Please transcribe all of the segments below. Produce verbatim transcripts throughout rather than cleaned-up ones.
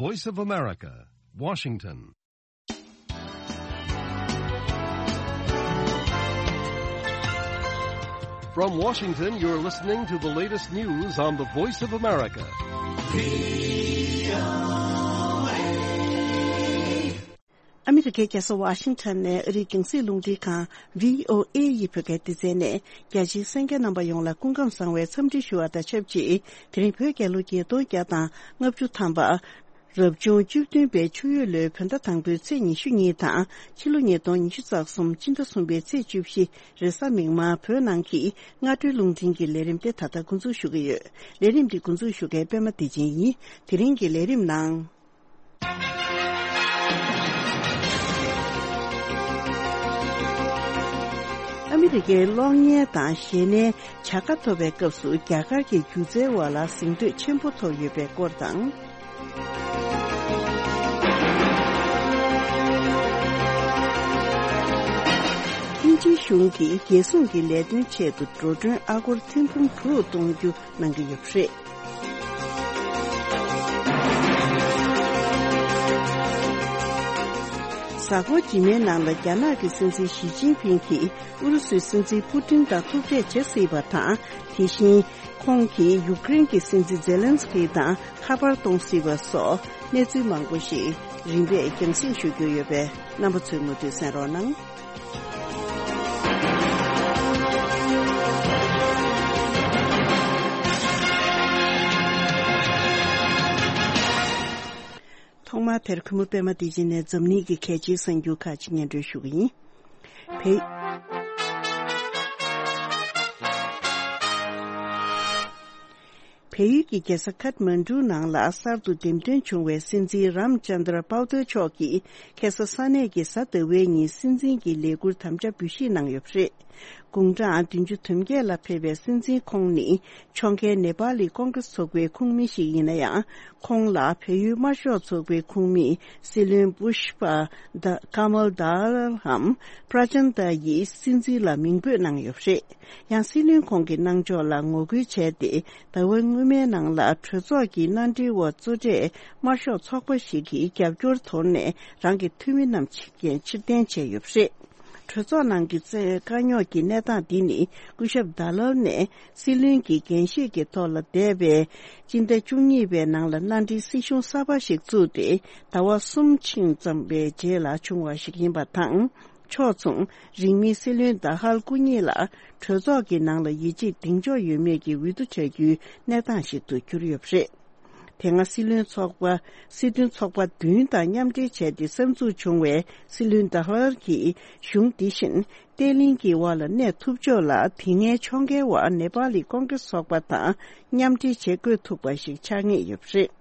Voice of America, Washington. From Washington, you're listening to the latest news on the Voice of America. ཨ་མི་རི་ཀའི་རྒྱལ་ས་ཝ་ཤིང་ཊོན་ནས་ཨ་རིའི་རྒྱང་སྲིང་རླུང་འཕྲིན་ཁང་བྷི་ཨོ་ཨེ་ཡི་བོད་སྐད་སྡེ་ཚན་ནས་རྒྱ་ཆེའི་གསན་མཁན་རྣམ་པ་ཡོངས་ལ་སྐུ་ཁམས་བཟང་བའི་འཚམས་འདྲི་ཞུ་བ་དང་ཆབས་ཅིག་དེ་རིང་བོད་རྒྱལ་ལོ་ཉིས་སྟོང་བརྒྱ་དང་ལྔ་བཅུ་ཐམ་པ། རབ་བྱུང་བཅུ་བདུན་པའི་ཆུ་ཡོས་ལོའི་བོད་ཟླ་དང་པོའི་ཚེས་ཉི་ཤུ་གཉིས་དང་ཕྱི་ལོ་ཉིས་སྟོང་ཉི་ཤུ་རྩ་གསུམ་སྤྱི་ཟླ་གསུམ་པའི་ཚེས་བཅུ་བཞི་རེས་གཟའ་མིག་དམར་བོད་ནང་གི་སྔ་དྲོའི་རླུང་འཕྲིན་གྱི་ལས་རིམ་དེ་ད་ལྟ་འགོ་འཛུགས་ཞུ་གི་ཡོད། ལས་རིམ་འདི་འགོ་འཛུགས་ཞུ་མཁན་པད་མ་བདེ་ཆེན་ཡིན། དེ་རིང་གི་ལས་རིམ་ནང་། ཨ་མི་རི་ཀའི་གློག་བརྙན་དང་གཞས་སྣའི་བྱ་དགའ་ཐོབ་པའི་སྐབས་སུ་རྒྱ་གར་གྱི་སྒྱུ་རྩལ་བ་ལ་གཟེངས་བསྟོད་ཆེན་པོ་ཐོབ་ཡོད་པའི་སྐོར་དང་། དབྱིན་ཇིའི་གཞུང་གིས་རྒྱལ་སྲུང་གི་ལས་དོན་ཆེད་དུ་འགྲོ་གྲོན་ཨ་སྒོར་ཐེར་འབུམ་དྲུག་གཏོང་རྒྱུ་གནང་གི་ཡོད་པ་རེད། གཟའ་འཁོར་རྗེས་མའི་ནང་ལ་རྒྱ་ནག་གི་སྲིད་འཛིན་ཞི་ཅིན་ཕིང་གིས་ཨུ་རུ་སུའི་སྲིད་འཛིན་པུ་ཏིན་དང་ཐུག་འཕྲད་བྱེད་སྲིད་པ་དང་། དེ་བཞིན་ཁོང་གིས་ཡུཀ་རེན་གྱི་སྲིད་འཛིན་ཛེ་ལན་སི་ཀི་དང་ཁ་པར་གཏོང་སྲིད་པ་སོགས་གནས་ཚུལ་མང་པོ་ཞིག་རིམ་པས་རྒྱང་སྲིང་ཞུ་རྒྱུ་ཡོད་པས་རྣམ་པ་ཚོས་མུ་མཐུད་གསན་རོགས་གནང་། ཐོག་མར་དེར་གུས་མོ་པད་མ་བདེ་ཆེན་ནས་འཛམ་གླིང་གི་གལ་ཆེའི་གསར་འགྱུར་ཁག་ཅིག་སྙན་སྒྲོན་ཞུ་གི་ཡིན། བལ། བལ་ཡུལ་གྱི་རྒྱལ་ས་ཁཐ་མན་གྲུ་ནང་ལ་གསར་དུ་འདེམས་ཐོན་བྱུང་བའི་སྲིད་འཛིན་རམ་ཅན་དྲ་པའུ་ཏེ་མཆོག་གིས་ཁ་སང་ས་གནས་ཀྱི་གཟའ་ཟླ་བའི་ཉིན་སྲིད་འཛིན་གྱི་ལས་འཁུར་དམ་བཅའ་འབུལ་བཞེས་གནང་ཡོད་པ་རེད། དགུང་གྲངས་བདུན་ཅུ་དོན་བརྒྱད་ལ་ཕེབས་པའི་སྲིད་འཛིན་ཁོང་ནི་ཕྱོགས་འགལ་ནེ་པ་ལི་ཀོང་ཀྲེས་ཚོགས་པའི་ཁོངས་མི་ཞིག་ཡིན་ན་ཡང་། ཁོང་ལ་བལ་ཡུལ་དམར་ཤོག་ཚོགས་པའི་ཁོངས་མི་སྲིད་བློན་པུཤ་པ་ད་ཀ་མལ་དཱ་ལའམ་པྲ་ཅན་དཱ་ཡིས་སྲིད་འཛིན་ལ་མིང་འབོད་གནང་ཡོད་པ་རེད། ཡང་སྲིད་བློན་ཁོང་གི་གནང་ཕྱོགས་ལ་ངོ་རྒོལ་བྱས་ཏེ། ཟླ་བ་སྔོན་མའི་ནང་ལ་གྲོས་ཚོགས་ཀྱི་མནའ་འབྲེལ་འོག་གཙོ་གྲས་དམར་ཤོག་ཚོགས་པ་ཞིག་གི་རྒྱབ་སྐྱོར་དོར་ནས་རང་གི་འཐུས་མི་རྣམས་ཕྱིར་འཐེན་བྱས་ཡོད་པ་རེད། གྲོས་ཚོགས་ནང་གི་བཙོན་དཀའ་རྙོག་གི་གནས་སྟངས་འདི་ནི་སྐུ་ཞབས་དཱ་ལལ་ནས་སྲིད་བློན་གྱི་འགན་བཞེས་ཀྱི་ཐོག་ལ་འདས་པའི་སྤྱི་ཟླ་བཅུ་གཉིས་པའི་ནང་ལ་མནའ་འབྲེལ་སྲིད་གཞུང་གསར་པ་ཞིག་བཙུགས་ཏེ་ཟླ་བ་གསུམ་ཕྱིན་ཙམ་པའི་རྗེས་ལ་བྱུང་བ་ཞིག་ཡིན་པ་དང་། ཕྱོགས་མཚུངས་རིང་མིན་སྲིད་བློན་དཱ་ཧལ་སྐུ་ཉིད་ལ་གྲོས་ཚོགས་ཀྱི་ནང་ལ་ཡིད་ཆེས་གདེང་འཇོག་ཡོད་མེད་ཀྱི་འོས་བསྡུ་བྱ་རྒྱུའི་གནས་སྟངས་ཤིག་ཏུ་གྱུར་ཡོད་པ་རེད། དེ་སྔ་སྲིད་བློན་ཚོགས་པ། སྲིད་དོན་ཚོགས་པ་བདུན་དང་མཉམ་འབྲེལ་བྱས་ཏེ་གསར་འཛུགས་བྱུང་བའི་སྲིད་བློན་དཱ་ཧལ་གྱིས་གཞུང་འདི་བཞིན་བརྟན་ལྷིང་གི་འོག་ལ་གནས་ཐུབ་ཕྱོགས་ལ་དེ་སྔའི་ཕྱོགས་འགལ་བ་ནེ་པ་ལི་ཀོང་ཀྲེས་ཚོགས་པ་དང་མཉམ་འབྲེལ་བྱེད་དགོས་ཐུག་པ་ཞིག་ཆགས་ངེས་ཡོད་པ་རེད།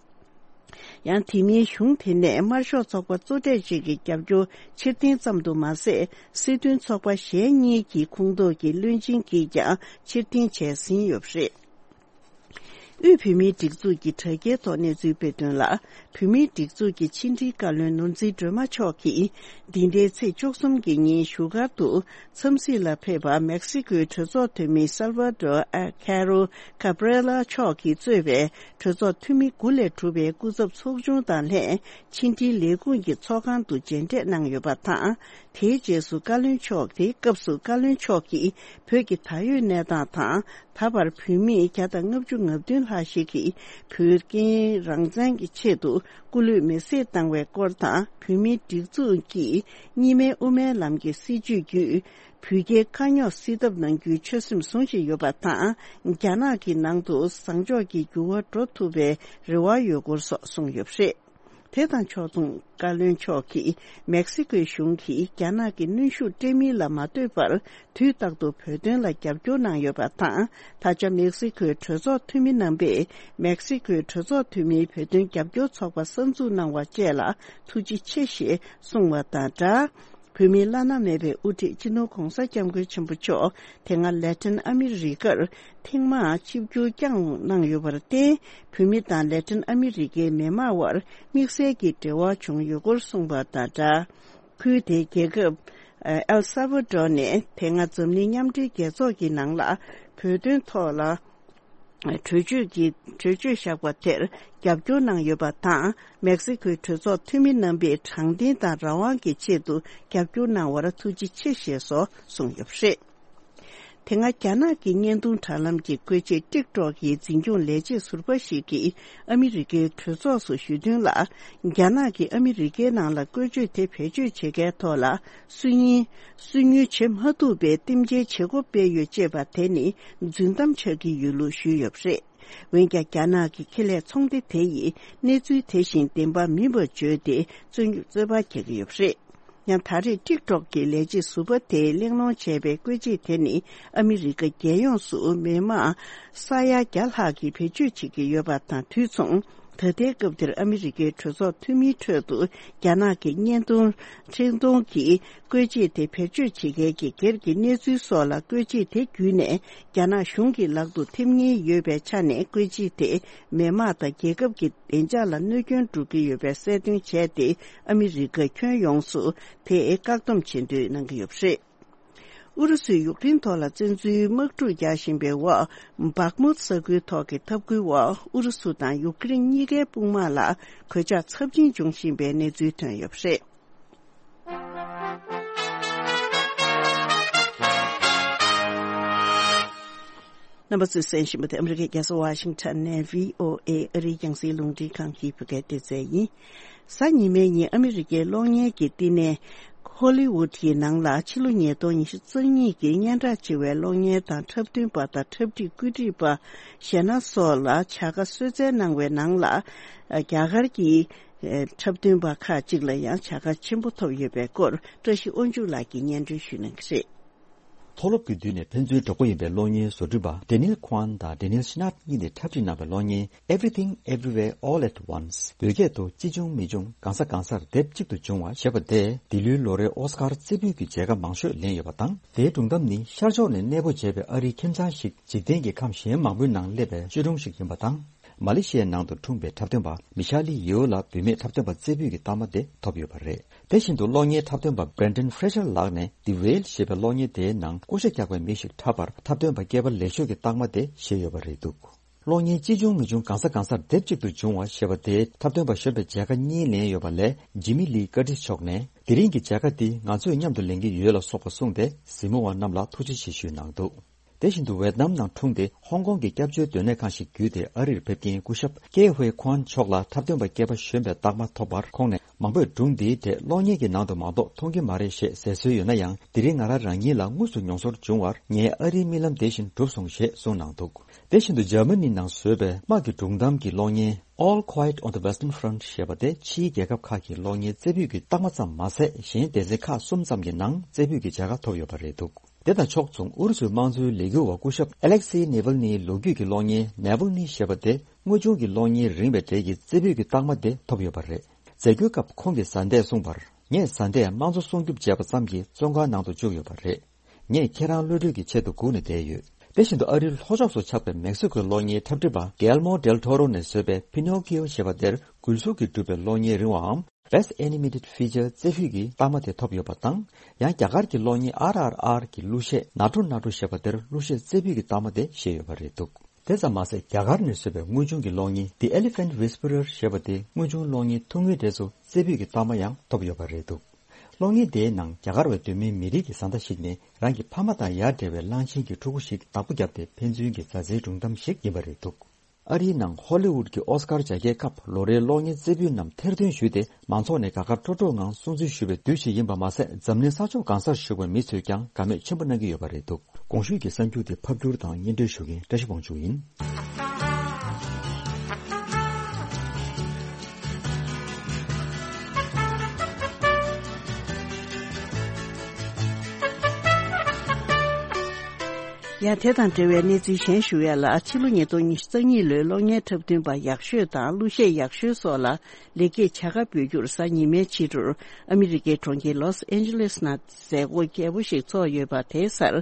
ཡང་དེ་མིན་གཞུང་དེ་ནས་དམར་ཤོག་ཚོགས་པ་གཙོ་གྲས་ཅིག་གི་རྒྱབ་སྐྱོར་ཕྱིར་འཐེན་ཙམ་དུ་མ་ཟད། སྲིད་དོན་ཚོགས་པ་གཞན་གཉིས་ཀྱི་ཁོངས་གཏོགས་ཀྱི་བློན་ཆེན་གྱིས་ཀྱང་ཕྱིར་འཐེན་བྱས་ཟིན་ཡོད་པ་རེད། དབུས་བོད་མིའི་སྒྲིག་འཛུགས་ཀྱི་དྲ་རྒྱའི་ཐོག་གནས་ཚུལ་སྤེལ་དོན་ལ། བོད་མིའི་སྒྲིག་འཛུགས་ཀྱི་ཕྱི་དྲིལ་བཀའ་བློན་ནོར་འཛིན་སྒྲོལ་མ་མཆོག་གིས། འདི་ཟླའི་ཚེས་བཅུ་གསུམ་གྱི་ཉིན་བཞུགས་སྒར་དུ་འཚམས་གཟིགས་ལ་ཕེབས་པ་མེག་སི་ཀོའི་གྲོས་ཚོགས་འཐུས་མི་སལ་ཝ་ཌོར་ཨ་ཁེ་རོ་ཀ་བྷི་རེ་ལ་མཆོག་གིས་གཙོས་པའི་གྲོས་ཚོགས་འཐུས་མི་དགུ་ལས་གྲུབ་པའི་སྐུ་ཚབ་ཚོགས་ཆུང་དང་ལྷན་ཕྱི་དྲིལ་ལས་ཁུངས་ཀྱི་ཚོགས་ཁང་དུ་མཇལ་འཕྲད་གནང་ཡོད་པ་དང་། དེའི་རྗེས་སུ་བཀའ་བློན་མཆོག་དེའི་སྐབས་སུ་བཀའ་བློན་མཆོག་གིས་བོད་ཀྱི་ད་ཡོད་གནས་སྟངས་དང་། ད་བར་བོད་མི་བརྒྱ་དང་ལྔ་བཅུ་ང་བདུན་ལྷག་ཞིག་གིས་བོད་ཀྱི་རང་བཙན་གྱི་ཆེད་དུ་སྐུ་ལུས་མེར་སྲེག་བཏང་བའི་སྐོར་དང་། བོད་མིའི་སྒྲིག་འཛུགས་ཀྱིས་གཉིས་སྨན་དབུ་མའི་ལམ་གྱི་སྲིད་བྱུས་བརྒྱུད་བོད་རྒྱའི་དཀའ་རྙོག་སེལ་ཐབས་གནང་རྒྱུའི་ཆོད་སེམས་བཟུང་བཞིན་ཡོད་པ་དང་། རྒྱ་ནག་གི་ནང་དུ་བཟང་ཕྱོགས་ཀྱི་འགྱུར་བ་འགྲོ་ཐུབ་པའི་རེ་བ་ཡོད་སྐོར་སོགས་གསུངས་ཡོད་པ་རེད། དེ་དང་ཕྱོགས་མཚུངས། བཀའ་བློན་མཆོག་གིས་མེག་སི་ཀོའི་གཞུང་གིས་རྒྱ་ནག་གི་གནོན་ཤུགས་སྤྲད་མིན་ལ་མ་ལྟོས་པར། དུས་རྟག་ཏུ་བོད་དོན་ལ་རྒྱབ་སྐྱོར་གནང་ཡོད་པ་དང་། ད་ཆ་མེག་སི་ཀོའི་གྲོས་ཚོགས་འཐུས་མི་རྣམ་པས། མེག་སི་ཀོའི་གྲོས་ཚོགས་འཐུས་མིའི་བོད་དོན་རྒྱབ་སྐྱོར་ཚོགས་པ་གསར་འཛུགས་གནང་བ་བཅས་ལ་ཐུགས་རྗེ་ཆེ་ཞེས་གསུངས་བ་དང་སྦྲགས། བོད་མིའི་བླ་ན་མེད་པའི་དབུ་ཁྲིད་སྤྱི་ནོར་༧གོང་ས་༧སྐྱབས་མགོན་ཆེན་པོ་མཆོག་དེ་སྔ་ལེ་ཏིན་ཨ་མི་རི་ཀར་ཐེངས་མང་ཆིབས་བསྒྱུར་བསྐྱངས་གནང་ཡོད་པར་བརྟེན། བོད་མི་དང་ལེ་ཏིན་ཨ་མི་རི་ཀའི་མི་དམངས་དབར་དམིགས་བསལ་གྱི་འབྲེལ་བ་བྱུང་ཡོད་སྐོར་གསུངས་པ་དང་སྦྲགས། ཁུལ་དེའི་རྒྱལ་ཁབ་ཨེལ་སཱ་བྷ་ཌོར་ནས་དེ་སྔ་འཛམ་གླིང་མཉམ་འབྲེལ་རྒྱལ་ཚོགས་ཀྱི་ནང་ལ་བོད་དོན་ཐོག་ལ། གྲོས་ཆོད་ཀྱི་གྲོས་ཆོད་བཞག་པ་དེར་རྒྱབ་སྐྱོར་གནང་ཡོད་པ་དང་། མེག་སི་ཁོའི་གྲོས་ཚོགས་འཐུས་མི་རྣམ་པས་དྲང་བདེན་དང་རང་དབང་གི་ཆེད་དུ་རྒྱབ་སྐྱོར་གནང་བར་ཐུགས་རྗེ་ཆེ་ཞེས་སོགས་གསུངས་ཡོད་པ་རེད། དེ་སྔ་རྒྱ་ནག་གི་བརྙན་ཐུང་དྲ་ལམ་གྱི་བཀོལ་ཆས་ཊིག་ཊོག་གི་འཛིན་སྐྱོང་ལས་བྱེད་ཟུར་པ་ཞིག་གིས་ཨ་མི་རི་ཀའི་གྲོས་ཚོགས་སུ་ཞུས་དོན་ལ། རྒྱ་ནག་གིས་ཨ་མི་རི་ཀའི་ནང་ལ་བཀོལ་སྤྱོད་དེ་བེད་སྤྱོད་བྱེད་མཁན་ཐོག་ལ་སུན་ཉིན་སུན་ཉུལ་བྱེད་མ་ཐུབ་པའི་རྟེན་འབྲེལ་བྱེད་སྒོ་སྤེལ་ཡོད་ཅེས་པ་དེ་ནི་རྫུན་གཏམ་ཆགས་ཀྱི་ཡོད་ལུགས་ཞུས་ཡོད་པ་རེད། འོན་ཀྱང་རྒྱ་ནག་གི་ཁེ་ལས་ཚོང་སྡེ་དེ་ཡིས་གནས་ཚུལ་དེ་བཞིན་བདེན་པ་མིན་པར་བརྗོད་དེ་རྩོད་རྩོད་པ་རྒྱག་གི་ཡོད་པ་རེད། ཡང་ད་རེས་ཊིག་ཊོག་གི་ལས་བྱེད་ཟུར་པ་དེས་གླེང་སློང་བྱས་པའི་བཀོལ་ཆས་དེ་ནི་ཨ་མི་རི་ཀ་རྒྱལ་ཡོངས་སུ་མི་དམངས་ས་ཡ་བརྒྱ་ལྷག་གིས་བེད་སྤྱོད་བྱེད་ཀྱི་ཡོད་པ་དང་དུས་མཚུངས། ད་ལྟའི་སྐབས་འདིར་ཨ་མི་རི་ཀའི་གྲོས་ཚོགས་འཐུས་མིའི་ཁྲོད་དུ་རྒྱ་ནག་གི་བརྙན་ཐུང་འཕྲིན་གཏོང་གི་བཀོལ་ཆས་དེ་བེད་སྤྱོད་བྱེད་མཁན་གྱི་སྒེར་གྱི་གནས་ཚུལ་སོགས་ལ་བཀོལ་ཆས་དེ་བརྒྱུད་ནས་རྒྱ་ནག་གཞུང་གི་ལག་ཏུ་ཐེབས་ཉེན་ཡོད་པའི་ཆ་ནས་བཀོལ་ཆས་དེ་མི་དམངས་དང་རྒྱལ་ཁབ་ཀྱི་བདེ་འཇགས་ལ་གནོད་སྐྱོན་འགྲོ་གི་ཡོད་པའི་གསལ་སྟོན་བྱས་ཏེ། ཨ་མི་རི་ཀ་ཁྱོན་ཡོངས་སུ་དེ་བཀག་སྡོམ་བྱེད་འདོད་གནང་གི་ཡོད་པ་རེད། ཨུ་རུ་སུས་ཡུཀ་རེན་ཐོག་ལ་བཙན་འཛུལ་དམག་འཁྲུག་རྒྱག་བཞིན་པའི་འོག་བག་མུད་ས་ཁུལ་ཐོག་གི་འཐབ་རྒོལ་འོག་ཨུ་རུ་སུ་དང་ཡུཀ་རེན་གཉིས་ཀའི་དཔུང་དམག་ལ་གོད་ཆག་ཚབས་ཆེན་འབྱུང་བཞིན་པའི་གནས་ཚུལ་ཐོན་ཡོད་པ་རེད། རྣམ་པ་ཚོས་གསན་བཞིན་པ་དེ་ཨ་མི་རི་ཀའི་རྒྱལ་ས་ཝ་ཤིང་ཊོན་ནས་བྷི་ཨོ་ཨེ་ཨ་རིའི་རྒྱང་སྲིང་རླུང་འཕྲིན་ཁང་གི་བོད་སྐད་སྡེ་ཚན་ཡིན། གཟའ་ཉི་མའི་ཉིན་ཨ་མི་རི་ཀའི་གློག་བརྙན་གྱི་བསྟི་གནས་ཧོ་ལི་ཝུད་ཀྱི་ནང་ལ་ཕྱི་ལོ་ཉིས་སྟོང་ཉི་ཤུ་རྩ་གཉིས་ཀྱི་སྙན་གྲགས་ཆེ་བའི་གློག་བརྙན་དང་འཁྲབ་སྟོན་པ་དང་འཁྲབ་ཁྲིད་བཀོད་སྒྲིག་པ་གཞན་སྣ་སོགས་ལ་བྱ་དགའ་གསོལ་སྩལ་གནང་བའི་ནང་ལ། རྒྱ་གར་གྱི་འཁྲབ་སྟོན་པ་ཁག་ཅིག་ལ་ཡང་བྱ་དགའ་ཆེན་པོ་ཐོབ་ཡོད་པའི་སྐོར་བཀྲ་ཤིས་དབང་ཕྱུག་ལགས་ཀྱིས་སྙན་སྒྲོན་ཞུ་གནང་གི་རེད། མཐོ་སློབ་ཀྱི་དུས་ནས་ཕན་ཚུན་གྲོགས་པོ་ཡིན་པའི་གློག་བརྙན་བཟོ་སྐྲུན་པ་Daniel Kwan དང་Daniel Schnatt གཉིས་ནས་འཁྲབ་ཁྲིད་གནང་བའི་གློག་བརྙན་Everything Everywhere All at Once བོད་སྐད་དུ་ཅི་བྱུང་མི་འབྱུང་གང་ས་གང་སར་སྡེབ་གཅིག་ཏུ་བྱུང་བ་ཞེས་པ་དེས་འདི་ལོའི་ལོ་རེའི་ཨོ་སི་ཀར་རྩེ་ཕུད་ཀྱི་མཇལ་ཁ་མང་ཤོས་ལེན་ཡོད་པ་དང་། དེའི་སྒྲུང་གཏམ་ནི་ཤར་ཕྱོགས་ནས་གནས་སྤོ་བྱས་པའི་ཨ་རིའི་ཁྱིམ་ཚང་ཞིག་འཇིག་རྟེན་གྱི་ཁམས་གཞན་མང་པོའི་ནང་སླེབས་པའི་བཅོས་སྒྲུང་ཞིག་ཡིན་པ་དང་། མ་ལེ་ཤི་ཡའི་ནང་དུ་འཁྲུངས་པའི་འཁྲབ་སྟོན་པ་མི་ཤ་ལི་ཡེའོ་ལ་བུད་མེད་འཁྲབ་སྟོན་པ་རྩེ་ཕུད་ཀྱི་རྟགས་མ་དེ་ཐོབ་ཡོད་པ་རེད། དེ་བཞིན་དུ་གློག་བརྙན་འཁྲབ་སྟོན་པ་Brendan Fraser ལགས་ནས་The Whale ཞེས་པའི་གློག་བརྙན་དེའི་ནང་ཀུ་ཤ་རྒྱག་པའི་མི་ཞིག་འཁྲབ་པར་འཁྲབ་སྟོན་པ་སྐྱེས་པ་ལེགས་ཤོས་ཀྱི་རྟགས་མ་དེ་བཞེས་ཡོད་པ་རེད་འདུག་གློག་བརྙན་ཅི་བྱུང་མི་འབྱུང་གང་ས་གང་སར་སྡེབ་གཅིག་ཏུ་བྱུང་བ་ཞེས་པ་དེའི་འཁྲབ་སྟོན་པ་གཞོན་པའི་མཇལ་ཁ་གཉིས་ལེན་ཡོད་པ་ལས་Jamie Lee Curtis མཆོག་ནས་དེ་རིང་གི་མཇལ་ཁ་འདི་ང་ཚོས་མཉམ་དུ་ལེན་གྱི་ཡོད་ལ་སོགས་པ་གསུངས་ཏེ་གཟིགས་མོ་བ་རྣམས་ལ་ཐུགས་རྗེ་ཆེ་ཞུས་གནང་འདུག་དེ་བཞིན་དུ་ཝེད་ནམ་ནང་འཁྲུངས་ཏེ་ཧོང་ཀོང་གི་སྐྱབས་བཅོལ་སྡོད་གནས་ཁང་ཞིག་བརྒྱུད་དེ་ཨ་རིར་ཕེབས་མཁན་སྐུ་ཞབས་ཀེ་ཧུའེ་ཁོན་མཆོག་ལ་འཁྲབ་སྟོན་པ་སྐྱེས་པ་གཞོན་པའི་རྟགས་མ་ཐོབ་པར་ཁོང་ནས་མང་པོས་སྒྲུང་འདིའི་གྲས་གློག་བརྙན་གྱི་ནང་དུ་མ་གཏོགས་མཐོང་གི་མ་རེད་ཞེས་ཟེར་སྲོལ་ཡོད་ན་ཡང་དེ་རིང་ང་རང་རང་ཉིད་ལ་དངོས་སུ་མྱོང་ཚོར་བྱུང་བར་ངའི་ཨ་རིའི་རྨི་ལམ་དེ་བཞིན་འགྲུབ་སོང་ཞེས་གསུངས་གནང་འདུག་དེ་བཞིན་དུ་འཇར་མ་ནི་ནང་བཟོས་པའི་དམག་གི་སྒྲུང་གཏམ་གྱི་གློག་བརྙན་All Quiet on the Western Front ཞེས་པ་དེ་ཕྱིའི་རྒྱལ་ཁབ་ཁག་གི་གློག་བརྙན་རྩེ་ཕུད་ཀྱི་རྟགས་མ་ཙམ་མ་ཟད་གཞན་སྡེ་ཚན་ཁག་གསུམ་ཙམ་གྱི་ནང་རྩེ་ཕུད་ཀྱི་མཇལ་ཁ་ཐོབ་ཡོད་པ་རེད་འདུག་དེ་དང་ཕྱོགས་མཚུངས་ཨུ་རུ་སུའི་དམངས་གཙོའི་ལས་འགུལ་བ་སྐུ་ཞབས་Alexei Navalny ལོ་རྒྱུས་ཀྱི་གློག་བརྙན་Navalny ཞེས་པ་དེ་དངོས་བྱུང་གི་གློག་བརྙན་རིང་བའི་གྲས་ཀྱི་རྩེ་ཕུད་ཀྱི་རྟགས་མ་དེ་ཐོབ་ཡོད་པ་རེད། མཛད་སྒོའི་སྐབས་ཁོང་གིས་བཟའ་ཟླས་གསུངས་པར། ངས་བཟའ་ཟླས་དམངས་གཙོ་སྲུང་སྐྱོབ་བྱས་པ་ཙམ་གྱིས་བཙོན་ཁང་ནང་དུ་བཅུག་ཡོད་པ་རེད། ངས་ཁྱེད་རང་གློད་གྲོལ་གྱི་ཆེད་དུ་སྒུག་ནས་བསྡད་ཡོད། དེ་བཞིན་དུ་ཨ་རིའི་ལྷོ་ཕྱོགས་སུ་ཆགས་པའི་མེག་སི་ཁོའི་གློག་བརྙན་འཁྲབ་ཁྲིད་པ་Guillermo del Toro ནས་བཟོས་པའི་Pinocchio ཞེས་པ་དེར་འགུལ་གཟུགས་ཀྱིས་གྲུབ་པའི་གློག་བརྙན་རིང་བའམ་Best Animated Feature རྩེ་ཕུད་ཀྱི་རྟགས་མ་དེ་ཐོབ་ཡོད་པ་དང་། ཡང་རྒྱ་གར་གྱི་གློག་བརྙན་ཨར་ཨར་ཨར་གྱི་གླུ་གཞས་ནག་ཁྲོ་ནག་ཁྲོ་ཞེས་པ་དེར་གླུ་གཞས་རྩེ་ཕུད་ཀྱི་རྟགས་མ་དེ་བཞེས་ཡོད་པ་རེད་འདུག་དེ་ཙམ་མ་ཟད་རྒྱ་གར་ནས་བཟོས་པའི་དངོས་བྱུང་གི་གློག་བརྙན་The Elephant Whisperer ཞེས་པ་དེ་དངོས་བྱུང་གློག་བརྙན་ཐུང་ངུའི་གྲས་སུ་རྩེ་ཕུད་ཀྱི་རྟགས་མ་ཡང་ཐོབ་ཡོད་པ་རེད་འདུག་གློག་བརྙན་དེའི་ནང་རྒྱ་གར་བའི་གདོད་མའི་མི་རིགས་ཀྱི་བཟའ་ཟླ་ཞིག་ནས་རང་གི་ཕ་མ་དང་ཡར་འབྲེལ་བའི་གླང་ཆེན་གྱི་ཕྲུ་གུ་ཞིག་བདག་པོ་བརྒྱབ་སྟེ་ཕན་ཚུན་གྱི་མཛའ་བརྩེའི་སྒྲུང་གཏམ་ཞིག་ཡིན་པ་རེད་འདུག་ཨ་རིའི་ནང་ཧོ་ལི་ཝུད་ཀྱི་ཨོ་སི་ཀར་རྒྱ་སྐྱེད་སྐབས་ལོ་རེའི་གློག་བརྙན་རྩེ་ཕུད་རྣམས་ཐེར་འདོན་ཞུས་ཏེ་མང་ཚོགས་ནས་དགའ་དགའ་སྤྲོ་སྤྲོ་ངང་སྲུང་བརྩི་ཞུ་བའི་དུས་ཤིག་ཡིན་པ་མ་ཟད་འཛམ་གླིང་ས་ཕྱོགས་གང་སར་བཞུགས་པའི་མི་ཚོས་ཀྱང་དགའ་མོས་ཆེན་པོ་གནང་གི་ཡོད་པ་རེད་འདུག་གོང་ཞུས་ཀྱི་གསར་འགྱུར་དེ་ཕབ་སྒྱུར་དང་སྙན་སྒྲོན་ཞུ་མཁན་བཀྲ་ཤིས་དབང་ཕྱུག་ཡིན། ཡང་དེ་དང་འབྲེལ་བའི་གནས་ཚུལ་གཞན་ཞུ་ཡ་ལ། ཕྱི་ལོ་ཉིས་སྟོང་ཉི་ཤུ་རྩ་གཉིས་ལོའི་གློག་བརྙན་འཁྲབ་སྟོན་པ་ཡག་ཤོས་དང་གླུ་གཞས་ཡག་ཤོས་སོགས་ལ་ལེགས་སྐྱེས་བྱ་དགའ་འབུལ་རྒྱུར་གཟའ་ཉི་མའི་ཕྱི་དྲོར་ཨ་མི་རི་ཀའི་གྲོང་ཁྱེར་ལོས་ཨན་ཇེ་ལེས་ནང་མཛད་སྒོ་རྒྱས་པོ་ཞིག་ཚོགས་ཡོད་པ་དེའི་སར།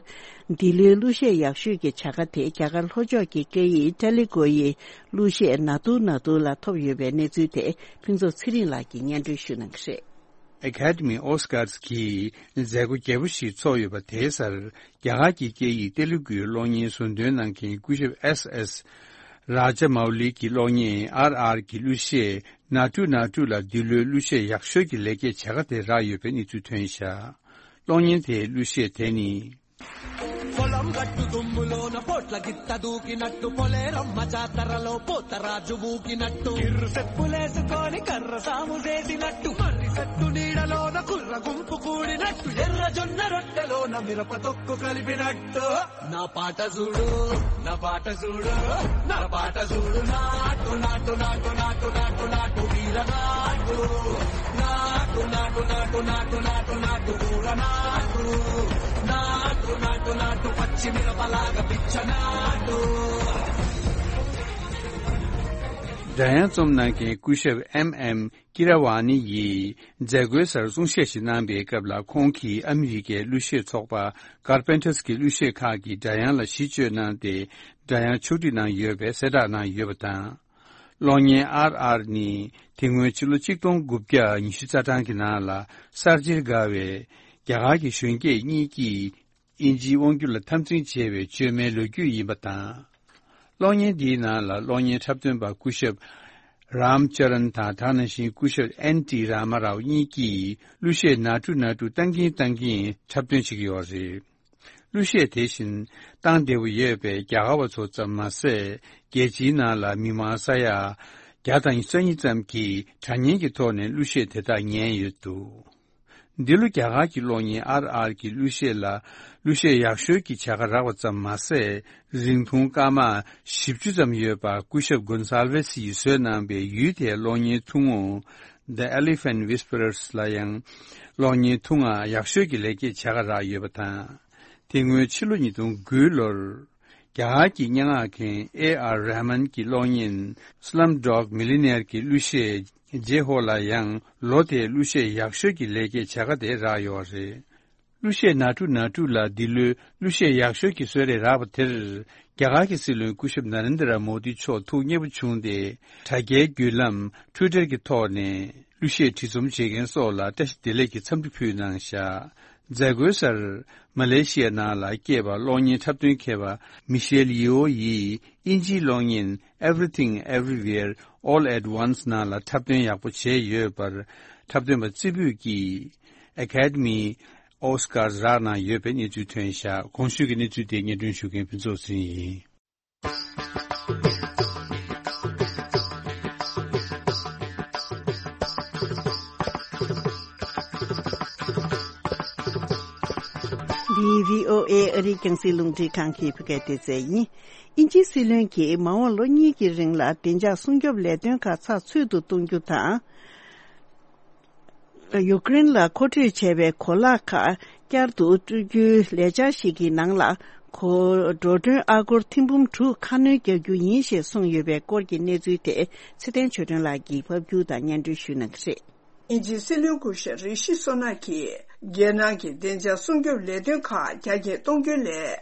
འདི་ལོའི་གླུ་གཞས་ཡག་ཤོས་ཀྱི་བྱ་དགའ་དེ་རྒྱ་གར་ལྷོ་ཕྱོགས་ཀྱི་སྐད་ཡིག་ཏེ་ལི་གུ་ཡི་གླུ་གཞས་ན་ཏུ་ན་ཏུ་ལ་ཐོབ་ཡོད་པའི་གནས་ཚུལ་དེ་ཕུན་ཚོགས་ཚེ་རིང་ལགས་ཀྱིས་སྙན་སྒྲོན་ཞུ་གནང་གི་རེད། Academy Oscars གྱི་མཛད་སྒོ་རྒྱས་པོ་ཞིག་ཚོགས་ཡོད་པ་དེའི་སར། རྒྱ་གར་གྱི་སྐད་ཡིག་ཏེ་ལུ་གུའི་གློག་བརྙན་ཟུར་འདོན་གནང་མཁན་སྐུ་ཞབས་S S Rajamouli གྱི་གློག་བརྙན་R R གྱི་གླུ་གཞས་Natu Natu ལ་འདི་ལོའི་གླུ་གཞས་ཡག་ཤོས་ཀྱི་ལེགས་སྐྱེས་བྱ་དགའ་དེ་རག་ཡོད་པའི་གནས་ཚུལ་ཐོན་བཞག་གློག་བརྙན་དེའི་གླུ་གཞས་དེ་ནི། పొలం గట్టు దుమ్ములోన పోట్ల గిత్త దూకినట్టు, పొలేరమ్మ జాతరలో పోతరాజు ఊగినట్టు, ఇర్రు సెప్పులేసుకొని కర్ర సాము చేసినట్టు, మర్రి చెట్టు నీడలోన కుర్ర గుంపు కూడినట్టు, ఎర్ర జొన్న రొట్టెలోన మిరప తొక్కు కలిపినట్టు. నా పాట చూడు, నా పాట చూడు, నా పాట చూడు, నాటు, నాటు, నాటు, నాటు, నాటు, నాటు, వీర నాటు. నాటు, నాటు, నాటు, నాటు, నాటు, నాటు, కూర నాటు. నాటు, నాటు, నాటు, పచ్చి మిరపలాగా పిచ్చ నాటు. སྒྲ་དབྱངས་རྩོམ་གནང་མཁན་སྐུ་ཞབས་M M Keeravani ཡིས་མཛད་སྒོའི་སར་གསུང་བཤད་ཞིག་གནང་པའི་སྐབས་ལ། ཁོང་གིས་ཨ་མི་རི་ཀའི་གླུ་གཞས་ཚོགས་པ་Carpenters གྱི་གླུ་གཞས་ཁག་གི་སྒྲ་དབྱངས་ལ་གཞི་བཅོལ་གནང་སྟེ། སྒྲ་དབྱངས་ཕྱོགས་སྒྲིག་གནང་ཡོད་པའི་གསལ་བསྒྲགས་གནང་ཡོད་པ་དང་། གློག་བརྙན་R R ནི་དེ་སྔོན་ཕྱི་ལོ་ཆིག་སྟོང་དགུ་བརྒྱ་ཉི་ཤུ་རྩ་གྲངས་ཀྱི་ནང་ལ་གསར་བརྗེར་དགའ་བའི་རྒྱ་གར་གྱི་གཞོན་སྐྱེས་གཉིས་ཀྱིས་དབྱིན་ཇིའི་དབང་སྒྱུར་ལ་འཐབ་འཛིང་བྱས་པའི་བཅོས་མའི་ལོ་རྒྱུས་ཡིན་པ་དང་། གློག་བརྙན་འདིའི་ནང་ལ་གློག་བརྙན་འཁྲབ་སྟོན་པ་སྐུ་ཞབས་Ram Charan དང་། དེ་ནང་བཞིན་སྐུ་ཞབས་N T Rama Rao གཉིས་ཀྱིས་གླུ་གཞས་ནཱ་ཊུ་ནཱ་ཊུ་བཏང་གིན་བཏང་གིན་འཁྲབ་སྟོན་བྱེད་ཀྱི་ཡོད་རེད། གླུ་གཞས་དེ་བཞིན་བཏང་བདེ་པོ་ཡོད་པས་རྒྱ་གར་བ་ཚོ་ཙམ་མ་ཟད། རྒྱལ་སྤྱིའི་ནང་ལ་མི་མང་ས་ཡ་བརྒྱ་དང་ཉི་ཤུ་རྩ་གཉིས་ཙམ་གྱིས་དྲ་བརྙན་གྱི་ཐོག་ནས་གླུ་གཞས་དེ་དག་ཉན་ཡོད་འདུག་འདི་ལོ་རྒྱ་གར་གྱི་གློག་བརྙན་ཨར་ཨར་གྱི་གླུ་གཞས་ལ། གླུ་གཞས་ཡག་ཤོས་ཀྱི་བྱ་དགའ་རག་པ་ཙམ་མ་ཟད། རིང་ཐུང་སྐར་མ་བཞི་བཅུ་ཙམ་ཡོད་པ་སྐུ་ཞབས་གོན་སཱལ་ཝེ་སི་ཡིས་བཟོས་གནང་པའི་ཡུལ་དེའི་གློག་བརྙན་ཐུང་ངུ་The Elephant Whisperers ལ་ཡང་གློག་བརྙན་ཐུང་ང་ཡག་ཤོས་ཀྱི་ལེགས་སྐྱེས་བྱ་དགའ་རག་ཡོད་པ་དང་། དེ་སྔོན་ཕྱི་ལོ་ཉིས་སྟོང་དགུ་ལོར། རྒྱ་གར་གྱི་སྙན་ངག་མཁན་ཨེ་ཨར་རེ་མན་གྱི་གློག་བརྙན་Slumdog Millionaire གྱི་གླུ་གཞས་ཇེ་ཧོ་ལ་ཡང་ལོ་དེའི་གླུ་གཞས་ཡག་ཤོས་ཀྱི་ལེགས་སྐྱེས་བྱ་དགའ་དེ་རག་ཡོད་རེད། གླུ་གཞས་ནཱ་ཊུ་ནཱ་ཊུ་ལ་འདི་ལོའི་གླུ་གཞས་ཡག་ཤོས་ཀྱི་གསོལ་རས་རག་པ་དེར། རྒྱ་གར་གྱི་སྲིད་བློན་སྐུ་ཞབས་ན་རེན་དྲ་མོ་དི་མཆོག་ཐུགས་མཉེས་པོ་བྱུང་སྟེ། དྲ་རྒྱའི་བརྒྱུད་ལམ་Twitter གྱི་ཐོག་ནས་གླུ་གཞས་བྲིས་རྩོམ་བྱེད་མཁན་སོགས་ལ་བཀྲ་ཤིས་བདེ་ལེགས་ཀྱི་འཚམས་འདྲི་ཕུལ་གནང་བཞག་མཛད་སྒོའི་སར། མ་ལེ་ཤི་ཡ་ནང་ལ་སྐྱེས་པ་གློག་བརྙན་འཁྲབ་སྟོན་མཁས་པ་མི་ཤེལ་ཡི་འོ་ཡིས་དབྱིན་ཇིའི་གློག་བརྙན་Everything Everywhere All at Once ནང་ལ་འཁྲབ་སྟོན་ཡག་པོ་བྱས་ཡོད་པར། འཁྲབ་སྟོན་པ་རྩེ་ཕུད་ཀྱིས་Academy Oscars རག་གནང་ཡོད་པའི་གནས་ཚུལ་ཐོན་བཞག་གོང་ཞུས་ཀྱི་གནས་ཚུལ་དེ་སྙན་སྒྲོན་ཞུ་མཁན་ཕུན་ཚོགས་ཟིན་ཡིན། འདི་བྷི་ཨོ་ཨེ་ཨ་རིའི་རྒྱང་སྲིང་རླུང་འཕྲིན་ཁང་གི་བོད་སྐད་སྡེ་ཚན་ཡིན། དབྱིན་ཇིའི་སྲིད་བློན་གྱིས་མ་འོངས་ལོ་གཉིས་ཀྱི་རིང་ལ་བདེ་འཇགས་སྲུང་སྐྱོབ་ལས་དོན་ཁག་ཚགས་ཚུད་དུ་གཏོང་རྒྱུ་དང་། ཡུཀ་རེན་ལ་མཁོ་སྤྲོད་བྱས་པའི་གོ་ལག་ཁག་བསྐྱར་དུ་སྤྲོད་རྒྱུའི་ལས་འཆར་ཞིག་གི་ནང་ལ། གོ་འགྲོ་གྲོན་ཨ་སྒོར་ཐེར་འབུམ་དྲུག་ཁ་སྣོན་རྒྱག་རྒྱུ་ཡིན་ཞེས་གསུངས་ཡོད་པའི་སྐོར་གྱི་གནས་ཚུལ་དེ་ཚེ་བརྟན་ཆོས་སྒྲོན་ལགས་ཀྱིས་ཕབ་སྒྱུར་དང་སྙན་སྒྲོན་ཞུ་གནང་གི་རེད། དབྱིན་ཇིའི་སྲིད་བློན་སྐུ་ཞབས་རི་ཤི་སོ་ནག་གིས། རྒྱལ་ནང་གི་བདེ་འཇགས་སྲུང་སྐྱོབ་ལས་དོན་ཁག་རྒྱ་སྐྱེད་གཏོང་རྒྱུའི་སླད།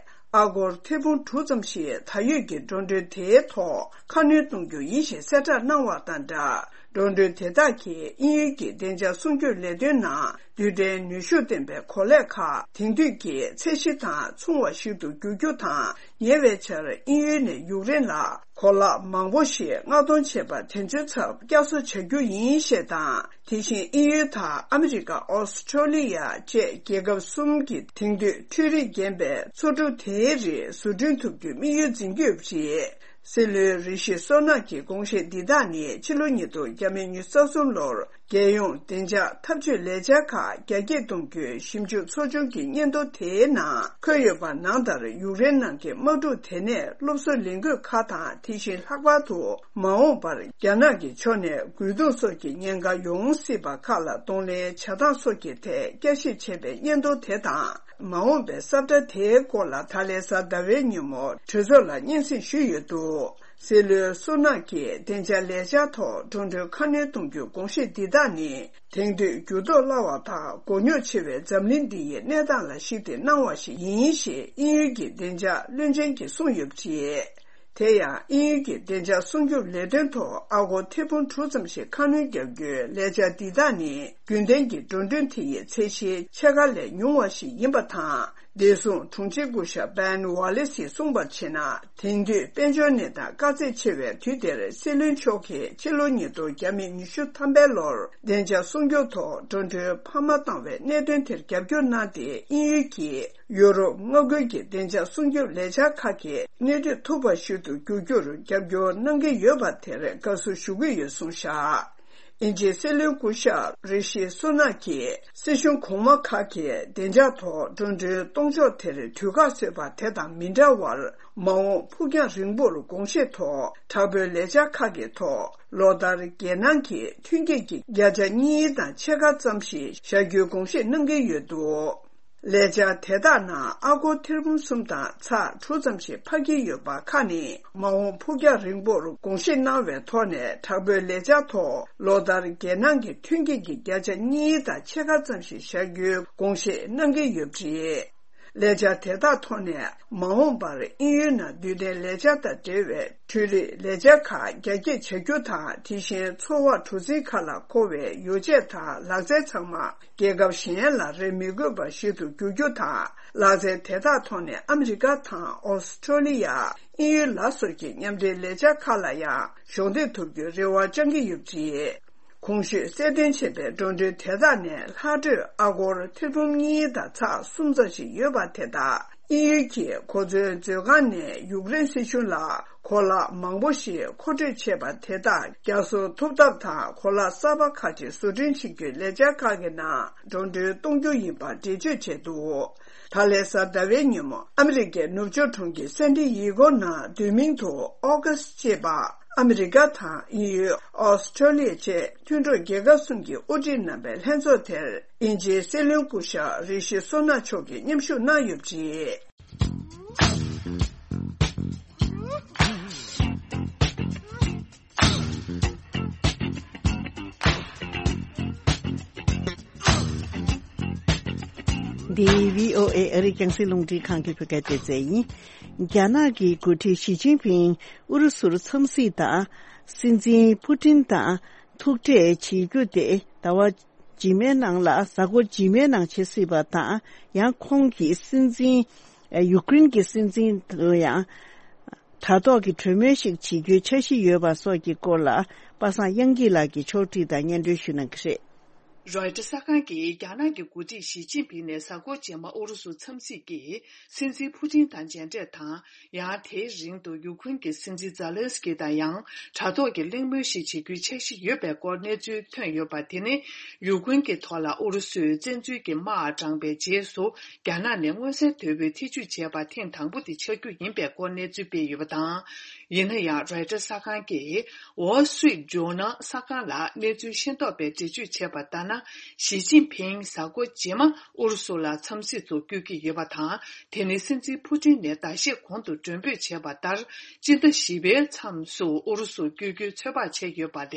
ཨ་སྒོར་ཐེར་འབུམ་དྲུག་ཙམ་ཞིག་ད་ཡོད་ཀྱི་འགྲོ་གྲོན་དེའི་ཐོག་ཁ་སྣོན་གཏོང་རྒྱུ་ཡིན་ཞེས་གསལ་བསྒྲགས་གནང་བ་དང་སྦྲགས། འགྲོ་གྲོན་དེ་དག་གིས་དབྱིན་ཡུལ་གྱི་བདེ་འཇགས་སྲུང་སྐྱོབ་ལས་དོན་ནང་རྡུལ་ཕྲན་ནུས་ཤུགས་ལྡན་པའི་གོ་ལས་ཁག་དེང་དུས་ཀྱི་ཚད་གཞི་དང་མཚུངས་པ་ཞིག་ཏུ་འགྱུར་རྒྱུ་དང་། ཉེ་བའི་ཆར་དབྱིན་ཡུལ་ནས་ཡུཀ་རེན་ལ་གོ་ལག་མང་པོ་ཞིག་མངགས་གཏོང་བྱས་པ་དེ་ཚོའི་ཚབ་བསྐྱར་གསོ་བྱ་རྒྱུ་ཡིན་ཞེས་དང་། དེ་བཞིན་དབྱིན་ཡུལ་དང་ཨ་མི་རི་ཀ། ཨོ་སི་ཁྲོ་ལི་ཡ་བཅས་རྒྱལ་ཁབ་གསུམ་གྱིས་དེང་དུས་འཕྲུལ་རིག་ལྡན་པའི་མཚོ་གྲུ་དེའི་རིགས་བཟོ་སྐྲུན་ཐུབ་རྒྱུའི་དམིགས་ཡུལ་འཛིན་གྱི་ཡོད་པ་རེད། སྲིད་བློན་རི་ཤི་སོ་ནག་གི་དགོངས་བཞེད་འདི་དག་ནི་ཕྱི་ལོ་ཉིས་སྟོང་ཉི་ཤུ་རྩ་གསུམ་ལོར་རྒྱལ་ཡོངས་བདེ་འཇགས་འཐབ་ཇུས་ལས་འཆར་ཁག་རྒྱ་སྐྱེད་གཏོང་རྒྱུའི་ཞིབ་འཇུག་ཚོགས་ཆུང་གི་སྙན་ཐོ་དེའི་ནང་འཁོད་ཡོད་པ་ནང་ལྟར། ཡུཀ་རེན་ནང་གི་དམག་འཁྲུག་དེ་ནས་སློབ་གསོ་ལེན་དགོས་ཁག་དང་། དེ་བཞིན་ལྷག་པར་དུ་མ་འོངས་པར་རྒྱ་ནག་གི་ཕྱོགས་ནས་རྒོལ་རྡུང་སོགས་ཀྱི་ཉེན་ཁ་ཡོང་སྲིད་པ་ཁག་ལ་གདོང་ལེན་བྱ་སྟངས་སོགས་ཀྱི་ཐད་བསྐྱར་ཞིབ་བྱས་པའི་སྙན་ཐོ་དེ་དང་། མ་འོངས་པའི་ས་བཀྲ་དེའི་སྐོར་ལ་ད་ལན་གཟའ་ཟླ་བའི་ཉིན་མོ་གྲོས་ཚོགས་ལ་སྙན་སེང་ཞུས་ཡོད་འདུག་སྲིད་བློན་སུ་ནག་གིས་བདེ་འཇགས་ལས་འཆར་ཐོག་འགྲོ་གྲོན་ཁ་སྣོན་གཏོང་རྒྱུའི་དགོངས་བཞེས་འདི་དག་ནི། དེང་དུས་འགྱུར་ལྡོག་སླ་བ་དང་མགོ་རྙོག་ཆེ་བའི་འཛམ་གླིང་འདི་ཡི་གནས་སྟངས་ལ་གཞིགས་ཏེ་གནང་བ་ཞིག་ཡིན་ཞེས་དབྱིན་ཡུལ་གྱི་བདེ་འཇགས་བློན་ཆེན་གྱིས་གསུངས་ཡོད་པ་རེད། དེ་ཡང་དབྱིན་ཡུལ་གྱི་བདེ་འཇགས་སྲུང་སྐྱོབ་ལས་དོན་ཐོག་ཨ་སྒོར་ཐེར་འབུམ་དྲུག་ཙམ་ཞིག་ཁ་སྣོན་བརྒྱབ་རྒྱུའི་ལས་འཆར་འདི་དག་ནི། རྒྱུན་ལྡན་གྱི་འགྲོ་གྲོན་དེ་ཡི་ཚད་གཞིའི་ཕྱེད་ཀ་ལས་ཉུང་བ་ཞིག་ཡིན་པ་དང་། བདེ་སྲུང་དྲུང་ཆེ་སྐུ་ཞབས་བན་ཝ་ལེ་སིས་གསུངས་པར་བྱས་ན། དེང་དུས་དཔལ་འབྱོར་གནས་སྟངས་དཀའ་ཚེགས་ཆེ་བའི་དུས་འདིར། སྲིད་བློན་མཆོག་གིས་ཕྱི་ལོ་ཉིས་སྟོང་ཉི་ཤུ་ཐམ་པའི་ལོར་བདེ་འཇགས་སྲུང་སྐྱོབ་ཐོག་འགྲོ་གྲོན་འཕར་མ་བཏང་བའི་གནད་དོན་དེར་རྒྱབ་སྐྱོར་གནང་སྟེ། དབྱིན་ཡུལ་གྱིས་ཡུ་རོབ་མངའ་ཁུལ་གྱི་བདེ་འཇགས་སྲུང་སྐྱོབ་ལས་འཆར་ཁག་གི་སྣེ་ཁྲིད་ཐུབ་པ་ཞིག་ཏུ་འགྱུར་རྒྱུར་རྒྱབ་སྐྱོར་གནང་གི་ཡོད་པ་དེར་དགའ་བསུ་ཞུ་གི་ཡོད་གསུངས་བཞག་དབྱིན་ཇིའི་སྲིད་བློན་སྐུ་ཞབས་རི་ཤི་སུ་ནག་གིས། སྲིད་གཞུང་གོང་མ་ཁག་གིས་བདེ་འཇགས་ཐོག་འགྲོ་གྲོན་གཏོང་ཕྱོགས་དེར་དུས་བཀག་བཟོས་པ་དེ་དང་མི་འདྲ་བར། མ་འོངས་ཕུགས་རྒྱང་རིང་པོར་དགོངས་བཞེས་ཐོག་དྲག་པོའི་ལས་འཆར་ཁག་གི་ཐོག་ལོ་ལྟར་རྒྱལ་ནང་གི་ཐོན་སྐྱེད་ཀྱི་བརྒྱ་ཆ་གཉིས་དང་ཕྱེད་ཀ་ཙམ་ཞིག་བཞག་རྒྱུའི་དགོངས་བཞེས་གནང་གི་ཡོད་འདུག་ལས་འཆར་དེ་དག་ནང་ཨ་སྒོར་ཐེར་འབུམ་གསུམ་དང་ཚེག་དྲུག་ཙམ་ཞིག་འཕར་གྱི་ཡོད་པ་ཁག་ནི། མ་འོངས་ཕུགས་རྒྱང་རིང་པོར་དགོངས་བཞེས་གནང་བའི་ཐོག་ནས། དྲག་པོའི་ལས་འཆར་ཐོག་ལོ་ལྟར་རྒྱལ་ནང་གི་ཐོན་སྐྱེད་ཀྱི་བརྒྱ་ཆ་གཉིས་དང་ཕྱེད་ཀ་ཙམ་ཞིག་བཞག་རྒྱུའི་དགོངས་བཞེས་གནང་གི་ཡོད་པ་རེད། ལས་འཆར་དེ་དག་ཐོག་ནས། མ་འོངས་པར་དབྱིན་ཡུལ་ནང་རྡུལ་ལྡན་ལས་འཆར་དང་འབྲེལ་བའི་འཕྲུལ་རིག་ལས་འཆར་ཁག་རྒྱ་སྐྱེད་བྱ་རྒྱུ་དང་། དེ་བཞིན་འཚོ་བ་གྲུ་གཟིངས་ཁ་ལ་མཁོ་བའི་ཡོ་བྱད་དང་ལག་རྩལ་ཚང་མ། རྒྱལ་ཁབ་གཞན་ལ་རེ་མི་དགོས་པ་ཞིག་ཏུ་འགྱུར་རྒྱུ་དང་། ལག་རྩལ་དེ་དག་ཐོག་ནས་ཨ་མི་རི་ཀ་དང་ཨོ་སི་ཁྲོ་ལི་ཡ། དབྱིན་ཡུལ་ལ་སོགས་ཀྱི་མཉམ་འབྲེལ་ལས་འཆར་ཁག་ལ་ཡང་གཞོགས་འདེགས་ཐུབ་རྒྱུའི་རེ་བ་བཅང་གི་ཡོད་པ་རེད། གོང་ཞུས་གསལ་སྟོན་བྱས་པའི་འགྲོ་གྲོན་དེ་དག་ནས་ལྷག་འཕྲོས་ཨ་སྒོར་ཐེར་འབུམ་གཉིས་དང་ཚེག་གསུམ་ཙམ་ཞིག་ཡོད་པ་དེ་དག་དབྱིན་ཡུལ་གྱིས་གོ་མཚོན་མཛོད་ཁང་ནས་ཡུཀ་རེན་སྲིད་གཞུང་ལ། གོ་ལག་མང་པོ་ཞིག་མཁོ་སྤྲོད་བྱས་པ་དེ་དག་བསྐྱར་གསོ་ཐུབ་ཐབས་དང་། གོ་ལག་གསར་པ་ཁག་ཅིག་བཟོ་སྐྲུན་བྱེད་རྒྱུའི་ལས་འཆར་ཁག་གི་ནང་འགྲོ་གྲོན་གཏོང་རྒྱུ་ཡིན་པ་འགྲེལ་བརྗོད་བྱས་འདུག་ད་ལན་གཟའ་ཟླ་བའི་ཉིན་མོ་ཨ་མི་རི་ཀའི་ནུབ་ཕྱོགས་གྲོང་ཁྱེར་སན་ཏི་ཡེ་གོ་ནང་དུས་མིན་དུ་ཨོ་ཀཱས་ཅེས་པ། ཨ་མི་རི་ཀ་དང་དབྱིན་ཡུལ། ཨོ་སི་ཁྲོ་ལི་ཡ་བཅས་མཐུན་གྲོགས་རྒྱལ་ཁབ་གསུམ་གྱིས་དབུ་ཁྲིད་གནང་པའི་ལྷན་ཚོགས་དེར། དབྱིན་ཇིའི་སྲིད་བློན་སྐུ་ཞབས་རི་ཤི་སུ་ནག་མཆོག་གིས་མཉམ་ཞུགས་གནང་ཡོད་པ་རེད། འདི་བྷི་ཨོ་ཨེ་ཨ་རིའི་རྒྱང་སྲིང་རླུང་འཕྲིན་ཁང་གི་བོད་སྐད་སྡེ་ཚན་ཡིན། རྒྱ་ནག་གི་འགོ་ཁྲིད་ཞི་ཅིན་ཕིང་ཨུ་རུ་སུར་འཚམས་གཟིགས་དང་། སྲིད་འཛིན་ཕུ་ཏིན་དང་ཐུག་འཕྲད་བྱེད་རྒྱུ་དེ་ཟླ་བ་རྗེས་མའི་ནང་ལ། གཟའ་འཁོར་རྗེས་མའི་ནང་བྱེད་སྲིད་པ་དང་། ཡང་ཁོང་གིས་སྲིད་འཛིན། ཡུཀ་རེན་གྱི་སྲིད་འཛིན་དུ་ཡང་དྲ་ཐོག་གི་གྲོས་མོལ་ཞིག་བྱེད་རྒྱུའི་འཆར་གཞི་ཡོད་པ་སོགས་ཀྱི་སྐོར་ལ། པ་སངས་དབྱངས་སྐྱིད་ལགས་ཀྱིས་ཕྱོགས་སྒྲིག་དང་སྙན་སྒྲོན་ཞུ་གནང་གི་རེད། རོའི་ཊར་གསར་ཁང་གིས་རྒྱ་ནག་གི་འགོ་ཁྲིད་ཞི་ཅིན་ཕིང་ནས་གཟའ་འཁོར་རྗེས་མ་ཨུ་རུ་སུ་འཚམས་གཟིགས་ཀྱིས། སྲིད་འཛིན་ཕུ་ཏིན་དང་མཇལ་འཕྲད་དང་། ཡང་དེའི་རིང་དུ་ཡུཀ་རེན་གྱི་སྲིད་འཛིན་ཛཱ་ལན་སི་ཀི་དང་ཡང་དྲ་ཐོག་གི་གླེང་མོལ་ཞིག་བྱེད་རྒྱུའི་འཆར་གཞི་ཡོད་པའི་སྐོར་གནས་ཚུལ་ཐོན་ཡོད་པ། དེ་ནི་ཡུཀ་རེན་གྱི་ཐོག་ལ་ཨུ་རུ་སུས་བཙན་འཛུལ་གྱི་དམག་དྲངས་པའི་རྗེས་སུ། རྒྱ་ནག་ནས་མངོན་གསལ་དོད་པོས་ཐེ་ཇུས་བྱས་པ་ཐེངས་དང་པོ་དེ་ཆགས་རྒྱུ་ཡིན་པའི་སྐོར་གནས་ཚུལ་སྤེལ་ཡོད་པ་དང་། ཡིན་ན་ཡང་། རོའི་ཊར་གསར་ཁང་གིས་Wall Street Journal གསར་ཁང་ལ་གནས་ཚུལ་ཤེས་རྟོགས་པས་འགྲེལ་བརྗོད་བྱས་པ་ལྟར་ན། ཞི་ཅིན་ཕིང་གཟའ་འཁོར་རྗེས་མ་ཨུ་རུ་སུ་ལ་འཚམས་གཟིགས་སུ་བསྐྱོད་ཀྱི་ཡོད་པ་དང་། དེ་ནི་སྲིད་འཛིན་ཕུ་ཏིན་ནས་ཟླ་ཤས་གོང་དུ་མགྲོན་འབོད་བྱས་པ་ལྟར། སྤྱི་ཟླ་བཞི་པའི་མཚམས་སུ་ཨུ་རུ་སུ་བསྐྱོད་རྒྱུའི་ཚོད་དཔག་བྱས་ཡོད་པ་ལས་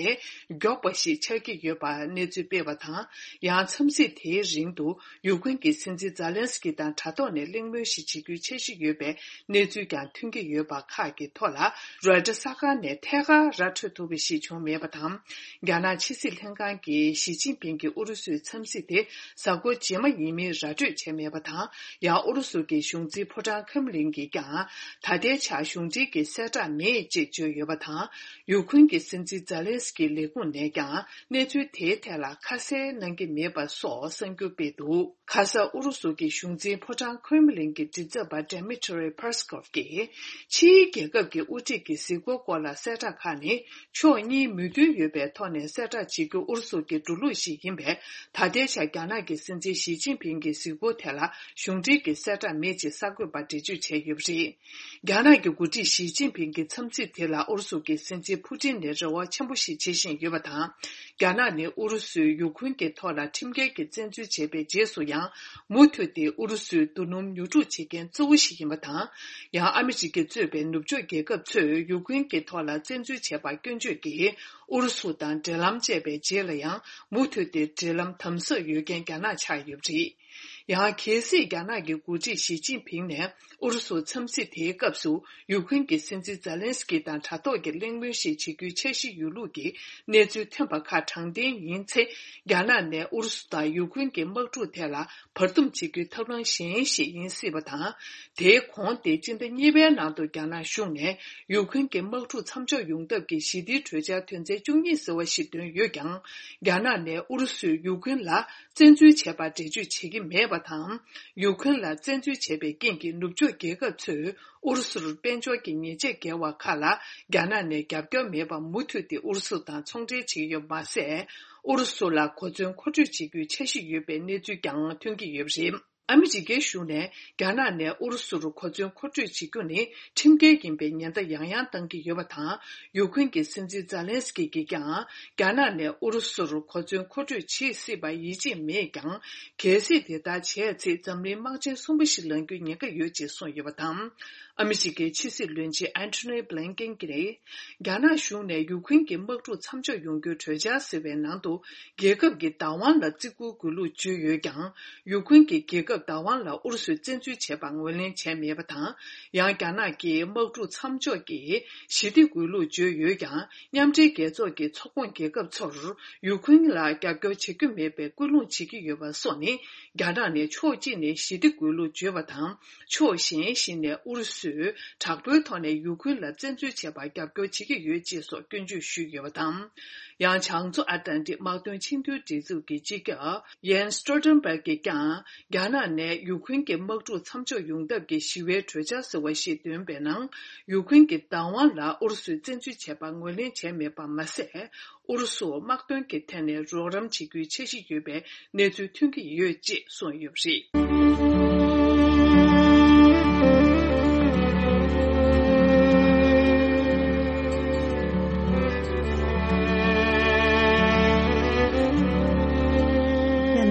མགྱོགས་པ་ཞིག་ཆགས་ཀྱི་ཡོད་པ་གནས་ཚུལ་སྤེལ་བ་དང་། ཡང་འཚམས་གཟིགས་དེའི་རིང་དུ། ཡུཀ་རེན་གྱི་སྲིད་འཛིན་ཛཱ་ལན་སི་ཀི་དང་དྲ་ཐོག་ནས་གླེང་མོལ་ཞིག་བྱེད་རྒྱུའི་འཆར་གཞི་ཡོད་པའི་གནས་ཚུལ་ཀྱང་ཐོན་གྱི་ཡོད་པ་ཁག་གི་ཐོག་ལ། རོའི་ཊར་གསར་ཁང་ནས་ཐད་ཀར་ར་འཕྲོད་ཐུབ་པ་ཞིག་བྱུང་མེད་པ་དང་། རྒྱ་ནག་ཕྱི་སྲིད་ལྷན་ཁང་གིས་ཞི་ཅིན་ཕིང་གིས་ཨུ་རུ་སུའི་འཚམས་གཟིགས་དེ་གཟའ་འཁོར་རྗེས་མ་ཡིན་མིན་ར་འཕྲོད་བྱས་མེད་པ་དང་། ཡང་ཨུ་རུ་སུ་གྱི་གཞུང་འཛིན་ཕོ་བྲང་ཁྲེམ་ལིན་གྱིས་ཀྱང་། ད་ལྟའི་ཆར་གཞུང་འབྲེལ་གྱི་གསལ་བསྒྲགས་མེད་ཅེས་བརྗོད་ཡོད་པ་དང་། ཡུཀ་རེན་གྱི་སྲིད་འཛིན་ཛཱ་ལན་སི་ཀི་ལས་ཁུངས་ནས་ཀྱང་གནས་ཚུལ་དེའི་ཐད་ལ་ཁ་གསལ་གནང་གི་མེད་པ་སོགས་གསར་འགྱུར་སྤེལ་འདུག་ཁ་ས་ཨུ་རུ་སུ་གྱི་གཞུང་འཛིན་ཕོ་བྲང་ཁྲེམ་ལིན་གྱི་མགྲིན་ཚབ་པ་Dmitry Peskov གིས། ཕྱིའི་རྒྱལ་ཁབ་ཀྱི་དབུ་ཁྲིད་ཀྱི་གཟིགས་སྐོར་སྐོར་ལ་གསལ་བསྒྲགས་ཁག་ནི། ཕྱོགས་གཉིས་མོས་མཐུན་ཡོད་པའི་ཐོག་ནས་གསལ་བསྒྲགས་བྱེད་རྒྱུ་ཨུ་རུ་སུ་གྱི་འགྲོ་ལུགས་ཤིག་ཡིན་པས། ད་ལྟའི་ཆར་རྒྱ་ནག་གི་སྲིད་འཛིན་ཞི་ཅིན་ཕིང་གི་གཟིགས་སྐོར་ཐད་ལ་གཞུང་འབྲེལ་གྱི་གསལ་བསྒྲགས་མེད་ཅེས་གསར་འགོད་པར་འགྲེལ་བརྗོད་བྱས་ཡོད་པ་རེད། རྒྱ་ནག་གི་འགོ་ཁྲིད་ཞི་ཅིན་ཕིང་གི་འཚམས་གཟིགས་དེ་ལ་ཨུ་རུ་སུ་གྱི་སྲིད་འཛིན་ཕུ་ཏིན་ནས་རེ་བ་ཆེན་པོ་ཞིག་བྱེད་བཞིན་ཡོད་པ་དང་། རྒྱ་ནག་ནི་ཨུ་རུ་སུས་ཡུ་ཁུན་གྱི་ཐོག་ལ་ཁྲིམས་འགལ་གྱི་བཙན་འཛུལ་བྱས་པའི་རྗེས་སུ་ཡང་། མུ་མཐུད་དེ་ཨུ་རུ་སུའི་རྡོ་སྣུམ་ཉོ་སྒྲུག་བྱེད་མཁན་གཙོ་བོ་ཞིག་ཡིན་པ་དང་། ཡང་ཨ་མི་རི་ཀས་གཙོས་པའི་ནུབ་ཕྱོགས་རྒྱལ་ཁབ་ཚོས་ཡུ་ཁུན་གྱི་ཐོག་ལ་བཙན་འཛུལ་བྱས་པར་སྐྱོན་བརྗོད་ཀྱིས། ཨུ་རུ་སུ་དང་འབྲེལ་ལམ་བཅད་པའི་རྗེས་ལ་ཡང་། མུ་མཐུད་དེ་འབྲེལ་ལམ་དམ་ཟབ་ཡོད་མཁན་རྒྱ་ནག་ཆགས་ཡོད་པ་རེད། ཡང་། གལ་སྲིད་རྒྱ་ནག་གི་འགོ་ཁྲིད་ཞི་ཅིན་ཕིང་ནས་ཨུ་རུ་སུར་འཚམས་གཟིགས་དེའི་སྐབས་སུ། ཡུཀ་རེན་གྱི་སྲིད་འཛིན་ཛེ་ལན་སི་ཀི་དང་དྲ་ཐོག་གི་གླེང་མོལ་ཞིག་བྱེད་རྒྱུའི་འཆར་གཞི་ཡོད་ལུགས་ཀྱི་གནས་ཚུལ་ཐོན་པ་ཁག་དྲང་བདེན་ཡིན་ཚེ། རྒྱ་ནག་ནས་ཨུ་རུ་སུ་དང་ཡུཀ་རེན་གྱི་དམག་འཁྲུག་ཐད་ལ་བར་འདུམ་བྱེད་རྒྱུའི་ཐབས་ལམ་གཞན་ཞིག་ཡིན་སྲིད་པ་དང་། དེའི་གོང་དེ་སྤྱི་ཟླ་གཉིས་པའི་ནང་དུ་རྒྱ་ནག་གཞུང་ནས་ཡུཀ་རེན་གྱི་དམག་འཁྲུག་མཚམས་འཇོག་ཡོང་ཐབས་ཀྱི་ཞི་བདེའི་གྲོས་འཆར་དོན་ཚན་བཅུ་གཉིས་ཟེར་བ་ཞིག་བཏོན་ཡོད་ཀྱང་། རྒྱ་ནག་ནས་ཨུ་རུ་སུས་ཡུཀ་རེན་ལ་བཙན་འཛུལ་བྱས་པར་འགྲེལ་བརྗོད་བྱེད་ཀྱི་མེད་པ་དང་། ཡུཀ་རེན་ལ་བཙན་འཛུལ་བྱས་པའི་རྐྱེན་གྱིས་ནུབ་ཕྱོགས་རྒྱལ་ཁབ་ཚོས་ཨུ་རུ་སུར་དཔལ་འབྱོར་གྱི་ཉེས་ཆད་འགེལ་བ་ཁག་ལ་རྒྱ་ནག་ནས་རྒྱབ་སྐྱོར་མེད་པར་མུ་མཐུད་དེ་ཨུ་རུ་སུ་དང་ཚོང་འབྲེལ་བྱེད་ཀྱི་ཡོད་པ་མ་ཟད། ཨུ་རུ་སུ་ལ་གོ་མཚོན་མཁོ་སྤྲོད་བྱེད་རྒྱུའི་འཆར་གཞི་ཡོད་པའི་གནས་ཚུལ་ཀྱང་ཐོན་གྱི་ཡོད་པ་རེད། ཨ་མི་རི་ཀའི་གཞུང་ནས་རྒྱ་ནག་ནས་ཨུ་རུ་སུར་གོ་མཚོན་མཁོ་སྤྲོད་བྱེད་རྒྱུ་ནི་ཁྲིམས་འགལ་ཡིན་པའི་ཉེན་བརྡ་ཡང་ཡང་བཏང་གི་ཡོད་པ་དང་། ཡུཀ་རེན་གྱི་སྲིད་འཛིན་ཛེ་ལན་སི་ཀི་གིས་ཀྱང་། རྒྱ་ནག་ནས་ཨུ་རུ་སུར་གོ་མཚོན་མཁོ་སྤྲོད་བྱེད་སྲིད་པར་ཡིད་ཆེས་མེད་ཀྱང་། གལ་སྲིད་དེ་ལྟར་བྱས་ཚེ་འཛམ་གླིང་དམག་ཆེན་གསུམ་པ་ཞིག་ལངས་རྒྱུའི་ཉེན་ཁ་ཡོད་ཅེས་གསུངས་ཡོད་པ་དང་། ཨ་མི་རི་ཀའི་ཕྱི་སྲིད་བློན་ཆེན་ཨན་ཐོ་ནི་བྷི་ལིན་ཀེན་གྱིས། རྒྱ་ནག་གཞུང་ནས་ཡུཀ་རེན་གྱི་དམག་འཁྲུག་མཚམས་འཇོག་ཡོང་རྒྱུའི་གྲོས་འཆར་ཟེར་བའི་ནང་དུ། རྒྱལ་ཁབ་ཀྱི་བདག་དབང་ལ་བརྩི་བཀུར་དགོས་ལུགས་བརྗོད་ཡོད་ཀྱང་། ཡུཀ་རེན་གྱི་རྒྱལ་ཁབ་བདག་དབང་ལ་ཨུ་རུ་སུས་བཙན་འཛུལ་བྱས་པར་ངོས་ལེན་བྱས་མེད་པ་དང་། ཡང་། རྒྱ་ནག་གིས་དམག་འཁྲུག་མཚམས་འཇོག་གི་ཞི་བདེ་དགོས་ལུགས་བརྗོད་ཡོད་ཀྱང་། མཉམ་འབྲེལ་རྒྱལ་ཚོགས་ཀྱི་ཚོགས་ཁོངས་རྒྱལ་ཁབ་ཚོར་ཡུཀ་རེན་ལ་རྒྱབ་སྐྱོར་བྱེད་རྒྱུ་མེད་པའི་སྐུལ་སློང་བྱེད་ཀྱི་ཡོད་པ་སོགས་ནི། རྒྱ་ནག་ནས་ཕྱོགས་གཅིག་ནས་ཞི་བདེ་དགོས་ལུགས་བརྗོད་པ་དང་། ཕྱོགས་གཞན་ཞིག་ནས་ཨུ་རུ་སུས་དྲག་པོའི་ཐོག་ནས་ཡུཀ་རེན་ལ་བཙན་འཛུལ་བྱས་པར་རྒྱབ་སྐྱོར་བྱེད་ཀྱི་ཡོད་ཅེས་སོགས་སྐྱོན་བརྗོད་ཞུས་ཡོད་པ་དང་། ཡང་། བྱང་མཚོ་ཨ་ཏན་ཏིག་དམག་དོན་ཆིངས་དོན་སྒྲིག་འཛུགས་ཀྱི་སྤྱི་ཁྱབ་ཡེན་སི་སྟོལ་ཊེན་བྷག་གིས་ཀྱང་། རྒྱ་ནག་ནས་ཡུཀ་རེན་གྱི་དམག་འཁྲུག་མཚམས་འཇོག་ཡོང་ཐབས་ཀྱི་ཞི་བའི་གྲོས་འཆར་ཟེར་བ་ཞིག་བཏོན་པའི་ནང་། ཡུཀ་རེན་གྱི་བདག་དབང་ལ་ཨུ་རུ་སུས་བཙན་འཛུལ་བྱས་པར་ངོས་ལེན་བྱས་མེད་པ་མ་ཟད། ཨུ་རུ་སུ་དམག་དོན་གྱི་ཐད་ནས་རོགས་རམ་བྱེད་རྒྱུའི་འཆར་གཞི་ཡོད་པའི་གནས་ཚུལ་ཐོན་གྱི་ཡོད་ཅེས་གསུངས་ཡོད་པ་རེད།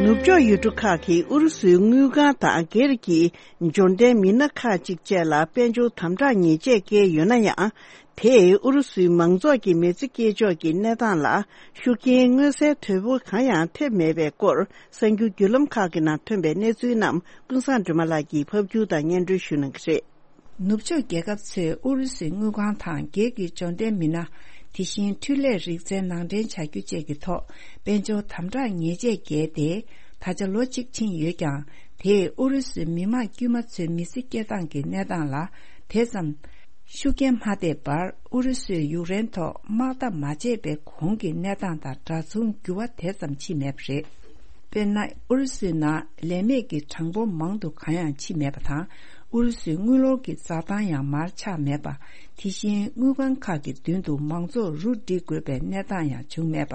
ནུབ་ཕྱོགས་ཡུལ་གྲུ་ཁག་གིས་ཨུ་རུ་སུའི་དངུལ་ཁང་དང་སྒེར་གྱི་འབྱོར་ལྡན་མི་སྣ་ཁག་ཅིག་བཅས་ལ་དཔལ་འབྱོར་དམ་དྲག་ཉེས་ཆད་བཀལ་ཡོད་ན་ཡང་། དེས་ཨུ་རུ་སུའི་མང་ཚོགས་ཀྱི་མི་ཚེ་སྐྱེལ་ཕྱོགས་ཀྱི་གནས་སྟངས་ལ་ཤུགས་རྐྱེན་མངོན་གསལ་དོད་པོ་གང་ཡང་ཐེབས་མེད་པའི་སྐོར། གསར་འགྱུར་བརྒྱུད་ལམ་ཁག་གི་ནང་ཐོན་པའི་གནས་ཚུལ་རྣམས་ཀུན་བཟང་སྒྲོལ་མ་ལགས་ཀྱིས་ཕབ་སྒྱུར་དང་སྙན་སྒྲོན་ཞུ་གནང་གི་རེད། ནུབ་ཕྱོགས་རྒྱལ་ཁབ་ཚོས་ཨུ་རུ་སུའི་དངུལ་ཁང་དང་སྒེར་གྱི་འབྱོར་ལྡན་མི་སྣ། དེ་བཞིན་འཕྲུལ་ལས་རིག་རྩལ་ནང་འདྲེན་བྱ་རྒྱུ་བཅས་ཀྱི་ཐོག་དཔལ་འབྱོར་དམ་དྲག་ཉེས་ཆད་བཀལ་ཏེ། ད་ཆ་ལོ་གཅིག་ཕྱིན་ཡོད་ཀྱང་། དེས་ཨུ་རུ་སུའི་མི་དམངས་དཀྱུས་མ་ཚོའི་མི་ཚེ་སྐྱེལ་སྟངས་ཀྱི་གནས་སྟངས་ལ། དེ་ཙམ་ཤུགས་རྐྱེན་མ་ཐེབས་པར། ཨུ་རུ་སུས་ཡུཀ་རེན་ཐོག་དམག་འཐབ་མ་བྱས་པའི་གོང་གི་གནས་སྟངས་དང་འདྲ་མཚུངས་འགྱུར་བ་དེ་ཙམ་ཕྱིན་མེད་པ་རེད། དཔེར་ན། ཨུ་རུ་སུའི་ནང་ལས་མེད་ཀྱི་གྲངས་འབོར་མང་དུ་གང་ཡང་ཕྱིན་མེད་པ་དང་། ཨུ་རུ་སུའི་དངུལ་ལོར་གྱི་འཛའ་ཐང་ཡང་མར་ཆག་མེད་པ། དེ་བཞིན་དངུལ་ཁང་ཁག་གི་མདུན་དུ་མང་ཚོགས་རུ་སྒྲིག་དགོས་པའི་གནས་སྟངས་ཡང་བྱུང་མེད་པ།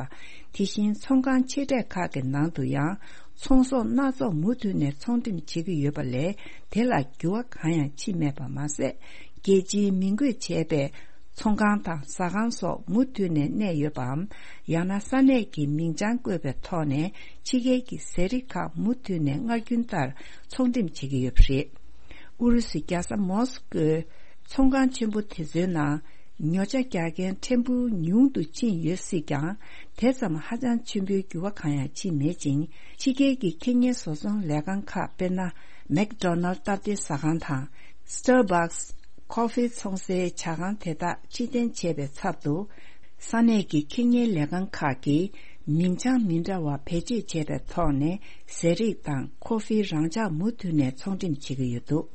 དེ་བཞིན་ཚོང་ཁང་ཆེ་གྲས་ཁག་གི་ནང་དུ་ཡང་ཚོང་ཟོག་སྣ་ཚོགས་མུ་མཐུད་ནས་ཚོང་འགྲེམས་བྱེད་ཀྱི་ཡོད་པ་ལས། དེ་ལ་འགྱུར་བ་གང་ཡང་ཕྱིན་མེད་པ་མ་ཟད། རྒྱལ་སྤྱིའི་མིང་འགོད་བྱས་པའི་ཚོང་ཁང་དང་ཟ་ཁང་སོགས་མུ་མཐུད་ནས་གནས་ཡོད་པའམ། ཡང་ན་ས་གནས་ཀྱི་མིང་བྱང་བཀོད་པའི་ཐོག་ནས་ཕྱི་རྒྱལ་གྱི་ཟས་རིགས་ཁག་མུ་མཐུད་ནས་སྔར་རྒྱུན་ལྟར་ཚོང་འགྲེམས་བྱེད་ཀྱི་ཡོད་པ་རེད། ཨུ་རུ་སུའི་རྒྱལ་ས་མོ་སི་ཀོའི་ཚོང་ཁང་ཆེན་པོ་དེ་ཚོའི་ནང་ཉོ་ཆ་རྒྱག་མཁན་ཕྲན་བུ་ཉུང་དུ་ཕྱིན་ཡོད་སྲིད་ཀྱང་། དེ་ཙམ་ཧ་ཅང་ཆེན་པོའི་འགྱུར་བ་གང་ཡང་ཕྱིན་མེད་ཅིང་། ཕྱི་རྒྱལ་གྱི་ཁེ་གཉེར་བཟོ་ཚོང་ལས་ཁང་ཁག་དཔེར་ན། མེག་ཌོ་ནལ་སྟབས་བདེ་ཟ་ཁང་དང་། སི་ཊར་བྷག་སི། ཁོ་ཧྥི་འཚོང་སའི་ཇ་ཁང་དེ་དག་ཕྱིར་འཐེན་བྱས་པའི་ཚབ་ཏུ། ས་གནས་ཀྱི་ཁེ་གཉེར་ལས་ཁང་ཁག་གིས་མིང་བྱང་མི་འདྲ་བ་བེད་སྤྱོད་བྱས་པའི་ཐོག་ནས་ཟས་རིགས་དང་ཁོ་ཧྥི་རང་འཇགས་མུ་མཐུད་ནས་ཚོང་འགྲེམས་བྱེད་ཀྱི་ཡོད་འདུག་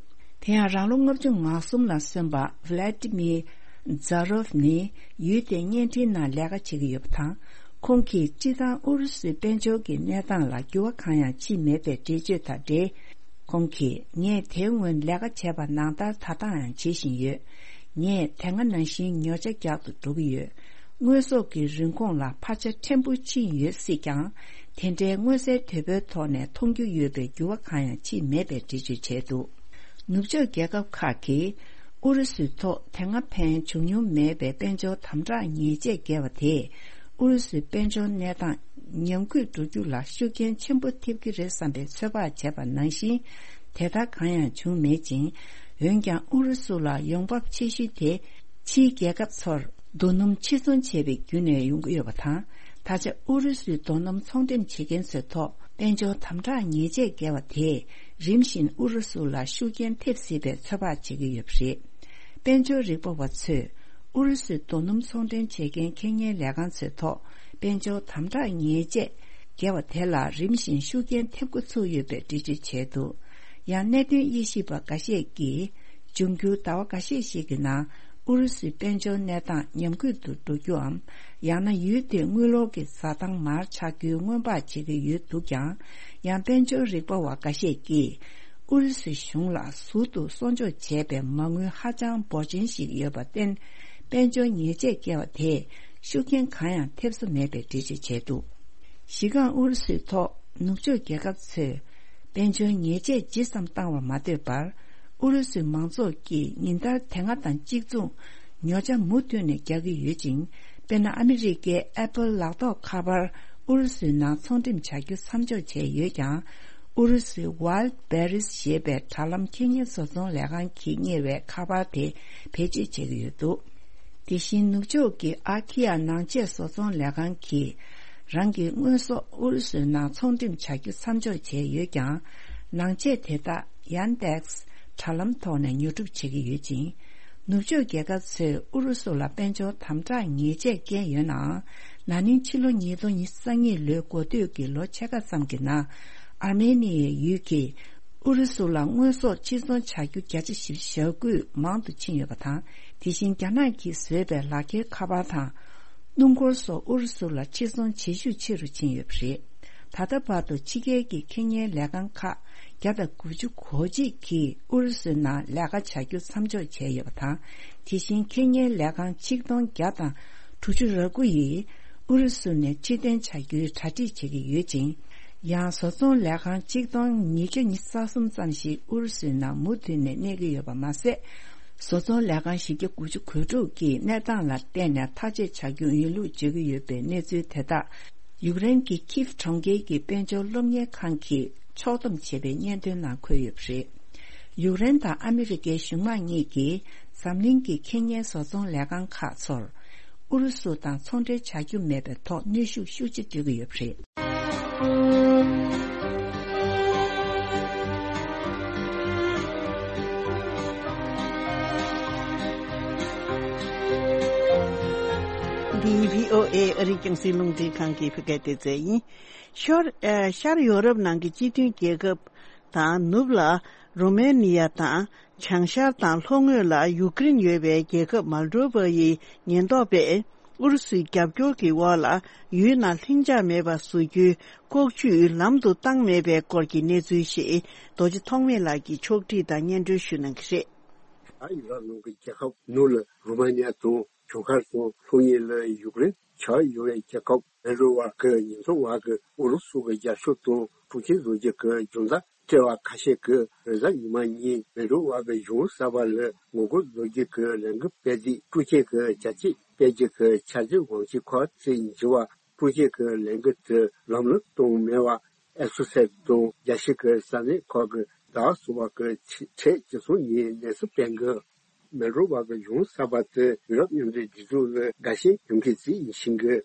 དེ་ཡང་། རང་ལོ་ལྔ་བཅུ་ང་གསུམ་ལ་སོན་པ་ཝི་ལ་ཏི་མིར་ཛ་རོབ་ནི་ཡུལ་དེའི་བརྙན་འཕྲིན་ནང་ལས་ཀ་བྱེད་ཀྱི་ཡོད་པ་དང་། ཁོང་གིས་སྤྱིར་བཏང་ཨུ་རུ་སུའི་དཔལ་འབྱོར་གྱི་གནས་སྟངས་ལ་འགྱུར་བ་གང་ཡང་ཕྱིན་མེད་པའི་འགྲེལ་བརྗོད་དང་འབྲེལ། ཁོང་གིས། ངས་དེའི་སྔོན་ལས་ཀ་བྱས་པ་ནང་ལྟར་ད་ལྟའང་བྱེད་བཞིན་ཡོད། ངས་དེ་སྔ་ནང་བཞིན་ཉོ་ཆ་རྒྱག་ཏུ་འགྲོ་གི་ཡོད། དངོས་ཟོག་གི་རིན་གོང་ལ་འཕར་ཆ་ཕྲན་བུ་ཕྱིན་ཡོད་སྲིད་ཀྱང་། དེ་འདྲའི་མངོན་གསལ་དོད་པོའི་ཐོག་ནས་མཐོང་རྒྱུ་ཡོད་པའི་འགྱུར་བ་གང་ཡང་ཕྱིན་མེད་པའི་འགྲེལ་བརྗོད་བྱས་འདུག་ནུབ་ཕྱོགས་རྒྱལ་ཁབ་ཁག་གིས་ཨུ་རུ་སུའི་ཐོག་དེ་སྔ་ཕན་བྱུང་མྱོང་མེད་པའི་དཔལ་འབྱོར་དམ་དྲག་ཉེས་ཆད་བཀལ་བ་དེས། ཨུ་རུ་སུའི་དཔལ་འབྱོར་གནས་སྟངས་ཉམས་རྒུད་འགྲོ་རྒྱུ་ལ་ཤུགས་རྐྱེན་ཆེན་པོ་ཐེབས་ཀྱི་རེད་བསམ་པའི་ཚོད་དཔག་བྱས་པ་ནང་བཞིན། དེ་ལྟར་གང་ཡང་བྱུང་མེད་ཅིང་། འོན་ཀྱང་ཨུ་རུ་སུ་ལ་ཡོང་འབབ་ཆེ་ཤོས་དེ་ཕྱིའི་རྒྱལ་ཁབ་ཚོར་རྡོ་སྣུམ་ཕྱིར་ཚོང་བྱས་པའི་བརྒྱུད་ནས་ཡོང་གི་ཡོད་པ་དང་། ད་ཆ་ཨུ་རུ་སུའི་རྡོ་སྣུམ་ཚོང་འགྲེམས་བྱེད་མཁན་ཚོའི་ཐོག་དཔལ་འབྱོར་དམ་དྲག་ཉེས་ཆད་བཀལ་བ་དེས་རིམ་བཞིན་ཨུ་རུ་སུ་ལ་ཤུགས་རྐྱེན་ཐེབས་སྲིད་པའི་ཚོད་དཔག་བྱེད་ཀྱི་ཡོད་པ་རེད། དཔལ་འབྱོར་རིག་པ་བ་ཚོས་ཨུ་རུ་སུའི་རྡོ་སྣུམ་ཚོང་འགྲེམས་བྱེད་མཁན་ཁེ་ཉན་ལས་ཁང་ཚོའི་ཐོག་དཔལ་འབྱོར་དམ་དྲག་ཉེས་ཆད་བཀལ་བ་དེ་ལ་རིམ་བཞིན་ཤུགས་རྐྱེན་ཐེབས་འགོ་ཚུགས་ཡོད་པའི་འགྲེལ་བརྗོད་བྱས་འདུག་ཡང་གནད་དོན་དབྱེ་ཞིབ་པ་འགའ་ཤས་ཀྱིས། འབྱུང་འགྱུར་ཟླ་བ་འགའ་ཤས་ཤིག་གི་ནང་ཨུ་རུ་སུའི་དཔལ་འབྱོར་གནས་སྟངས་ཉམས་རྒུད་དུ་འགྲོ་རྒྱུའམ། ཡང་ན་ཡུལ་དེའི་དངུལ་ལོར་གྱི་བཟའ་ཐང་མར་ཆག་རྒྱུའི་སྔོན་དཔག་བྱེད་ཀྱི་ཡོད་འདུག་ཀྱང་། ཡང་དཔལ་འབྱོར་རིག་པ་བ་འགའ་ཤས་ཀྱིས། ཨུ་རུ་སུའི་གཞུང་ལ་ཟུར་དུ་གསོག་འཇོག་བྱས་པའི་མ་དངུལ་ཧ་ཅང་འབོར་ཆེན་ཞིག་ཡོད་པར་བརྟེན། དཔལ་འབྱོར་ཉེས་ཆད་བཀལ་བ་དེས་ཤུགས་རྐྱེན་གང་ཡང་ཐེབས་ས་མེད་པའི་འགྲེལ་བརྗོད་བྱས་འདུག་གཞི་རྐང་ཨུ་རུ་སུའི་ཐོག་ནུབ་ཕྱོགས་རྒྱལ་ཁབ་ཚོས། དཔལ་འབྱོར་ཉེས་ཆད་ཇི་ཙམ་བཏང་བ་མ་ལྟོས་པར། ཨུ་རུ་སུའི་མང་ཚོགས་ཀྱིས་ཉིན་ལྟར་དེ་སྔ་དང་གཅིག་མཚུངས། ཉོ་ཆ་མུ་མཐུད་ནས་རྒྱག་གི་ཡོད་ཅིང་། དཔེར་ན། ཨ་མི་རི་ཀའི་ཨེ་པལ་ལག་ཐོགས་ཁ་པར་ཨུ་རུ་སུའི་ནང་ཚོང་འགྲེམས་བྱ་རྒྱུ་མཚམས་འཇོག་བྱས་ཡོད་ཀྱང་། ཨུ་རུ་སུའི་Wildberries་ཞེས་པའི་དྲ་ལམ་ཁེ་ཉན་བཟོ་ཚོང་ལས་ཁང་གིས་གཉེར་བའི་ཁ་པར་དེ་བེད་སྤྱོད་བྱེད་ཀྱི་ཡོད་འདུག་དེ་བཞིན་ནུབ་ཕྱོགས་ཀྱི་ཨ་ཁི་ཡ་ནང་ཆས་བཟོ་ཚོང་ལས་ཁང་གིས། རང་གི་དངོས་ཟོག་ཨུ་རུ་སུའི་ནང་ཚོང་འགྲེམས་བྱ་རྒྱུ་མཚམས་འཇོག་བྱས་ཡོད་ཀྱང་། ནང་ཆས་དེ་དག་Yandex་དྲ་ལམ་ཐོག་ནས་ཉོ་སྒྲུབ་བྱེད་ཀྱི་ཡོད་ཅིང་། ནུབ་ཕྱོགས་རྒྱལ་ཁབ་ཚོས་ཨུ་རུ་སུ་ལ་དཔལ་འབྱོར་དམ་དྲག་ཉེས་ཆད་བཀལ་ཡོད་ནའང་། ན་ནིང་ཕྱི་ལོ་ཉིས་སྟོང་ཉི་ཤུ་རྩ་གཉིས་ལོའི་འགོ་སྟོད་ཀྱི་ལོ་ཕྱེད་ཀ་ཙམ་གྱི་ནང་། ཨར་མེ་ནི་ཡའི་ཡུལ་གྱིས། ཨུ་རུ་སུ་ལ་དངོས་ཟོག་ཕྱིར་ཚོང་བྱ་རྒྱུ་བརྒྱ་ཆ་བཞི་བཅུ་ཞེ་དགུས་མང་དུ་ཕྱིན་ཡོད་པ་དང་། དེ་བཞིན་རྒྱ་ནག་གིས་བཟོས་པའི་ལག་འཁྱེར་ཁ་པར་དང་། སྣུམ་འཁོར་སོགས་ཨུ་རུ་སུ་ལ་ཕྱིར་ཚོང་བྱེད་ཤུགས་ཆེ་རུ་ཕྱིན་ཡོད་པ་རེད། ད་ལྟ་བར་དུ་ཕྱི་རྒྱལ་གྱི་ཁེ་ཉན་ལས་ཁང་ཁག་བརྒྱ་དང་དགུ་བཅུ་གོ་གཅིག་གིས་ཨུ་རུ་སུའི་ནང་ལས་ཀ་བྱ་རྒྱུ་མཚམས་འཇོག་བྱས་ཡོད་པ་དང་། དེ་བཞིན་ཁེ་ཉན་ལས་ཁང་ཆིག་སྟོང་བརྒྱ་དང་དྲུག་ཅུ་རེ་དགུ་ཡིས་ཨུ་རུ་སུ་ནས་ཕྱིར་འཐེན་བྱ་རྒྱུའི་གྲ་སྒྲིག་བྱེད་ཀྱི་ཡོད་ཅིང་། ཡང་བཟོ་ཚོང་ལས་ཁང་ཆིག་སྟོང་ཉིས་བརྒྱ་ཉི་ཤུ་རྩ་གསུམ་ཙམ་ཞིག་ཨུ་རུ་སུའི་ནང་མུ་མཐུད་ནས་གནས་ཀྱི་ཡོད་པ་མ་ཟད། བཟོ་ཚོང་ལས་ཁང་བཞི་བརྒྱ་དགུ་བཅུ་གོ་དྲུག་གིས་གནས་སྟངས་ལ་བལྟས་ནས་ཐག་གཅོད་བྱ་རྒྱུ་ཡིན་ལུགས་བརྗོད་ཀྱི་ཡོད་པའི་གནས་ཚུལ་དེ་དག་ཡུཀ་རེན་གྱི་ཁིབ་གྲོང་ཁྱེར་གྱི་དཔལ་འབྱོར་སློབ་གཉེར་ཁང་གིས་ཕྱོགས་བསྡོམས་བྱས་པའི་སྙན་ཐོའི་ནང་འཁོད་ཡོད་པ་རེད། ཡུཀ་རེན་དང་ཨ་མི་རི་ཀའི་གཞུང་མང་གཉིས་ཀྱིས་འཛམ་གླིང་གི་ཁེ་ཉན་བཟོ་ཚོང་ལས་ཁང་ཁག་ཚོར། ཨུ་རུ་སུ་དང་ཚོང་འབྲེལ་བྱ་རྒྱུ་མེད་པའི་ཐོག་གནོན་ཤུགས་ཤུགས་ཆེ་སྤྲོད་ཀྱི་ཡོད་པ་རེད། འདི་བྷི་ཨོ་ཨེ་ཨ་རིའི་རྒྱང་སྲིང་རླུང་འཕྲིན་ཁང་གི་བོད་སྐད་སྡེ་ཚན་ཡིན། ཤར་ཨ་ཤར་ཡོ་རོབ་ནང་གི་སྤྱི་མཐུན་རྒྱལ་ཁབ་དང་ནུབ་ལ་རོ་མེ་ནི་ཡ་དང་། བྱང་ཤར་དང་ལྷོ་ངོས་ལ་ཡུཀ་རེན་ཡོད་པའི་རྒྱལ་ཁབ་མལ་ཌོ་བ་ཡི་ཉེན་རྟོག་པས་ཨུ་རུ་སུའི་རྒྱབ་སྐྱོར་གྱི་འོག་ལ་ཡུལ་ནང་ལྷིང་འཇགས་མེད་པ་བཟོ་རྒྱུའི་ལྐོག་ཇུས་ལམ་དུ་བཏང་མེད་པའི་སྐོར་གྱི་གནས་ཚུལ་ཞིག་རྡོ་རྗེ་ཐོགས་མེད་ལགས་ཀྱིས་ཕྱོགས་བསྒྲིགས་དང་སྙན་སྒྲོན་ཞུ་གནང་གི་རེད། ཨ་ཡུ་རོབ་ནང་གི་རྒྱལ་ཁབ་ནུབ་ལ་རུ་མ་ནི་ཡ་དང་བྱང་ཤར་དང་ལྷོ་ངོས་ལ་ཡུཀ་རེན་ཆགས་ཡོད་པའི་རྒྱལ་ཁབ་མལ་ཌོ་བ་གི་ཉེན་རྟོག་པ་གིས་ཨུ་རུ་སུ་གི་རྒྱབ་སྐྱོར་དང་འཕྲོག་བཅོམ་བཟོ་རྒྱུ་གི་རྒྱུ་མཚན་དྲི་བ་ཁ་ཤས་ཀྱིས་རེས་གཟའ་ཉི་མ་ཉིན་མལ་ཌོ་བ་གི་གཞུང་གསར་པ་ལ་ངོ་རྒོལ་བཟོ་རྒྱུ་གི་ལས་འགུལ་སྤེལ་རྗེས་འཕྲོག་བཅོམ་གྱི་བྱ་སྤྱོད་སྤེལ་རྒྱུ་གི་འཆར་གཞི་དབང་ཆའི་ཁག་ཅིག་འགྱུར་བ། འཕྲོག་བཅོམ་གྱི་ལས་འགུལ་དེ་ལམ་ལྷོང་བཏང་མེད་པ་ཨེ་སོ་སི་ཨེ་ཊི་དང་རྒྱལ་སྤྱི་གི་ས་གནས་ཁག་གི་ཟླ་བ་གསུམ་པ་གི་ཆེད་སྤྱི་ཚོགས་ནས་གནས་ཚུལ་སྤེལ་འགུལ། མལ་ཌོ་བ་གི་གཞུང་གསར་པ་དེ་ཡུ་རོབ་མཉམ་འབྲེལ་སྒྲིག་འཛུགས་ལ་དགའ་ཞེན་ཡོང་མཁན་ཞིག་ཡིན་ཞིང་གི།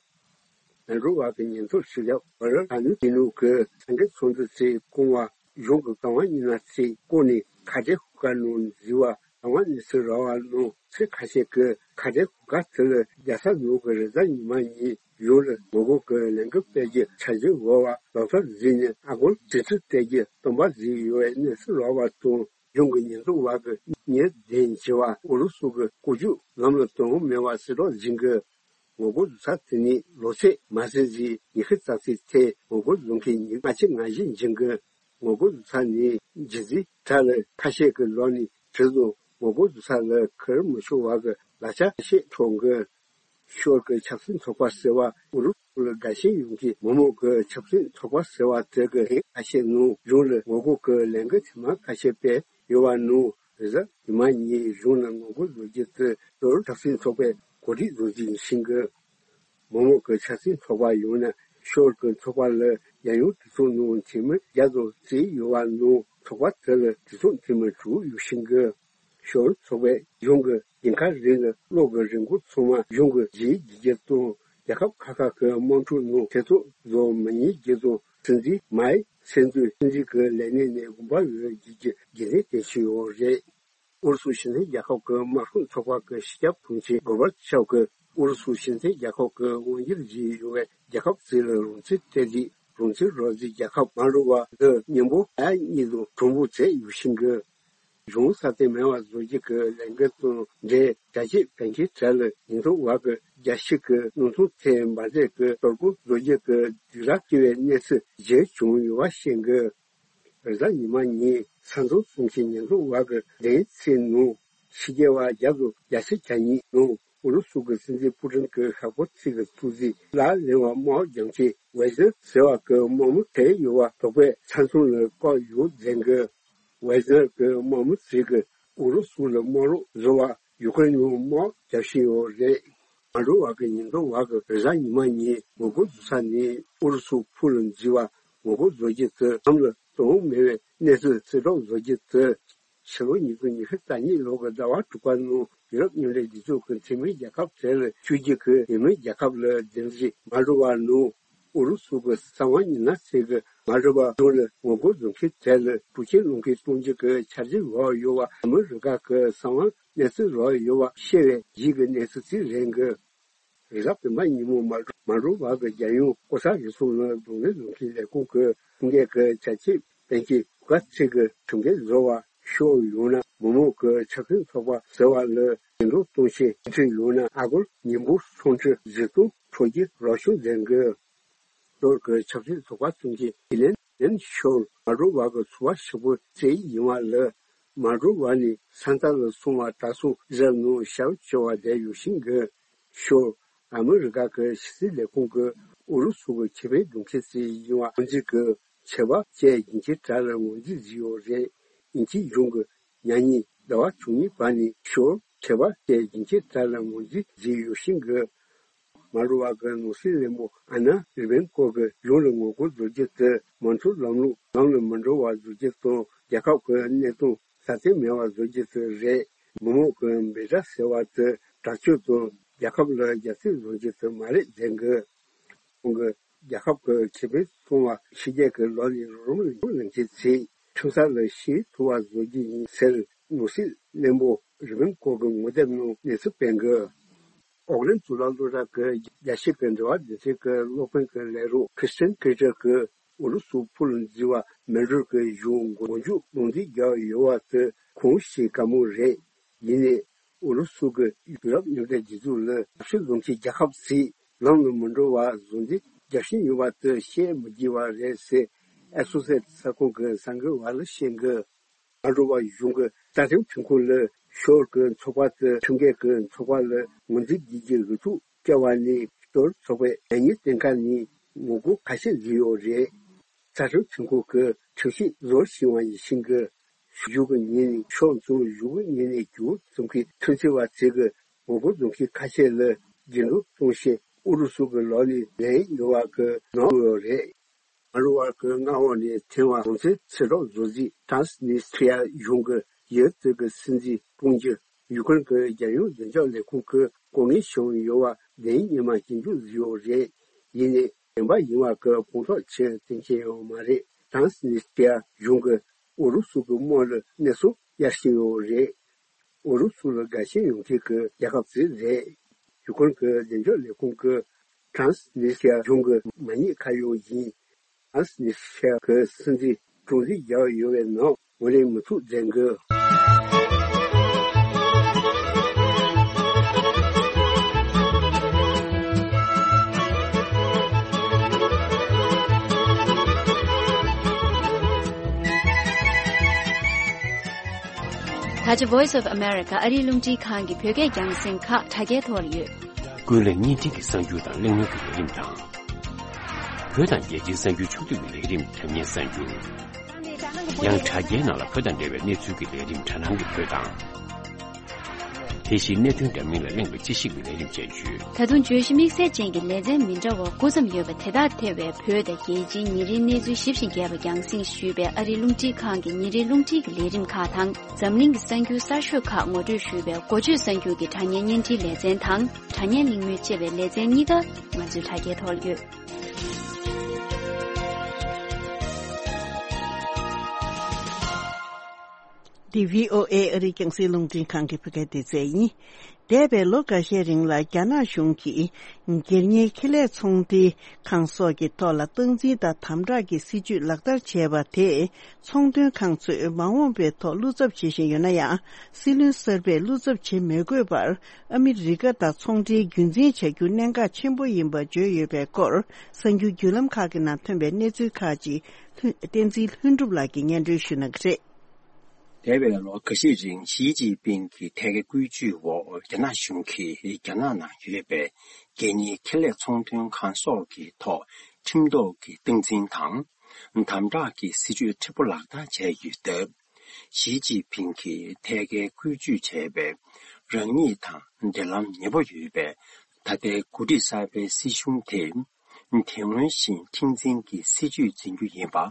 མལ་ཌོ་བ་གི་ཉེན་རྟོག་ཞུ་ཡག་བར་ཨ་ནུ་ཏི་ནུ་གི་ས་འགུལ་ཚོགས་འདུ་དེ་བསྐོང་བ་གཞུང་གི་རྐང་པ་གཉིས་ན་ཚེ་བསྐོར་ནས་ཁ་བྲལ་ཤོག་ཁག་ནང་འཛུལ་བ་རང་དབང་གནས་ཚུལ་རག་པ་ནང་ཚེ་ཁ་ཤས་ཀྱིས་ཁ་བྲལ་ཤོག་ཁག་དེ་ལ་རྒྱལ་ས་ནང་གི་རེས་གཟའ་ཉི་མ་ཉིན་གཞུང་ལ་ངོ་རྒོལ་གྱི་ལས་འགུལ་སྤེལ་རྒྱུ་འཆར་གཞི་འོག་བ་ལག་ཐོག་འཛིན་ནས་ཨ་སྒོར་གྲོས་བསྡུར་སྤེལ་རྒྱུ་སྟོན་པ་བཟོས་ཡོད་པའི་གནས་ཚུལ་རག་པ་དང་། གཞུང་གི་ཉེན་རྟོག་པ་གིས་ཉེས་དོན་ཆེ་བ་ཨུ་རུ་སུ་གི་བཀོད་ཇུས་ལམ་ལ་གཏོང་མེད་པ་གསལ་སྟོན་བྱེད་ཀྱི། ངོ་རྒོལ་བཟོ་ས་དེ་ནི་ལོ་ཚད་མ་ཟིན་རྗེས་ཉི་ཤུ་རྩ་གཅིག་ཚེ་ངོ་རྒོལ་བཟོ་མཁན་ཉི་ཤུ་ལྔ་བཅུ་ང་བཞི་འབྱུང་གི། ངོ་རྒོལ་བཟོ་ས་ནི་རྒྱུ་རྫས་དྲ་ལ་ཁ་ཤས་ཀྱི་ལོག་ནས་བྲིས་རུང་ངོ་རྒོལ་བཟོ་ས་ལ་ཁུར་མི་ཆོག་པ་གི་ལག་ཆ་ཁ་ཤས་འཕྲོག་གི། ཤོར་གྱི་ཆབ་སྲིད་ཚོགས་པ་ཟེར་བ་ཨུ་རུ་སུ་ལ་དགའ་ཞེན་ཡོད་མཁན་མི་མང་གི་ཆབ་སྲིད་ཚོགས་པ་ཟེར་བ་དེ་གི་ཁ་ཤས་ནང་གཞུང་ལ་ངོ་རྒོལ་གྱི་ལས་འགུལ་ཐེངས་མ་ཁ་ཤས་སྤེལ་ཡོད་པ་ནང་རེས་གཟའ་ཉི་མ་ཉིན་གཞུང་ལ་ངོ་རྒོལ་བཟོ་རྒྱུ་དེ་ཤོར་ཆབ་སྲིད་ཚོགས་པས་གོ་སྒྲིག་བཟོ་རྒྱུ་ཡིན་ཞིང་གི། མི་མང་གི་ཆབ་སྲིད་ཚོགས་པ་ཡོངས་ནས་ཤོར་གྱི་ཚོགས་པ་ལ་རྒྱལ་ཡོངས་གྲོས་ཚོགས་ནང་འཐུས་མི་བརྒྱ་དང་རྩིས་ཡོད་པ་ནང་ཚོགས་པ་དེ་ལ་གྲོས་ཚོགས་འཐུས་མི་དྲུག་ཡོད་ཞིང་གི། ཤོར་ཚོགས་པས་གཞུང་གི་ཉེན་ཁ་རིགས་ལ་གློག་གི་རིན་གོང་ཚང་མ་གཞུང་གི་རྗེས་བསྒྱུར་རྒྱུ་དང་ རྒྱལ་ཁབ་ཁག་ཁག་གི་དམག་འཁྲུག་ནང་ཐེ་ཚོམ་བཟོ་མི་ཉན་རྒྱུ་དང་། སྲིད་འཛིན་མའི་སེན་ཏུའི་སྲིད་འཛིན་གྱི་ལས་གནས་ནས་དགོངས་པ་འོས་བསྡུ་རྒྱུ་རྒྱུན་ལྡན་བསྟན་བཞིན་ཡོད་རེད། ཨུ་རུ་སུ་སྤྱི་མཐུན་རྒྱལ་ཁབ་ཀྱི་དམག་དཔུང་ཚོགས་པ་གི་སྤྱི་ཁྱབ་དྲུང་ཆེ་གོར་བྷ་ཆོབ་ཀྱིས་ཨུ་རུ་སུ་སྤྱི་མཐུན་རྒྱལ་ཁབ་ཀྱི་དབང་སྒྱུར་བཞིན་ཡོད་པའི་རྒྱལ་ཁབ་ཚོ་ལ་རང་བཙན་སྤྲད་རྗེས། རང་བཙན་རག་རྩིས་རྒྱལ་ཁབ་མ་འགྲོ་བ་འདི་མཉམ་པོ་ཨ་གཉིས་དང་གྲོགས་པོ་བྱས་ཡོད་བཞིན་གི། གཞུང་སྲ་བརྟན་མེད་པ་བཟོ་རྒྱུ་གི་ལས་འགུལ་དང་འབྲེལ། དྲ་རྒྱའི་བོད་སྐད་དྲ་ལ་ཉེན་རྟོག་པ་གི་རྒྱ་ཤིག་གི་སྣུམ་ཐོག་ཐད་འབར་རྫས་ཀྱི་གཏོར་རྒོལ་བཟོ་རྒྱུ་གི་སྒྲིག་ར་བཀལ་བའི་གནས་ཚུལ་ཞིག་བྱུང་ཡོད་པ་ཤེས་གི། རེས་གཟའ་ཉི་མ་ཉིན་ས་མཚམས་སྲུང་བྱེད་ཉེན་རྟོག་པ་གི་བདུན་ཚིགས་ནང་ཕྱི་རྒྱལ་བ་བརྒྱ་དང་བརྒྱད་ཅུ་གྱ་གཉིས་ནང་ཨུ་རུ་སུ་གི་སྲིད་འཛིན་པུ་ཏིན་གྱི་ཤག་པོ་ཚིག་གི་ཐུགས་རྗེ་ལ་གླེང་བ་དམག་རྒྱང་མཐའི་ཝེ་ཟེར་ཟེར་བ་གི་དམག་མི་ཁྲིད་ཡོད་པ་དོགས་པས་ས་མཚམས་ལ་བཀག་ཡོད་ཟེར་གི། ཝེ་ཟེར་གྱི་དམག་མི་ཚོས་ཀྱིས་ཨུ་རུ་སུ་ལ་དམག་རོགས་བཟོ་བར་ཡུ་ཀེ་རེན་ལ་དམག་རྒྱག་བཞིན་ཡོད་རེད། མ་འགྲོ་བ་གི་ཉེན་རྟོག་པ་གིས་རེས་གཟའ་ཉི་མ་ཉིན་ངོ་རྒོལ་བཟོ་ས་ནས་ཨུ་རུ་སུ་ཕུ་ལ་འཛུལ་བ་ངོ་རྒོལ་བཟོ་རྒྱུ་དེ་ལམ་ལ་གཏོང་མེད་པའི་གནས་ཚུལ་གསལ་བསྒྲགས་བཟོ་རྒྱུ་དེ། ཕྱི་ལོ་ཉིས་སྟོང་ཉི་ཤུ་རྩ་གཉིས་ལོ་གི་ཟླ་བ་དྲུག་པ་ནང་ཡུ་རོབ་མཉམ་འབྲེལ་རྒྱལ་ཚོགས་ཀྱི་འཐུས་མི་རྒྱལ་ཁབ་དེ་ལ་བཅུ་གཅིག་གི་འཐུས་མི་རྒྱལ་ཁབ་ལ་བདུན་ཅུ། མ་འགྲོ་བ་ནང་ཨུ་རུ་སུ་གི་གསང་བ་མི་སྣ་ཚོས་ཀྱིས་མ་འགྲོ་བ་གཞུང་ལ་ངོ་རྒོལ་བཟོ་མཁན་དེ་ལ་འཕྲོག་བྱེད་ལོག་འཁྱེར་གཏོང་རྒྱུ་གི་འཆར་གཞི་ཡོད་པ་ཡོད་པ། ཨ་མི་རི་ཀ་གི་གསང་བ་གནས་ཚུལ་ཡོད་པ་ཤེས་པའི་རྗེས་ཀྱི་གནས་ཚུལ་ཅིག་རེད་འདུག་རེས་གཟའ་སྤེན་པ་ཉིན་མོ་མ་མ་འགྲོ་བ་གི་རྒྱལ་ཡོངས་ལྐོག་ཟ་རུལ་སུངས་ལ་གདོང་ལེན་བཟོ་མཁན་ལས་ཁུངས་ཀྱི་ཁྲིམས་འགལ་གྱི་བྱ་སྤྱོད་སྤེལ་མཁན་ག་ཚོད་ཀྱི་ཁྲིམས་འགལ་བཟོ་བ་ཤོར་ཡོད་ན། མི་མང་གི་ཆབ་སྲིད་ཚོགས་པ་ཟེར་བ་ལ་འགྱུར་ལྡོག་གཏོང་ཆེད་འཁྲིད་ཡོད་ན། ཨ་སྒོར་ཉིན་གཅིག་ལ་ཆིག་སྟོང་ཁྲི་བཞི་སྟོང་འཕྲོག་རྒྱུ་རོགས་སྐྱོར་མཛད་འགོ། ལྷོ་ཀོ་རི་ཡའི་ཆབ་སྲིད་ཚོགས་པ་གསུམ་གྱི་ཨི་ལན་ལན་ཤོར་མ་འགྲོ་བ་གི་ཚོགས་པ་ཧྲིལ་པོ་རྩེ་ཡིན་པ་ལ། མ་འགྲོ་བ་ནས་ས་མཐའ་ལ་སོང་བ་གྲྭ་ཚང་རབ་ནང་ཞབས་ཕྱི་བ་བསྡད་ཡོད་བཞིན་གི། ཤོར་ཨ་མི་རི་ཀ་གི་ཕྱི་སྲིད་ལས་ཁུངས་ཀྱི་ཨུ་རུ་སུ་གི་ཁེ་ཕན་སྒྲུབ་མཁན་ཞིག་ཡིན་པ་ངོས་འཛིན་གྱི་ཆད་པ་བཅད་རྒྱུན་གྱི་གྲས་ལ་ངོས་འཛིན་བཟོས་ཡོད་རེད། དབྱིན་ཇིའི་གཞུང་གིས་ཉ་ཉིན་ཟླ་བ་བཅུ་གཉིས་པ་ནས་ཤོར་ཆད་པ་བཅད་རྒྱུན་གྱི་གྲས་ལ་ངོས་འཛིན་བཟོས་ཡོད་བཞིན་གི། མ་འགྲོ་བ་གི་ནང་སྲིད་བློན་པོ་ཨ་ན་རི་བེན་ཀོ་གིས་གཞུང་ལ་ངོ་རྒོལ་བཟོ་རྒྱུ་དེ་མོན་གྷོ་ལམ་ལུགས་ལམ་ལ་མི་འགྲོ་བ་བཟོ་རྒྱུ་དང་། རྒྱལ་ཁབ་ཀྱི་གནད་དོན་སྲ་བརྟན་མེད་པ་བཟོ་རྒྱུ་དེ་རེད། མི་མང་གི་འབོད་སྒྲ་ཟེར་བ་དེ་དྲག་སྤྱོད་དང་རྒྱལ་ཁབ་ལ་རྒྱ་སྐྱེད་བཟོ་རྒྱུ་དེ་མ་རེད་ཟེར་གི། ཁོང་གིས་རྒྱལ་ཁབ་ཀྱི་ཁེ་ཕན་སྲུང་བ་ཕྱི་རྒྱལ་གྱི་ལག་ནས་རོགས་རམ་ལེན་མཁན་ཚོས་ཁྲིམས་ས་ལ་ཞུགས་ཐུབ་པ་བཟོ་རྒྱུ་ཡིན་ཟེར། ནང་སྲིད་བློན་པོ་རི་བེན་ཀོ་གི་ངོ་དེབ་ནང་གནས་ཚུལ་སྤེལ་གི། ཨོག་ལན་གཙུག་ལག་སློབ་གྲྭ་གི་རྒྱལ་སྤྱི་གི་འབྲེལ་བ་སྡེ་ཚན་གྱི་སློབ་དཔོན་གྱི་ལས་རོགས་ཁྲི་སྟན་ཀེ་ཏྲ་གིས་ཨུ་རུ་སུ་ཕུ་ལ་འཛུལ་བ་མེ་ཌོར་གྱི་གཞུང་མགོ་མཇུག་རྡུང་རྡེག་བརྒྱབ་ཡོད་པ་དེ་ཁོང་ཞེ་དགའ་མོ་རེད། ཡིན་ནའི་ཨུ་རུ་སུ་གིས་ཡུ་རོབ་མཉམ་འབྲེལ་རྒྱལ་ཚོགས་ལ་ཞབས་ཞུ་བཟོ་མཁན་རྒྱལ་ཁབ་ཚོས་ལམ་ལ་མི་འགྲོ་བ་བཟོ་འདི་རྒྱག་བཞིན་ཡོད་པ་དེ་བཤད་མི་དགོས་པ་རེད་ཟེར། ཨེ་སོ་སེ་ཊི་གསར་ཁང་གི་གསར་འགོད་པ་ལ་བཤད་གི། མ་འགྲོ་བ་གཞུང་གི་རྩ་ཁྲིམས་ཁྲིམས་ཁང་ལ་ཤོར་གྱི་ཚོགས་པ་དེ་ཁྲིམས་འགལ་གྱི་ཚོགས་པ་ལ་ངོས་འཛིན་བགྱིད་རྒྱུའི་འོས་ཐོབ་བསྐྱལ་བ་ནས། ཤོར་ཚོགས་པས་ཉེ་ཉིན་སྟོན་ཁ་ནས་ངོ་རྒོལ་ཁ་ཤས་བཟོས་ཡོད་རེད། རྩ་ཁྲིམས་ཁྲིམས་ཁང་གི་ཁྲིམས་ཞིབ་བཟོ་བཞིན་པ་ཡིན་ཞིང་གི། གཞུག་གི་ཉིན་ནས་ཤོར་ཚོ་གཞུག་གི་ཉིན་ནས་རྒྱུ་ཙམ་གྱི་ཁྲིམས་རྩོད་པ་ཚོས་ཀྱི་ངོ་རྒོལ་གཏོང་མཁན་ཁ་ཤས་ལ་རྒྱུན་སྒྲོག་གཏོང་ཆེད་ཨུ་རུ་སུ་གི་ལག་ནས་ལེན་ཡོད་པ་གི་ནང་ཡོད་རེད། མ་འགྲོ་བ་གི་མངའ་འོག་ནས་ཐོན་པ་རང་བཙན་ཕྱིར་སློག་བཟོ་རྩིས་ཊྲཱན་སི་ནི་སི་ཊི་རི་ཡ་གཞུང་གི་ཡུལ་དེ་གི་སྲིད་འཛིན་དཀྲུག་རྒྱུ་ཡུ་ཀེ་རེན་གི་རྒྱལ་ཡོངས་བདེ་འཇགས་ལས་ཁུངས་ཀྱིས་ལྐོག་རྔན་བྱུང་ཡོད་པ་བདེན་ཉི་མ་སྐྱོན་བརྗོད་བཟོས་ཡོད་རེད། ཡིན་ནའི་བདེན་པ་ཡིན་པ་གི་དཔང་རྟགས་ཅི་སྟོན་གྱི་ཡོད་མ་རེད། ཊྲཱན་སི་ནི་སི་ཊི་རི་ཡ་གཞུང་གིས་ཨུ་རུ་སུ་གི་དམག་ལ་གནས་ཚུལ་གཡར་བཞིན་ཡོད་རེད། ཨུ་རུ་སུ་ལ་དགའ་ཞེན་ཡོད་མཁན་གྱི་རྒྱལ་ཁབ་ཅིག་རེད། ཡུ་ཀེ་རེན་གྱི་བདེ་འཇགས་ལས་ཁུངས་ཀྱིས་ཊྲཱན་སི་ནི་སི་ཊི་རི་ཡ་གཞུང་གི་མ་ཉེས་ཁ་གཡོག་ཡིན། ཊྲཱན་སི་ནི་སི་ཊི་རི་ཡ་གི་སྲིད་འཛིན་དཀྲུག་རྩིས་བརྒྱབ་ཡོད་པའི་ནང་ངོས་ལེན་མི་ཐུབ་ཟེར་གི། ད་ཆ་Voice of America ཨ་རིའི་རླུང་འཕྲིན་ཁང་གི་བོད་སྐད་རྒྱང་སྲིང་ཁག་དྲ་རྒྱའི་ཐོག་ལ་ཡོད། ཀུན་གླེང་བརྙན་འཕྲིན་གྱི་གསར་འགྱུར་དང་གླེང་མོལ་གྱི་ལས་རིམ་དང་། བོད་དང་རྒྱལ་སྤྱིའི་གསར་འགྱུར་ཕྱོགས་བསྡུས་ཀྱི་ལས་རིམ་དྲ་བརྙན་གསར་འགྱུར། ཡང་དྲ་རྒྱའི་ནང་ལ་བོད་དང་འབྲེལ་བའི་གནས་ཚུལ་གྱི་ལས་རིམ་དྲ་སྣང་གི་བོད་དང་། དེ་བཞིན་གནད་དོན་འདྲ་མིན་ལ་གླེང་བའི་དཔྱད་ཞིབ་ཀྱི་ལས་རིམ་སྤྱན་བསྐྱོད། ད་དུང་བརྗོད་གཞི་དམིགས་བསལ་ཅན་གྱི་ལེ་ཚན་མི་འདྲ་བ་དགུ་ཙམ་ཡོད་པ་དེ་དག་ཐེ་བའི་བོད་དང་རྒྱལ་སྤྱིའི་ཉིན་རེའི་གནས་ཚུལ་ཞིབ་ཅིང་རྒྱས་པ་རྒྱང་སྲིང་ཞུས་པའི་ཨ་རིའི་རླུང་འཕྲིན་ཁང་གི་ཉིན་རེའི་རླུང་འཕྲིན་གྱི་ལས་རིམ་ཁག་དང་། འཛམ་གླིང་གི་གསར་འགྱུར་གསར་ཤོས་ཁག་ངོ་སྤྲོད་ཞུས་པའི་འགོ་བརྗོད་གསར་འགྱུར་གྱི་དྲ་བརྙན་བརྙན་འཕྲིན་ལེ་ཚན་དང་། དྲ་བརྙན་གླེང་མོལ་ཅེས་པའི་ལེ་ཚན་གཉིས་ཀ་ང་ཚོས་དྲ་རྒྱའི་ཐོག་ལ་ཡོད། འདི་བྷི་ཨོ་ཨེ་ཨ་རིའི་རྒྱང་སྲིང་རླུང་འཕྲིན་ཁང་གི་བོད་སྐད་སྡེ་ཚན་ཡིན། འདས་པའི་ལོ་འགའ་ཤས་རིང་ལ་རྒྱ་ནག་གཞུང་གིས་སྒེར་གཉེར་ཁེ་ལས་ཚོང་འབྲེལ་ཁང་སོགས་ཀྱི་ཐོག་ལ་སྟངས་འཛིན་དང་དམ་དྲག་གི་སྲིད་ཇུས་ལག་བསྟར་བྱས་པ་དེས་ཚོང་དོན་ཁང་ཚོས་མ་འོངས་པའི་ཐོག་བློ་འཚབ་བྱེད་བཞིན་ཡོད་ན་ཡང་། སྲིད་བློན་གསར་པས་བློ་འཚབ་བྱེད་མི་དགོས་པར་ཨ་མི་རི་ཀ་དང་ཚོང་འབྲེལ་རྒྱུན་འཛིན་བྱ་རྒྱུ་གནད་འགག་ཆེན་པོ་ཡིན་པ་བརྗོད་ཡོད་པའི་སྐོར། གསར་འགྱུར་བརྒྱུད་ལམ་ཁག་གི་ནང་ཐོན་པའི་གནས་ཚུལ་ཁག་ཅིག་ལྷུན། བསྟན་འཛིན་ལྷུན་གྲུབ་ལགས་ཀྱིས་སྙན་སྒྲོན་ཞུ་གནང་གི་རེད། འདས་པའི་ལོ་འགའ་ཤས་རིང་ཞི་ཅིན་ཕིང་གི་ཐད་ཀའི་བཀོད་ཇུས་འོག་རྒྱ་ནག་གཞུང་གིས་རྒྱ་ནག་ནང་ཡོད་པའི་སྒེར་གཉེར་ཁེ་ལས་ཚོང་དོན་ཁང་སོགས་ཀྱི་ཐོག་ཁྲིམས་ཐོག་གི་སྟངས་འཛིན་དང་། དམ་དྲག་གི་སྲིད་ཇུས་མཁྲེགས་པོ་ལག་བསྟར་བྱས་ཡོད་སྟབས། ཞི་ཅིན་ཕིང་གིས་ཐད་ཀའི་བཀོད་ཇུས་བྱས་པའི་རང་ཉིད་དང་འབྲེལ་ལམ་ཉེ་པོ་ཡོད་པའི་ད་ལྟའི་འགོ་ཁྲིད་གསར་པའི་སྲིད་གཞུང་དེས། དེ་སྔོན་བཞིན་ཁྲིམས་འཛིན་གྱི་སྲིད་ཇུས་འཛིན་རྒྱུ་ཡིན་པ།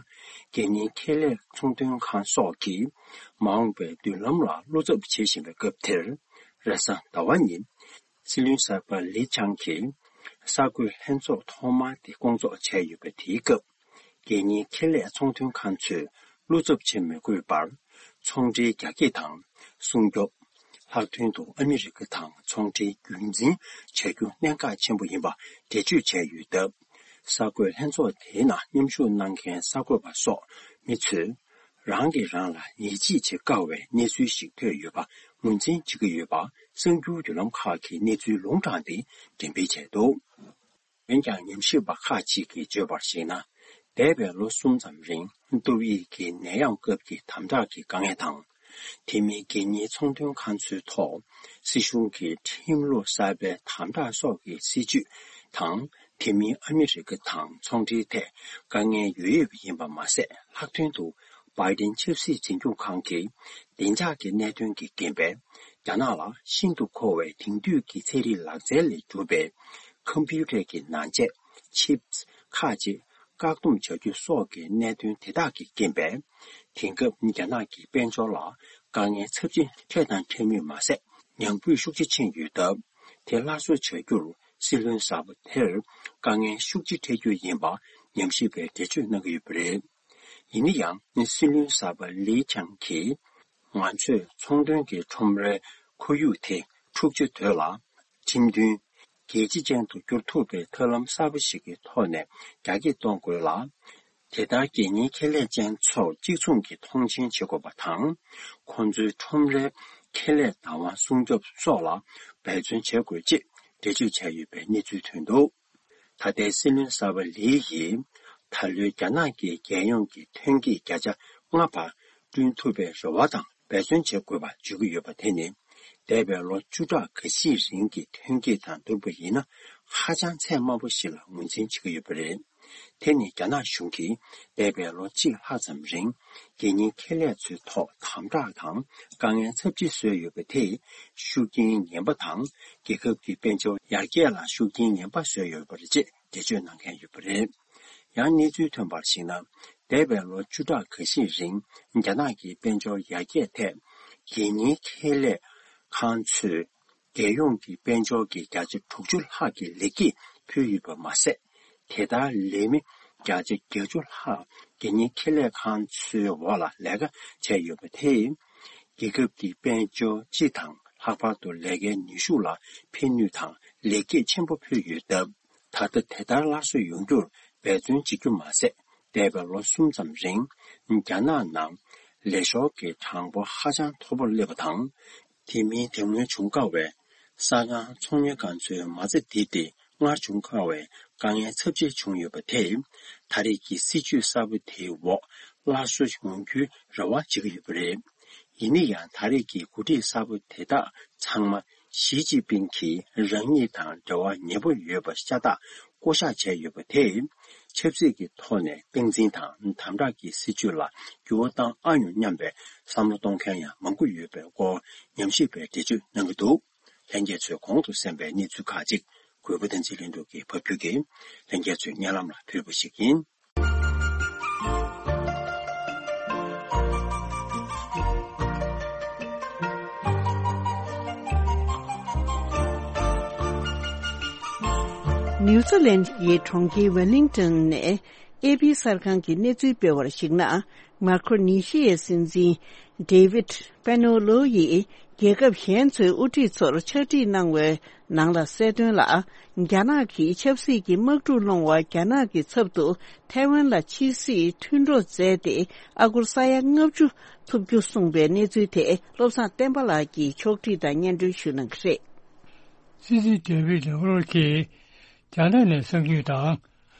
སྒེར་གཉེར་ཁེ་ལས་ཚོང་དོན་ཁང་སོགས་ཀྱིས་མ་འོངས་པའི་མདུན་ལམ་ལ་བློ་འཚབ་བྱེད་བཞིན་པའི་སྐབས་དེར། རེས་གཟའ་ཟླ་བ་ཉིན། སྲིད་བློན་གསར་པ་ལི་ཆང་གིས་གསར་འགོད་ལྷན་ཚོགས་ཐོག་མ་དེ་བསྐོང་ཚོགས་བྱས་ཡོད་པ་དེའི་སྐབས། སྒེར་གཉེར་ཁེ་ལས་ཚོང་དོན་ཁང་ཚོས་བློ་འཚབ་བྱེད་མི་དགོས་པར། ཚོང་འབྲེལ་རྒྱ་སྐྱེད་དང་སྲུང་སྐྱོབ། ལྷག་དོན་དུ་ཨ་མི་རི་ཀ་དང་ཚོང་འབྲེལ་རྒྱུན་འཛིན་བྱ་རྒྱུ་གནད་འགག་ཆེན་པོ་ཡིན་པ་འགྲེལ་བརྗོད་བྱས་ཡོད་སྟབས། གསར་འགོད་ལྷན་ཚོགས་དེའི་ནང་མཉམ་ཞུགས་གནང་མཁན་གསར་འགོད་པ་སོགས་མི་ཚོས། རང་གིས་རང་ལ་ཡིད་ཆེས་བྱེད་དཀའ་བའི་གནས་ཚུལ་ཞིག་ཐོས་ཡོད་པ་ངོས་འཛིན་བྱེད་ཀྱི་ཡོད་པ་གསར་འགྱུར་བརྒྱུད་ལམ་ཁག་གིས་གནས་ཚུལ་ལུང་དྲངས་ཏེ་འགྲེམས་སྤེལ་བྱས་འདུག་འོན་ཀྱང་ཉམས་ཞིབ་པ་ཁག་ཅིག་གིས་བརྗོད་པར་གཞིགས་ན། འདས་པའི་ལོ་གསུམ་ཙམ་རིང་ཏོག་དབྱིབས་ཀྱི་ནད་ཡམས་སྐབས་ཀྱི་དམ་དྲག་གི་དཀའ་ངལ་དང་། དེ་མིན་སྒེར་གཉེར་ཚོང་དོན་ཁང་ཚོའི་ཐོག་སྲིད་གཞུང་གི་ཁྲིམས་ལུགས་གསར་པའི་དམ་དྲག་སོགས་ཀྱི་སྲིད་བྱུས་དང་། དེ་མིན་ཨ་མི་རི་ཀ་དང་ཚོང་འབྲེལ་ཐད་དཀའ་ངལ་ཡོད་ཡོད་པ་ཡིན་པ་མ་ཟད། ལྷག་དོན་དུ་བྷའི་ཏིན་ཆབ་སྲིད་འཛིན་སྐྱོང་ཁང་གིས་བདེ་འཇགས་ཀྱི་གནད་དོན་གྱི་རྐྱེན་པས། རྒྱ་ནག་ལ་ཤིན་ཏུ་མཁོ་བའི་དེང་དུས་ཀྱི་ཚན་རིག་ལག་རྩལ་ལས་གྲུབ་པའི་ཀམ་པུ་ཊར་གྱི་ནང་ཆས་ཆིབ་ཁག་ཅིག་བཀག་སྡོམ་བྱ་རྒྱུ་སོགས་ཀྱི་གནད་དོན་དེ་དག་གི་རྐྱེན་པས། དེང་སྐབས་རྒྱ་ནག་གི་དཔལ་འབྱོར་ལ་དཀའ་ངལ་ཚབས་ཆེན་འཕྲད་དང་འཕྲད་མུས་མ་ཟད། ཉམས་རྒུད་ཤུགས་ཆེ་ཕྱིན་ཡོད་སྟབས། དེ་སླར་གསོ་བྱ་རྒྱུར་སྲིད་བློན་གསར་པ་དེར་དཀའ་ངལ་ཤུགས་ཆེ་འཕྲད་རྒྱུ་ཡིན་པ་ཉམས་ཞིབ་པས་འགྲེལ་བརྗོད་གནང་གི་ཡོད་པ་རེད། ཡིན་ན་ཡང་། སྲིད་བློན་གསར་པ་ལི་ཆང་གིས། ང་ཚོས་ཚོང་དོན་གྱི་ཁྲོམ་རའི་ཁོར་ཡུག་དེ་འཁྲུག་ཆ་དོད་ལ། ཁྲིམས་མཐུན། རྒྱལ་སྤྱི་ཅན་དུ་འགྱུར་ཐུབ་པའི་ཐབས་ལམ་གསར་པ་ཞིག་གི་ཐོག་ནས་རྒྱ་སྐྱེད་གཏོང་དགོས་ལ། དེ་ལྟར་སྒེར་གཉེར་ཁེ་ལས་ཅན་ཚོར་གཅིག་མཚུངས་ཀྱི་མཐོང་ཆེན་བྱེད་དགོས་པ་དང་། ཁོང་ཚོའི་ཁྲོམ་རའི་ཁེ་ལས་བདག་དབང་སྲུང་སྐྱོབ་སོགས་ལ་འབད་བརྩོན་བྱེད་དགོས་ཅེས་འགྲེལ་བརྗོད་བྱས་ཡོད་པའི་གནས་ཚུལ་ཐོན་འདུག་ད་ལྟའི་སྲིད་བློན་གསར་པ་ལི་ཡིས་ད་ལོའི་རྒྱ་ནག་གི་རྒྱལ་ཡོངས་ཀྱི་ཐོན་སྐྱེད་བརྒྱ་ཆ་ལྔ་བར་བསྐྲུན་ཐུབ་པའི་རེ་བ་དང་འབད་བརྩོན་བྱེད་དགོས་པ་བརྗོད་ཀྱི་ཡོད་པ་དེ་ནི། འདས་པའི་ལོ་བཅུ་ཕྲག་འགའ་ཤས་རིང་གི་ཐོན་སྐྱེད་དང་བསྡུར་བ་ཡིན་ན་ཧ་ཅང་ཚད་དམའ་པོ་ཞིག་ལ་ངོས་འཛིན་བྱེད་ཀྱི་ཡོད་པ་རེད། དེ་ནི་རྒྱ་ནག་གཞུང་གིས་འདས་པའི་ལོ་གཅིག་ལྷག་ཙམ་རིང་སྒེར་གཉེར་ཁེ་ལས་ཚོའི་ཐོག་དམ་དྲག་དང་དཀའ་ངལ་ཚབས་ཆེ་བཟོས་ཡོད་པ་དེས་ཤུགས་རྐྱེན་ངན་པ་དང་རྒྱལ་ཁབ་ཀྱི་དཔལ་འབྱོར་ཡར་རྒྱས་ལ་ཤུགས་རྐྱེན་ངན་པ་བཟོས་ཡོད་པ་རེད་ཅེས་འགྲེལ་བརྗོད་གནང་མཁན་ཡོད་པ་རེད། ཡང་གནས་ཚུལ་ཐོན་པར་གཞིགས་ན། འདས་པའི་ལོ་བཅུ་ཕྲག་འགའ་ཤས་རིང་རྒྱ་ནག་གི་དཔལ་འབྱོར་ཡར་རྒྱས་ཐད་སྒེར་གཉེར་ཁེ་ལས་ཁང་ཚོས། རྒྱལ་ཡོངས་ཀྱི་དཔལ་འབྱོར་གྱི་བརྒྱ་ཆ་དྲུག་ཅུ་ལྷག་གི་ལེགས་སྐྱེས་ཕུལ་ཡོད་པ་མ་ཟད། དེ་ལྟར་ལས་མི་བརྒྱ་ཆ་བརྒྱད་ཅུ་ལྷག་སྒེར་གཉེར་ཁེ་ལས་ཁང་ཚོའི་འོག་ལ་ལས་ཀ་བྱས་ཡོད་པ་དེས། རྒྱལ་ཁབ་ཀྱི་དཔལ་འབྱོར་སྤྱི་དང་ལྷག་པར་དུ་ལས་ཀའི་ནུས་ཤུགས་ལ་ཕན་ནུས་དང་ལེགས་སྐྱེས་ཆེན་པོ་ཕུལ་ཡོད་སྟབས། ད་ལྟ་དེ་ལྟར་སླར་གསོ་ཡོང་རྒྱུར་འབད་བརྩོན་བྱེད་རྒྱུ་མ་ཟད། འདས་པའི་ལོ་གསུམ་ཙམ་རིང་རྒྱ་ནག་ནང་ལས་ཤོར་གྱི་གྲངས་འབོར་ཧ་ཅང་མཐོ་པོར་སླེབས་པ་དང་། དེ་མིན་དེ་སྔོན་བྱུང་དཀའ་བའི་ས་ཁང་ཚོང་གཉེར་ཁང་ཚོའི་མ་རྩ་འདི་སྟེ་སྔར་བྱུང་དཀའ་བའི་དཀའ་ངལ་ཚབས་ཆེ་བྱུང་ཡོད་པ་དེས། ད་རེས་ཀྱི་སྲིད་ཇུས་གསར་པ་དེའི་འོག་སླར་གསོ་ཡོང་རྒྱུའི་རེ་བ་བྱེད་ཀྱི་ཡོད་པ་རེད། ཡིན་ན་ཡང་ད་རེས་ཀྱི་འགོ་ཁྲིད་གསར་པ་དེ་དག་ཚང་མ་ཞི་ཅིན་ཕིང་གིས་རང་ཉིད་དང་འབྲེལ་བ་ཉེ་པོ་ཡོད་པ་ཤ་སྟག་བསྐོ་བཞག་བྱས་ཡོད་པ་དེས། ཆབ་སྲིད་ཀྱི་ཐོག་ནས་སྟངས་འཛིན་དང་དམ་དྲག་གི་སྲིད་བྱུས་ལ་འགྱུར་བ་བཏང་ཨ་མྱོང་སྙམ་པའི་བསམ་བློ་གཏོང་མཁན་ཡང་མང་པོ་ཡོད་པའི་སྐོར་ཉམས་ཞིབ་པས་འགྲེལ་བརྗོད་གནང་གི་འདུག། ལྷན་རྒྱས་ཚོས་གོང་དུ་གསན་པའི་གནས་ཚུལ་ཁག་ཅིག་གུས་པ་བསྟན་འཛིན་ལྷུན་གྲུབ་ཀྱིས་ཕབ་སྒྱུར་གྱིས་ལྷན་རྒྱས་ཚོའི་སྙན་ལམ་ལ་ཕུལ་བ་ཞིག་ཡིན། ནིའུ་ཛི་ལན་གྱི་གྲོང་ཁྱེར་ཝེ་ལིང་ཊོན་ནས་ཨེ་པི་གསར་ཁང་གིས་གནས་ཚུལ་སྤེལ་བར་གཞིགས་ན། མར་ཁོ་ནི་ཤི་ཡའི་སྲིད་འཛིན་ཌེ་ཝིད་པེ་ནོ་ལོ་ཡིས་རྒྱལ་ཁབ་གཞན་ཚོའི་དབུ་ཁྲིད་ཚོར་ཕྱག་བྲིས་གནང་བའི་ནང་ལ་གསལ་དོན་ལ། རྒྱ་ནག་གིས་ཆབ་སྲིད་ཀྱི་དམག་འཁྲུག་སློང་བར་རྒྱ་ནག་གི་ཚབ་ཏུ་ཐའེ་ཝན་ལ་ཕྱིར་སྲིད་མཐུན་གྲོགས་མཛད་དེ། ཨ་སྒོར་ས་ཡ་ལྔ་བཅུ་ཐོབ་རྒྱུ་གསུངས་པའི་གནས་ཚུལ་དེ་བློ་བཟང་བསྟན་པ་ལགས་ཀྱིས་ཕྱོགས་སྒྲིག་དང་སྙན་སྒྲོན་ཞུ་གནང་གི་རེད། སྲིད་འཛིན་ཌེ་ཝིད་ལེ་ཝོ་གིས་རྒྱ་ནག་ནས་གསར་འགྱུར་དང་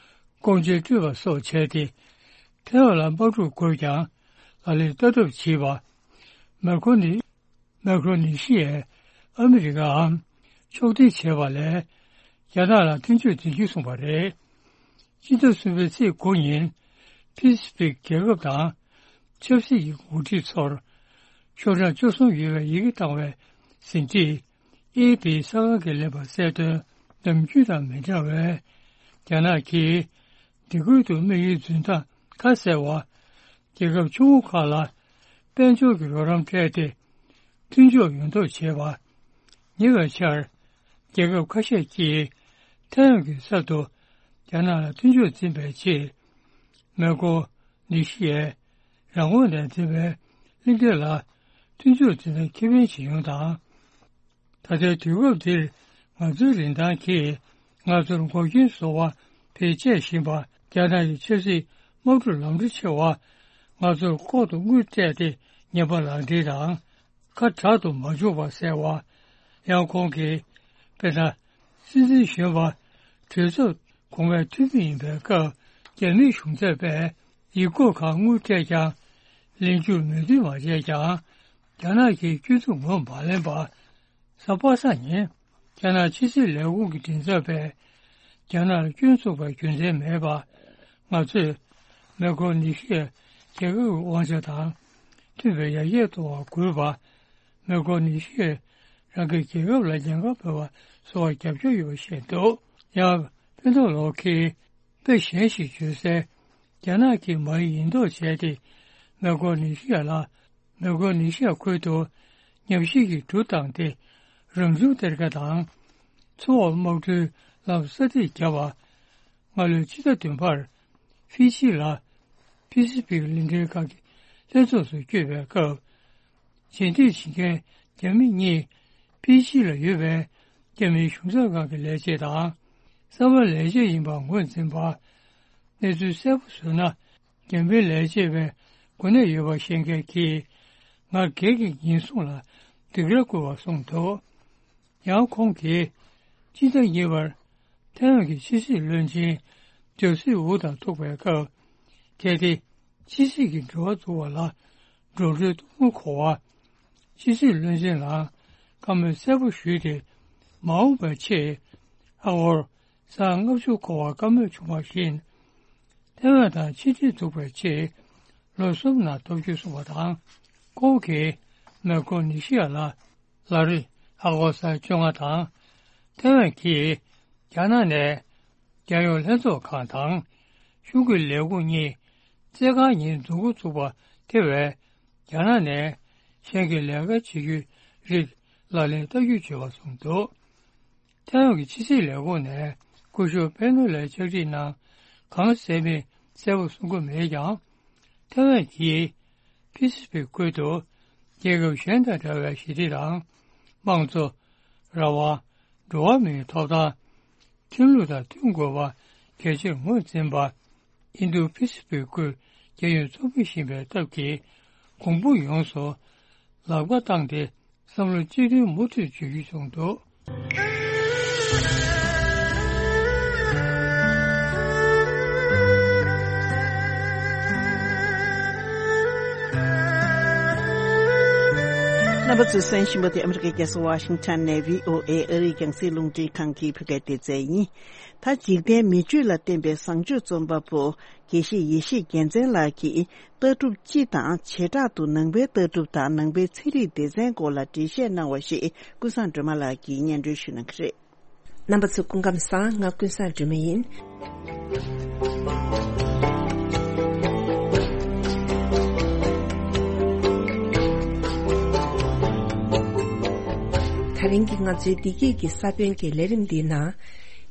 ཀོང་ཇོ་སྤྲོད་པ་སོགས་བྱས་ཏེ། ཐའེ་ཝན་ལ་དམག་འཁྲུག་དགོས་ཀྱང་ལག་ལེན་ལྟ་གྲུབ་བྱས་པ། མར་ཁོ་ནི་མར་ཁོ་ནི་ཤི་ཡས་ཨ་མི་རི་ཀའམ་ཕྱོགས་སྒྲིག་བྱས་པ་ལས་རྒྱ་ནག་ལ་མཐུན་ཕྱོགས་འཛིན་རྒྱུ་གསུངས་པ་རེད། སྤྱི་ཟླ་གསུམ་པའི་ཚེས་དགུ་ཉིན་པེ་སི་ཕིག་རྒྱལ་ཁབ་དང་ཆབ་སྲིད་ཀྱི་འགོ་ཁྲིད་ཚོར་ཤོག་གྲངས་བཅུ་གསུམ་ཡོད་པའི་ཡི་གེ་བཏང་བའི་ཟིན་བྲིས། ཨེ་པི་གསར་ཁང་གིས་ལེན་པར་གསལ་དོན་ནམ་རྒྱུན་དང་མི་འདྲ་བས། རྒྱ་ནག་གིས་སྡེ་ཁུལ་དུ་དམིགས་ཡུལ་འཛིན་སྟངས་ཁ་གསལ་བ། རྒྱལ་ཁབ་ཆུང་ངུ་ཁག་ལ་དཔལ་འབྱོར་གྱི་རོགས་རམ་སྤྲད་དེ། མཐུན་ཕྱོགས་ཡོང་ཐབས་བྱས་པ། ཉེ་བའི་ཆར་རྒྱལ་ཁབ་ཁ་ཤས་ཀྱིས་ཐའེ་ཝན་གྱི་ས་ཐོག་རྒྱ་ནག་ལ་མཐུན་ཕྱོགས་འཛིན་པའི་ཆེད། མར་ཁོ་ནི་ཤི་ཡས་རང་ངོས་ནས་འཛིན་པའི་གླིང་ཕྲན་ལ་མཐུན་ཕྱོགས་འཛིན་སྟངས་ཁེ་ཕན་ཇི་ཡོང་དང་། ད་ལྟའི་དུས་སྐབས་འདིར་ང་ཚོའི་རིན་ཐང་གིས་ང་ཚོར་འགོག་རྐྱེན་བཟོ་བ་བེད་སྤྱད་བཞིན་པ། རྒྱ་ནག་གི་ཆབ་སྲིད་དམག་འཁྲུག་ལམ་འགྲོ་ཆེ་བ། ང་ཚོར་ལྐོག་ཏུ་དངུལ་སྤྲད་དེ་ཉེས་པ་ལག་འབྲེལ་དང་། ཁ་དྲག་ཏུ་མ་འཇུག་པ་ཟེར་བ། ཡང་ཁོང་གིས་དཔེར་ན། སྲིད་འཛིན་གཞོན་པ་གྲོས་ཚོགས་གོང་མའི་འཐུས་མི་ཡིན་པའི་སྐབས། རྒྱ་མིའི་གཞུང་ཚབ་པས་ཡིག་སྐོར་ཁག་དངུལ་སྤྲད་ཀྱང་། ལན་འཇུག་མོས་མཐུན་མ་བྱས་ཀྱང་། རྒྱ་ནག་གིས་སྐྱོན་འཛུགས་ངོས་མ་ལེན་པ། གཟའ་པ་སངས་ཉིན། རྒྱ་ནག་ཕྱི་སྲིད་ལས་ཁུངས་ཀྱི་མགྲིན་ཚབ་པས། རྒྱ་ནག་ལ་སྐྱོན་འཛུགས་པའི་རྒྱུ་མཚན་མེད་པ། ང་ཚོས་མར་ཁོ་ནི་ཤི་ཡས་རྒྱལ་ཁབ་ཀྱི་དབང་ཆ་དང་མཐུན་པའི་ཡར་རྒྱས་གཏོང་བར་དགོས་པ། མར་ཁོ་ནི་ཤི་ཡས་རང་གི་རྒྱལ་ཁབ་ལ་ཉེན་ཁ་ཕོག་པ་བཟོ་བར་རྒྱབ་སྐྱོར་ཡོད་པ་བཤད་འདུག། ཡང་པེ་ནོ་ལོ་གིས་དཔེ་གཞན་ཞིག་བརྗོད་སའི། རྒྱ་ནག་གིས་མ་ཡིག་ཡིན་མདོག་བྱས་ཏེ། མར་ཁོ་ནི་ཤི་ཡ་ལ། མར་ཁོ་ནི་ཤི་ཡ་ཁུལ་དུ་ཉམས་ཞིབ་ཀྱི་གྲུ་བཏང་སྟེ། རང་བྱུང་གཏེར་ཁ་དང་། མཚོ་འོག་དམག་གྲུའི་ལམ་གསར་གཏོད་བརྒྱབ་པ། སྔ་ལོའི་ཕྱི་ཟླ་བདུན་པར་ཧྥི་ཇི་ལ་པེ་སི་ཕིག་གླིང་ཕྲན་ཁང་གི་ལྷན་ཚོགས་སུ་བསྐྱོད་པའི་སྐབས། རྗེས་འདེད་བྱེད་མཁན་རྒྱ་མི་གཉིས་ཕི་ཇི་ལ་ཡོད་པའི་རྒྱ་མིའི་གཞུང་ཚབ་ཁང་གི་ལས་བྱེད་དང་། གསར་པ་ལས་བྱེད་ཡིན་པ་ངོས་འཛིན་པ། གནས་ཚུལ་གསལ་པོ་བཟོས་ན། རྒྱ་མིའི་ལས་བྱེད་པའི་གོ་གནས་ཡོད་པ་ཤེས་མཁན་གྱིས། ང་སྒེར་གྱི་ཉེན་སྲུང་ལ་འདི་གར་བསྐུལ་བ་གསུངས་འདུག། ཡང་ཁོང་གིས་སྤྱི་ཟླ་གཉིས་པར་ཐའེ་ཝན་གྱི་ཕྱི་སྲིད་བློན་ཆེན་ཇོ་སི་ཝུ་དང་ཐུག་པའི་སྐབས། གལ་ཏེ་ཕྱི་སྲིད་ཀྱི་འབྲེལ་བ་བཙུགས་པ་ལ་འགྲོ་གྲོན་གཏོང་དགོས་པ། ཕྱི་སྲིད་བློན་ཆེན་ལའང་བཀའ་མོལ་གསལ་པོ་ཞུས་ཏེ། མ་འོངས་པའི་ཆེད་ཨ་སྒོར་ས་ལྔ་བཅུ་འཁོར་བ་བཀའ་མོལ་བྱུང་བ་བཞིན། ཐའེ་ཝན་དང་ཕྱི་འབྲེལ་འཛུགས་པའི་ཆེད་ལོ་གསུམ་ནང་ཐོབ་རྒྱུ་གསུངས་པ་དང་། ཁོང་གིས་མར་ཁོ་ནི་ཤི་ཡ་ལ་ལག་རིན་ཨ་སྒོར་ས་བཅོ་ལྔ་དང་། ཐའེ་ཝན་གྱིས་རྒྱ་ནག་ནས་རྒྱལ་ཡོངས་ལྷན་ཚོགས་ཁང་དང་གཞུང་གི་ལས་ཁུངས་གཉིས་བཙས་ཁང་གཉིས་འཛུགས་འགོ་ཚུགས་པ་དེ་བས། རྒྱ་ནག་ནས་གཞན་གྱི་ལས་ཀ་བྱེད་རྒྱུའི་རིགས་ལག་ལེན་བསྟར་རྒྱུ་བྱས་པ་གསུངས་འདུག། ཐའེ་ཝན་གྱི་ཕྱི་སྲིད་ལས་ཁུངས་ནས་སྐུ་ཞབས་པེ་ནོ་ལའི་ཕྱག་བྲིས་ནང་གང་གསལ་མིན་གསལ་པོ་གསུང་གི་མེད་ཀྱང་། ཐའེ་ཝན་གྱིས་ཕི་སི་ཕིག་ཁུལ་དུ་རྒྱལ་ཁབ་གཞན་དང་འདྲ་བའི་ཞི་བདེ་དང་། དམངས་གཙོ། རང་དབང་། འགྲོ་བ་མིའི་ཐོབ་ཐང་། ཁྲིམས་ལུགས་དང་མཐུན་དགོས་པ་གལ་ཆེར་ངོས་འཛིན་པ། ཨིན་རྡུ་པེ་སི་ཕིག་ཁུལ་རྒྱལ་ཡོངས་ཚོགས་མི་ཞིག་ཡིན་པའི་སྟབས་ཀྱིས། གོང་བུ་ཡོངས་སུ་ལག་པ་བཏང་སྟེ། བསམ་བློ་གཅིག་མཐུན་མུ་མཐུད་བྱེད་རྒྱུ་བྱུང་འདུག། རྣམ་པ་ཚོས་གསན་བཞིན་པ་དེ་ཨ་མི་རི་ཀའི་རྒྱལ་ས་ཝ་ཤིང་ཊོན་ནས་བྷི་ཨོ་ཨེ་ཨ་རིའི་རྒྱང་སྲིང་རླུང་འཕྲིན་ཁང་གི་བོད་སྐད་སྡེ་ཚན་ཡིན། ད་འཇིག་རྟེན་མི་ཆོས་ལ་བརྟེན་པའི་བཟང་སྤྱོད་རྩོམ་པ་པོ་དགེ་བཤེས་ཡེ་ཤེས་རྒྱལ་མཚན་ལགས་ཀྱིས་ལྟ་གྲུབ་སྤྱི་དང་བྱེ་བྲག་ཏུ་ནང་པའི་ལྟ་གྲུབ་དང་ནང་པའི་ཚན་རིག་སྡེ་ཚན་སྐོར་ལ་འགྲེལ་བཤད་གནང་བ་ཞིག་ཀུན་བཟང་སྒྲོལ་མ་ལགས་ཀྱིས་སྙན་སྒྲོན་ཞུ་གནང་གི་རེད། རྣམ་པ་ཚོ་སྐུ་ཁམས་བཟང་། ང་ཀུན་བཟང་སྒྲོལ་མ་ཡིན། ད་རིང་གི་ང་ཚོའི་བདེ་སྐྱིད་ཀྱི་ས་བོན་གྱི་ལས་རིམ་འདིའི་ནང་།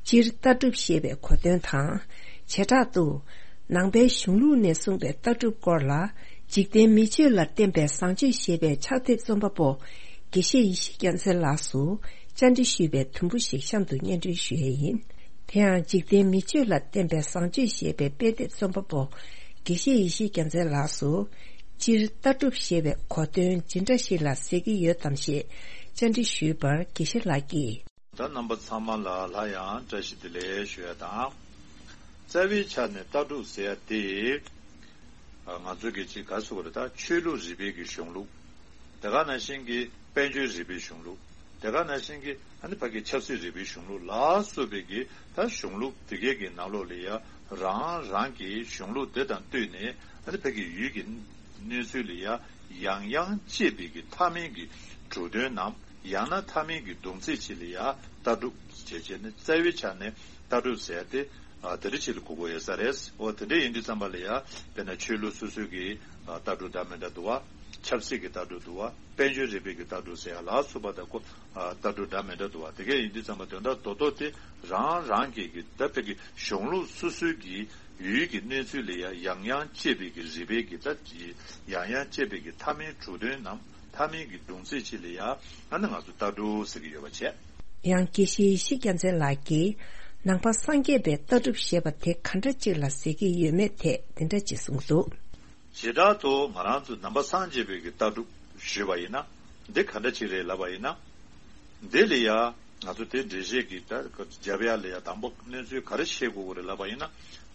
སྤྱིར་ལྟ་གྲུབ་ཞེས་པའི་གོ་དོན་དང་། བྱེ་བྲག་ཏུ། ནང་པའི་གཞུང་ལུགས་ནས་གསུངས་པའི་ལྟ་གྲུབ་སྐོར་ལ། འཇིག་རྟེན་མི་ཆོས་ལ་བརྟེན་པའི་བཟང་སྤྱོད་ཞེས་པའི་ཕྱག་དེབ་རྩོམ་པ་པོ། དགེ་བཤེས་ཡེ་ཤེས་རྒྱལ་མཚན་ལགས་སུ། བཅར་འདྲི་ཞུས་པའི་དུམ་བུ་ཞིག་གཤམ་དུ་སྙན་སྒྲོན་ཞུ་ཡས་ཡིན། དེ་ཡང་འཇིག་རྟེན་མི་ཆོས་ལ་བརྟེན་པའི་བཟང་སྤྱོད་ཞེས་པའི་དཔེ་དེབ་རྩོམ་པ་པོ། དགེ་བཤེས་ཡེ་ཤེས་རྒྱལ་མཚན་ལགས་སུ། སྤྱིར་ལྟ་གྲུབ་ཞེས་པའི་གོ་དོན་ཇི་འདྲ་ཞིག་ལ་ཟེར་གྱི་ཡོད་དམ་ཞེས། བཅར་འདྲི་ཞུས་པར་དགེ་བཤེས་ལགས་ཀྱིས། ད་རྣམ་པ་ཚང་མ་ལ་སླར་ཡང་བཀྲ་ཤིས་བདེ་ལེགས་ཞུ་ཡ་དང་། རྩ་བའི་ཆ་ནས་ལྟ་གྲུབ་ཟེར་ཡ་དེ། ང་ཚོ་གི་ཅིག་ག་ཟེར་དགོས་རེད། ད་ཆོས་ལུགས་རིག་པའི་གི་གཞུང་ལུགས། དེ་ག་ནང་བཞིན་གྱི་དཔལ་འབྱོར་རིག་པའི་གཞུང་ལུགས། དེ་ག་ནང་བཞིན་གྱི་ཨ་ནི་ཕ་གི་ཆབ་སྲིད་རིག་པའི་གཞུང་ལུགས་ལ་སོགས་པའི་གི་ད་གཞུང་ལུགས་དེ་གའི་གི་ནང་ལོགས་ལ་ཡ་རང་རང་གི་གཞུང་ལུགས་དེ་དང་བསྟུན་ནས་ཨ་ནི་ཕ་གི་ཡུལ་གྱི་གནས་ཚུལ་ལ་ཡ་ཡང་ཡང་དཔྱད་པའི་གི་མཐའ་མའི་གི་གྲུབ་དོན་ནམ། ཡང་ན་མཐའ་མའི་གི་བསྡོམས་ཚིག་ཅིག་ལ་ཡ་ལྟ་གྲུབ་ཅེས་བྱས་ནས་རྩ་བའི་ཆ་ནས་ལྟ་གྲུབ་ཟེར་ཏེ། ཨ་དེ་འདྲ་ཅིག་ལ་གོ་དགོས་ཡོད་ས་རེད། འོ་དེ་འདྲ་ཡིན་དུས་ཙམ་པ་ལ་ཡ་དཔེར་ན་ཆོས་ལུགས་སོ་སོའི་གི་ཨ་ལྟ་གྲུབ་འདྲ་མི་འདྲ་འདུག་བ། ཆབ་སྲིད་ཀྱི་ལྟ་གྲུབ་འདུག་བ། དཔལ་འབྱོར་རིག་པའི་གི་ལྟ་གྲུབ་ཟེར་ཡ་ལ་སོགས་པ་དང་ཁོ་ཨ་ལྟ་གྲུབ་འདྲ་མི་འདྲ་འདུག་བ། དེ་གས་ཡིན་དུས་ཙམ་པ་དོན་དག་རྡོག་རྡོག་དེ་རང་རང་གི་གི་ད་ཕ་གི་གཞུང་ལུགས་སོ་སོའི་གི་ཡུལ་གྱི་གནས་ཚུལ་ལ་ཡ་ཡང་ཡང་དཔྱད་པའི་གི་རིག་པའི་གི་ད་ཡང་ཡང་དཔྱད་པའི་གི་མཐའ་མའི་གྲུབ་དོན་ནམ། མཐའ་མའི་གི་བསྡོམས་ཚིག་ཅིག་ལ་ཡ་ཨ་ནི་ང་ཚོ་ལྟ་གྲུབ་ཟེར་གྱི་ཡོད་པ་བྱས། ཡང་དགེ་བཤེས་ཡེ་ཤེས་རྒྱལ་མཚན་ལགས་ཀྱིས་ནང་པ་སངས་རྒྱས་པའི་ལྟ་གྲུབ་ཞེས་པ་དེ་ག་འདྲ་ཅིག་ལ་ཟེར་གྱི་ཡོད་མེད་ཐད་དེ་འདྲ་ཅིག་གསུངས་འདུག། བྱེ་བྲག་ཏུ་ང་རང་ཚོ་ནང་པ་སངས་རྒྱས་པའི་གི་ལྟ་གྲུབ་ཞུས་པ་ཡིན་ན། འདི་ག་འདྲ་ཅིག་རེད་ལབ་པ་ཡིན་ན། འདི་ལ་ཡ་ང་ཚོ་དེ་འགྲེལ་བཤད་ཀྱི་ད་རྒྱབ་ཡ་ལ་ཡ་དང་པོ་གནས་ཚུལ་ག་རེ་ཤེས་དགོས་ཀྱི་རེད་ལབ་པ་ཡིན་ན།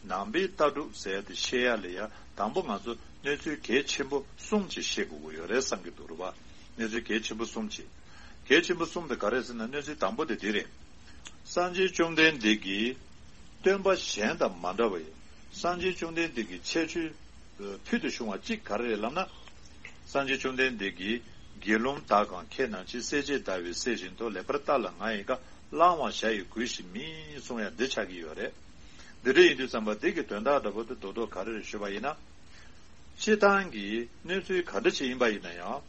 ནང་པའི་ལྟ་གྲུབ་ཟེར་ཡ་དེ་ཤེས་ཡ་ལ་ཡ་དང་པོ་ང་ཚོ་གནས་ཚུལ་གལ་ཆེན་པོ་གསུམ་ཅིག་ཤེས་དགོས་ཀྱི་ཡོད་རེད་བསམ་གྱི་འདུག་རེད་པ། གནས་ཚུལ་གལ་ཆེན་པོ་གསུམ་ཅིག། གལ་ཆེན་པོ་གསུམ་དེ་ག་རེ་ཟེར་ན་གནས་ཚུལ་དང་པོ་དེ་འདི་རེད། སངས་རྒྱས་བཅོམ་ལྡན་འདས་ཀྱིས་སྟོན་པ་གཞན་དང་མ་འདྲ་བའི་སངས་རྒྱས་བཅོམ་ལྡན་འདས་ཀྱི་ཁྱད་ཆོས་ཕུལ་དུ་བྱུང་བ་གཅིག་ག་རེ་རེད་ལབ་ན། སངས་རྒྱས་བཅོམ་ལྡན་འདས་ཀྱིས་དགེ་སློང་དག་གམ་མཁས་རྣམས་ཀྱིས། སྲས་བཅས་ཟླ་བའི་ཚེས་བཞིན་དུ། ལེགས་པར་བལྟ་ལ་ང་ཡི་བཀའ། བླང་བར་བྱ་ཡི་གུས་ཤིག་མིན་གསུང་ཡ་འདི་ཆགས་ཀྱི་ཡོད་རེད། འདི་འདྲ་ཡིན་དུས་ཙམ་པ་འདི་གི་དོན་དག་འདྲ་པོ་དེ་རྡོག་རྡོག་ག་རེ་རེད་ཞུས་པ་ཡིན་ན། སྤྱིར་བཏང་གི་གནས་ཚུལ་ག་འདྲ་ཞིག་ཡིན་པ་ཡིན་ན་ཡང་།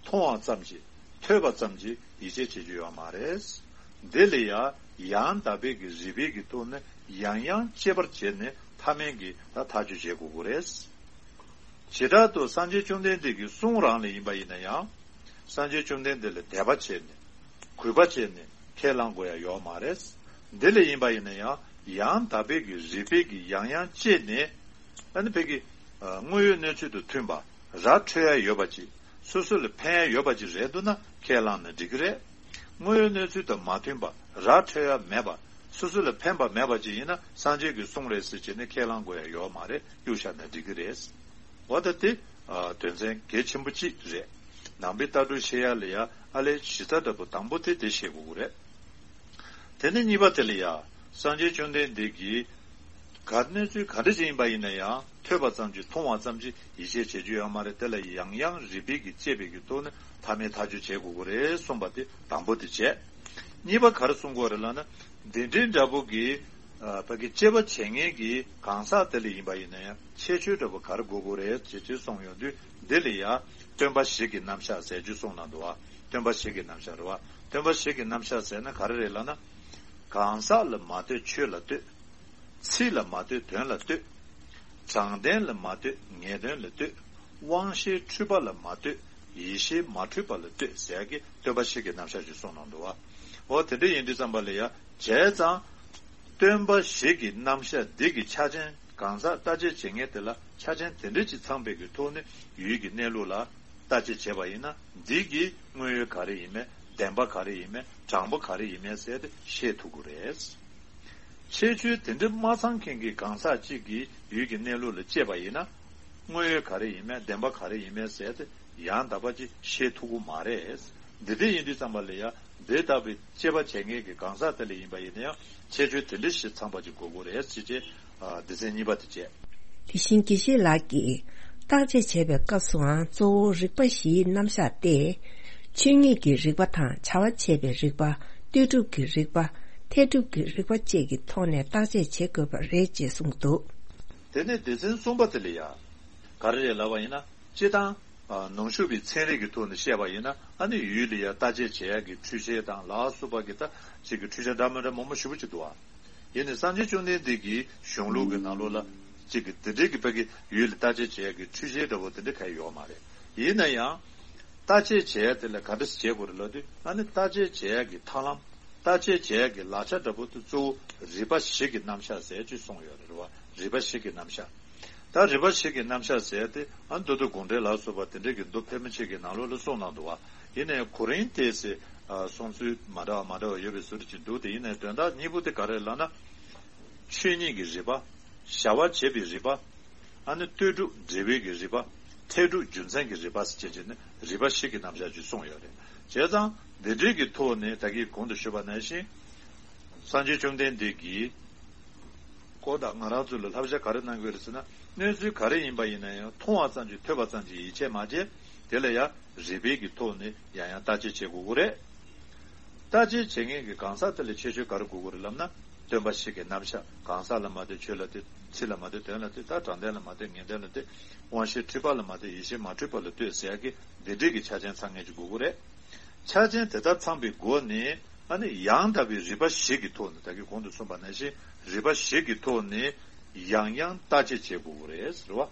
མཐོང་བ་ཙམ་གྱིས་ཐོས་པ་ཙམ་གྱིས་ཡིད་ཆེས་བྱེད་རྒྱུ་ཡོད་མ་རེད། འདི་ལ་ཡང་ཡང་དག་པའི་གི་རིགས་པའི་གི་ཐོག་ནས་ཡང་ཡང་དཔྱད་པར་བྱས་ནས་མཐའ་མའི་གི་ད་ཐག་གཅོད་བྱེད་དགོས་ཀྱི་རེད། བྱེ་བྲག་ཏུ་སངས་རྒྱས་བཅོམ་ལྡན་འདས་ཀྱི་གསུང་རང་ལ་ཡིན་པ་ཡིན་ན་ཡང་། སངས་རྒྱས་བཅོམ་ལྡན་འདས་ལ་དད་པ་བྱས་ནས་གུས་པ་བྱས་ནས་ཁས་བླང་དགོས་ཡ་ཡོད་མ་རེད། འདི་ལ་ཡིན་པ་ཡིན་ན་ཡང་ཡང་དག་པའི་གི་རིགས་པའི་གི་ཡང་ཡང་དཔྱད་ནས་ཨ་ནི་ཕ་གི་དངོས་ཡོད་གནས་ཚུལ་དང་མཐུན་པ། ར་འཕྲོད་ཡ་ཡོད་པ་ཅིག། སོ་སོ་ལ་ཕན་ཡ་ཡོད་པ་ཅིག་རེད་འདུག་ན་ཁས་བླངས་ན་འགྲིག་གི་རེད། དངོས་ཡོད་གནས་ཚུལ་དང་མ་མཐུན་པ། ར་འཕྲོད་ཡ་མེད་པ། སོ་སོ་ལ་ཕན་པ་མེད་པ་ཅིག་ཡིན་ན་སངས་རྒྱས་ཀྱི་གསུང་རེད་ཟེར་བྱས་ནས་ཁས་བླངས་དགོས་ཡ་ཡོད་མ་རེད། གཡུག་བཞག་ན་འགྲིག་གི་རེད། འོ་ད་དེ་དོན་ཚན་གལ་ཆེན་པོ་གཅིག་རེད། ནང་པའི་ལྟ་གྲུབ་ཤེས་ཡ་ལ་ཡ་ཨ་ལས་གཞི་རྩ་འདྲ་པོ་དང་པོ་དེ་དེ་ཤེས་དགོས་ཀྱི་རེད། དེ་ནས་གཉིས་པ་དེ་ལ་ཡ། སངས་རྒྱས་བཅོམ་ལྡན་འདས་ཀྱིས་ག་གནས་ཚུལ་ག་འདྲ་ཞིག་ཡིན་པ་ཡིན་ན་ཡང་ཐོས་པ་ཙམ་གྱིས་མཐོང་བ་ཙམ་གྱིས་ཡིད་ཆེས་བྱེད་རྒྱུ་ཡོད་མ་རེད། དེ་ལ་ཡང་ཡང་རིགས་པའི་གི་དཔྱད་པའི་གི་ཐོག་ནས་མཐའ་མའི་ཐག་གཅོད་བྱེད་དགོས་ཀྱི་རེད་གསུངས་པ་དེ་དང་པོ་དེ་བྱས། གཉིས་པ་ག་རེ་གསུང་དགོས་རེད་ལབ་ན། འདི་འདྲའི་འདྲ་པོ་གི་ཨ་ཕ་གི་དཔྱད་པ་བྱེད་མཁན་གྱི་གང་ཟག་དེ་ལ་ཡིན་པ་ཡིན་ན་ཡང་ཁྱད་ཆོས་འདྲ་པོ་ག་རེ་དགོས་ཀྱི་རེད་ཅེས་ཅེས་གསུངས་ཡོང་དུས་འདི་ལ་ཡ་སྟོན་པ་བཞི་གི་རྣམ་གཞག་ཟེར་རྒྱུ་གསུངས་གནང་འདུག་བ། སྟོན་པ་བཞི་གི་རྣམ་གཞག་རེད་བ། སྟོན་པ་བཞི་གི་རྣམ་གཞག་ཟེར་ན་ག་རེ་རེད་ལབ་ན། གང་ཟག་ལ་མ་ལྟོས་ཆོས་ལ་ལྟོས། ཚིག་ལ་མ་ལྟོས་དོན་ལ་ལྟོས། དྲང་བདེན་ལ་མ་ལྟོས་ངེས་དོན་ལ་ལྟོས། དབང་ཤེས་འཁྲུལ་པ་ལ་མ་ལྟོས་ཡེ་ཤེས་མ་འཁྲུལ་པ་ལ་ལྟོས་ཟེར་ཡ་གི་སྟོན་པ་བཞི་གི་རྣམ་གཞག་ཅིག་གསུངས་གནང་འདུག་བ། འོ་དེ་འདྲ་ཡིན་དུས་ཙམ་པ་ལ་ཡ་བྱས་ཙང་། སྟོན་པ་བཞི་གི་རྣམ་གཞག་འདི་གི་ཆ་རྐྱེན་གང་ཟག་ལྟ་དཔྱད་བྱེད་མཁན་དེ་ལ་ཆ་རྐྱེན་དེ་འདྲ་ཅིག་ཚང་པའི་གི་ཐོག་ནས་ཡུལ་གྱི་གནས་ལུགས་ལ་ལྟ་དཔྱད་བྱས་པ་ཡིན་ན་འདི་གི་དངོས་ཡོད་ག་རེ་ཡིན་མིན་བདེན་པ་ག་རེ་ཡིན་མིན་དྲང་པོ་ག་རེ་ཡིན་མིན་ཟེར་ཏེ་ཤེས་ཐུབ་ཀྱི་རེད། ཁྱད་ཆོས་དེ་འདྲ་མ་ཚང་མཁན་གྱི་གང་ཟག་ཅིག་གིས་ཡུལ་གྱི་གནས་ལུགས་ལ་དཔྱད་པ་ཡིན་ན། དངོས་ཡོད་ག་རེ་ཡིན་མིན་བདེན་པ་ག་རེ་ཡིན་མིན་ཟེར་ཏེ་ཡང་དག་པ་ཅིག་ཤེས་ཐུབ་ཀྱི་མ་རེད། འདི་འདྲ་ཡིན་དུས་ཙམ་པ་ལ་ཡང་འདི་ལྟ་བུའི་དཔྱད་པ་བྱེད་མཁན་གྱི་གང་ཟག་དེ་ལ་ཡིན་པ་ཡིན་ན་ཡང་ཁྱད་ཆོས་དེ་འདྲ་ཞིག་ཚང་པ་ཅིག་དགོས་ཀྱི་རེད་ཅེས་བྱས། ཨ། སྡེ་ཚན་གཉིས་པ་དེ་བྱས། དེ་བཞིན་དགེ་བཤེས་ལགས་ཀྱིས་བརྟག་དཔྱད་བྱེད་པའི་སྐབས་སུའང་གཙོ་བོ་རིག་པ་བཞིའི་རྣམ་གཞག་སྟེ། ཆོས་ཉིད་ཀྱི་རིག་པ་དང་བྱ་བ་བྱེད་པའི་རིག་པ། ལྟོས་གྲུབ་ཀྱི་རིག་པ། འཐད་སྒྲུབ་ཀྱི་རིག་པ་བཅས་ཀྱི་ཐོག་ནས་བརྟག་དཔྱད་བྱེད་དགོས་པ་རེད་ཅེས་གསུངས་འདུག། དེ་ནས་སྡེ་ཚན་གསུམ་པ་དེ་ལ་ཡང་ག་རེ་རེད་ལབ་པ་ཡིན་ན། སྤྱིར་བཏང་། ཨ། ནང་ཞུགས་པའི་ཚན་རིག་གི་ཐོག་ནས་བཤད་པ་ཡིན་ན། ཨ་ནི་ཡུལ་ལ་ཡང་བརྟག་དཔྱད་བྱེད་ཡག་གི་འཕྲུལ་ཆས་དང་ལ་སོགས་པ་གི་ད་ཅིག་གི་འཕྲུལ་ཆས་འདྲ་མི་འདྲ་མང་པོ་ཞེ་པོ་ཅིག་འདུག་ཨ། ཡིན་ནའི་སངས་རྒྱས་བཅོམ་ལྡན་འདས་ཀྱི་གཞུང་ལུགས་ཀྱི་ནང་ལོགས་ལ་ཅིག་གི་དེ་འདྲའི་གི་ཕ་གི་ཡུལ་ལ་བརྟག་དཔྱད་བྱེད་ཡག་གི་འཕྲུལ་ཆས་འདྲ་བོ་དེ་འདྲ་གང་ཡང་ཡོད་མ་རེད། ཡིན་ན་ཡང་། བརྟག་དཔྱད་བྱེད་ཡག་དེ་ལ་ག་འདྲ་ཞིག་བྱེད་དགོས་རེད་ལབ་དུས། ཨ་ནི་བརྟག་དཔྱད་བྱེད་ཡག་གི་ཐབས་ལམ། བརྟག་དཔྱད་བྱེད་ཡག་གི་ལག་ཆ་འདྲ་པོ་དེ་གཙོ་བོ་རིག་པ་བཞི་གི་རྣམ་གཞག་ཟེར་ཅིག་གསུངས་ཡོད་རེད། རེད་བ། རིག་པ་བཞི་གི་རྣམ་གཞག། ད་རིག་པ་བཞི་གི་རྣམ་གཞག་ཟེར་ཏེ། ཨ། མདོ་སྡེ་དགོངས་འགྲེལ་ལ་སོགས་པ་དེ་འདྲའི་གི་མདོ་ཕལ་མོ་ཆེ་གི་ནང་ལོགས་ལ་གསུངས་གནང་འདུག་བ། ཡིན་ནའི་གོ་རིམ་དེ་ཚོ། ཨ། གསུང་ཚུལ་མ་འདྲ་བ་མ་འདྲ་བ་ཡོད་པའི་བཟོ་འདྲ་ཅིག་འདུག། དེ་ཡིན་ནའི་དོན་དག་གཉིས་པོ་དེ་ག་རེ་ལབ་ན། ཆོས་ཉིད་ཀྱི་རིག་པ། བྱ་བ་བྱེད་པའི་རིག་པ། ཨ་ནི་ལྟོས་གྲུབ་འབྲས་བུའི་གི་རིག་པ། འཐད་སྒྲུབ་རྒྱུ་མཚན་གྱི་རིག་པ་ཟེར་བྱས་ནས་རིག་པ་བཞི་གི་རྣམ་གཞག་ཅིག་གསུངས་ཡོད་རེད། བྱས་ཙང་འདི་འདྲའི་གི་ཐོག་ནས་ད་གིན་གོང་དུ་ཞུས་པ་ནང་བཞིན། སངས་རྒྱས་བཅོམ་ལྡན་འདས་ཀྱིས་ཀོ་ད་ང་རང་ཚོ་ལ་བསླབ་བྱ་ག་རེ་གནང་གི་ཡོད་རེད་ཟེར་ན། གནས་ཚུལ་ག་རེ་ཡིན་པ་ཡིན་ན་ཡང་མཐོང་བ་ཙམ་གྱིས་ཐོས་པ་ཙམ་གྱིས་ཡིད་ཆེས་མ་བྱས། དེ་ལ་ཡང་རིགས་པའི་གི་ཐོག་ནས་ཡང་ཡང་བརྟག་དཔྱད་བྱེད་དགོས་ཀྱི་རེད། བརྟག་དཔྱད་བྱེད་མཁན་གྱི་གང་ཟག་དེ་ལ་ཁྱད་ཆོས་ག་རེ་དགོས་ཀྱི་རེད་ལབ་ན། སྟོན་པ་བཞི་གི་རྣམ་གཞག། གང་ཟག་ལ་མ་ལྟོས། ཆོས་ལ་ལྟོས། ཚིག་ལ་མ་ལྟོས། དོན་ལ་ལྟོས། ད་དྲང་དོན་ལ་མ་ལྟོས། ངེས་དོན་ལ་ལྟོས། དབང་ཤེས་འཁྲུལ་པ་ལ་མ་ལྟོས། ཡེ་ཤེས་མ་འཁྲུལ་པ་ལ་ལྟོས་ཟེར་ཡག་གི་འདི་འདྲའི་གི་ཆ་རྐྱེན་ཚང་མཁན་ཅིག་དགོས་ཀྱི་རེད། ཆ་རྐྱེན་དེ་དག་ཚང་པའི་སྒོ་ནས། ཨ་ནི་ཡང་དག་པའི་རིགས་པ་བཞི་གི་ཐོག་ནས། ད་གིན་གོང་དུ་གསུངས་པ་ནང་བཞིན་རིགས་པ་བཞི་གི་ཐོག་ནས་ཡང་ཡང་བརྟག་དཔྱད་བྱེད་དགོས་ཀྱི་རེད་ཟེར་བ།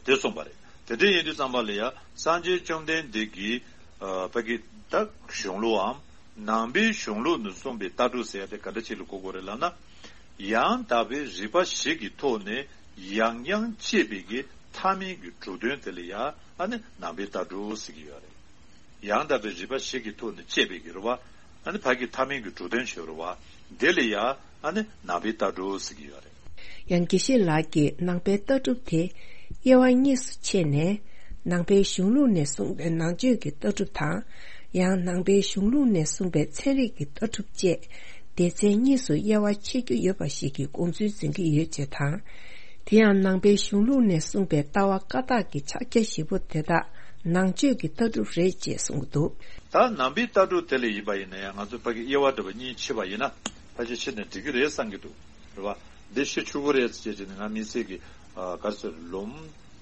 དེ་གསུངས་པ་རེད། དེ་འདྲ་ཡིན་དུས་ཙམ་པ་ལ་ཡང་སངས་རྒྱས་བཅོམ་ལྡན་འདས་ཀྱི། ཨ། ཕ་གི་ད་གཞུང་ལུགས་འམ། ནང་པའི་གཞུང་ལུགས་ནས་གསུངས་པའི་ལྟ་གྲུབ་ཟེར་ཡག་དེ་ག་འདྲ་ཅིག་ལ་གོ་དགོས་རེད་ལབ་ན། ཡང་དག་པའི་རིགས་པ་བཞི་གི་ཐོག་ནས་ཡང་ཡང་དཔྱད་པའི་གི་ཐབས་མེད་ཀྱི་གྲུབ་དོན་དེ་ལ་ཡང་། ཨ་ནི་ནང་པའི་ལྟ་གྲུབ་ཟེར་གྱི་ཡོད་རེད། ཡང་དག་པའི་རིགས་པ་བཞི་གི་ཐོག་ནས་དཔྱད་པའི་གི་རེད་བ། ཨ་ནི་ཕ་གི་ཐབས་མེད་ཀྱི་གྲུབ་དོན་ཞིག་རེད་བ། དེ་ལ་ཡང་། ཨ་ནི་ནང་པའི་ལྟ་གྲུབ་ཟེར་གྱི་ཡོད་རེད། ཡང་དགེ་བཤེས་ལགས་ཀྱིས་ནང་པའི་ལྟ་གྲུབ་དེ་དབྱེ་བ་གཉིས་སུ་ཕྱེ་ནས། ནང་པའི་གཞུང་ལུགས་ནས་གསུངས་པའི་ནང་ཆོས་ཀྱི་ལྟ་གྲུབ་དང་། ཡང་ནང་པའི་གཞུང་ལུགས་ནས་གསུངས་པའི་ཚན་རིག་གི་ལྟ་གྲུབ་བཅས། སྡེ་ཚན་གཉིས་སུ་དབྱེ་བ་ཕྱེ་རྒྱུ་ཡོད་པ་ཞིག་གི་དགོངས་ཚུལ་འཛིན་གྱི་ཡོད་ཅེས་དང་། དེ་ཡང་ནང་པའི་གཞུང་ལུགས་ནས་གསུངས་པའི་ལྟ་བ་བཀའ་རྟགས་ཀྱི་ཕྱག་རྒྱ་བཞི་པོ་དེ་དག་ནང་ཆོས་ཀྱི་ལྟ་གྲུབ་རེད་ཅེས་གསུངས་འདུག། ད་ནང་པའི་ལྟ་གྲུབ་དེ་ལ་ཡིན་པ་ཡིན་ན་ཡང་། ང་ཚོ་ཕ་གི་དབྱེ་བ་འདྲ་པོ་གཉིས་ཕྱེ་བ་ཡིན་ན། ཕལ་ཆེར་ཕྱེ་ནས་འགྲིག་གི་རེད་བསམ་གྱི་འདུག། རེད་བ། འདི་ཤེས་ཆོག་གི་རེད་ཟེར་བྱས་ནས་ང་དམིགས་བསལ་གྱི། ཨ། ག་རེ་ཟེར། ལུང་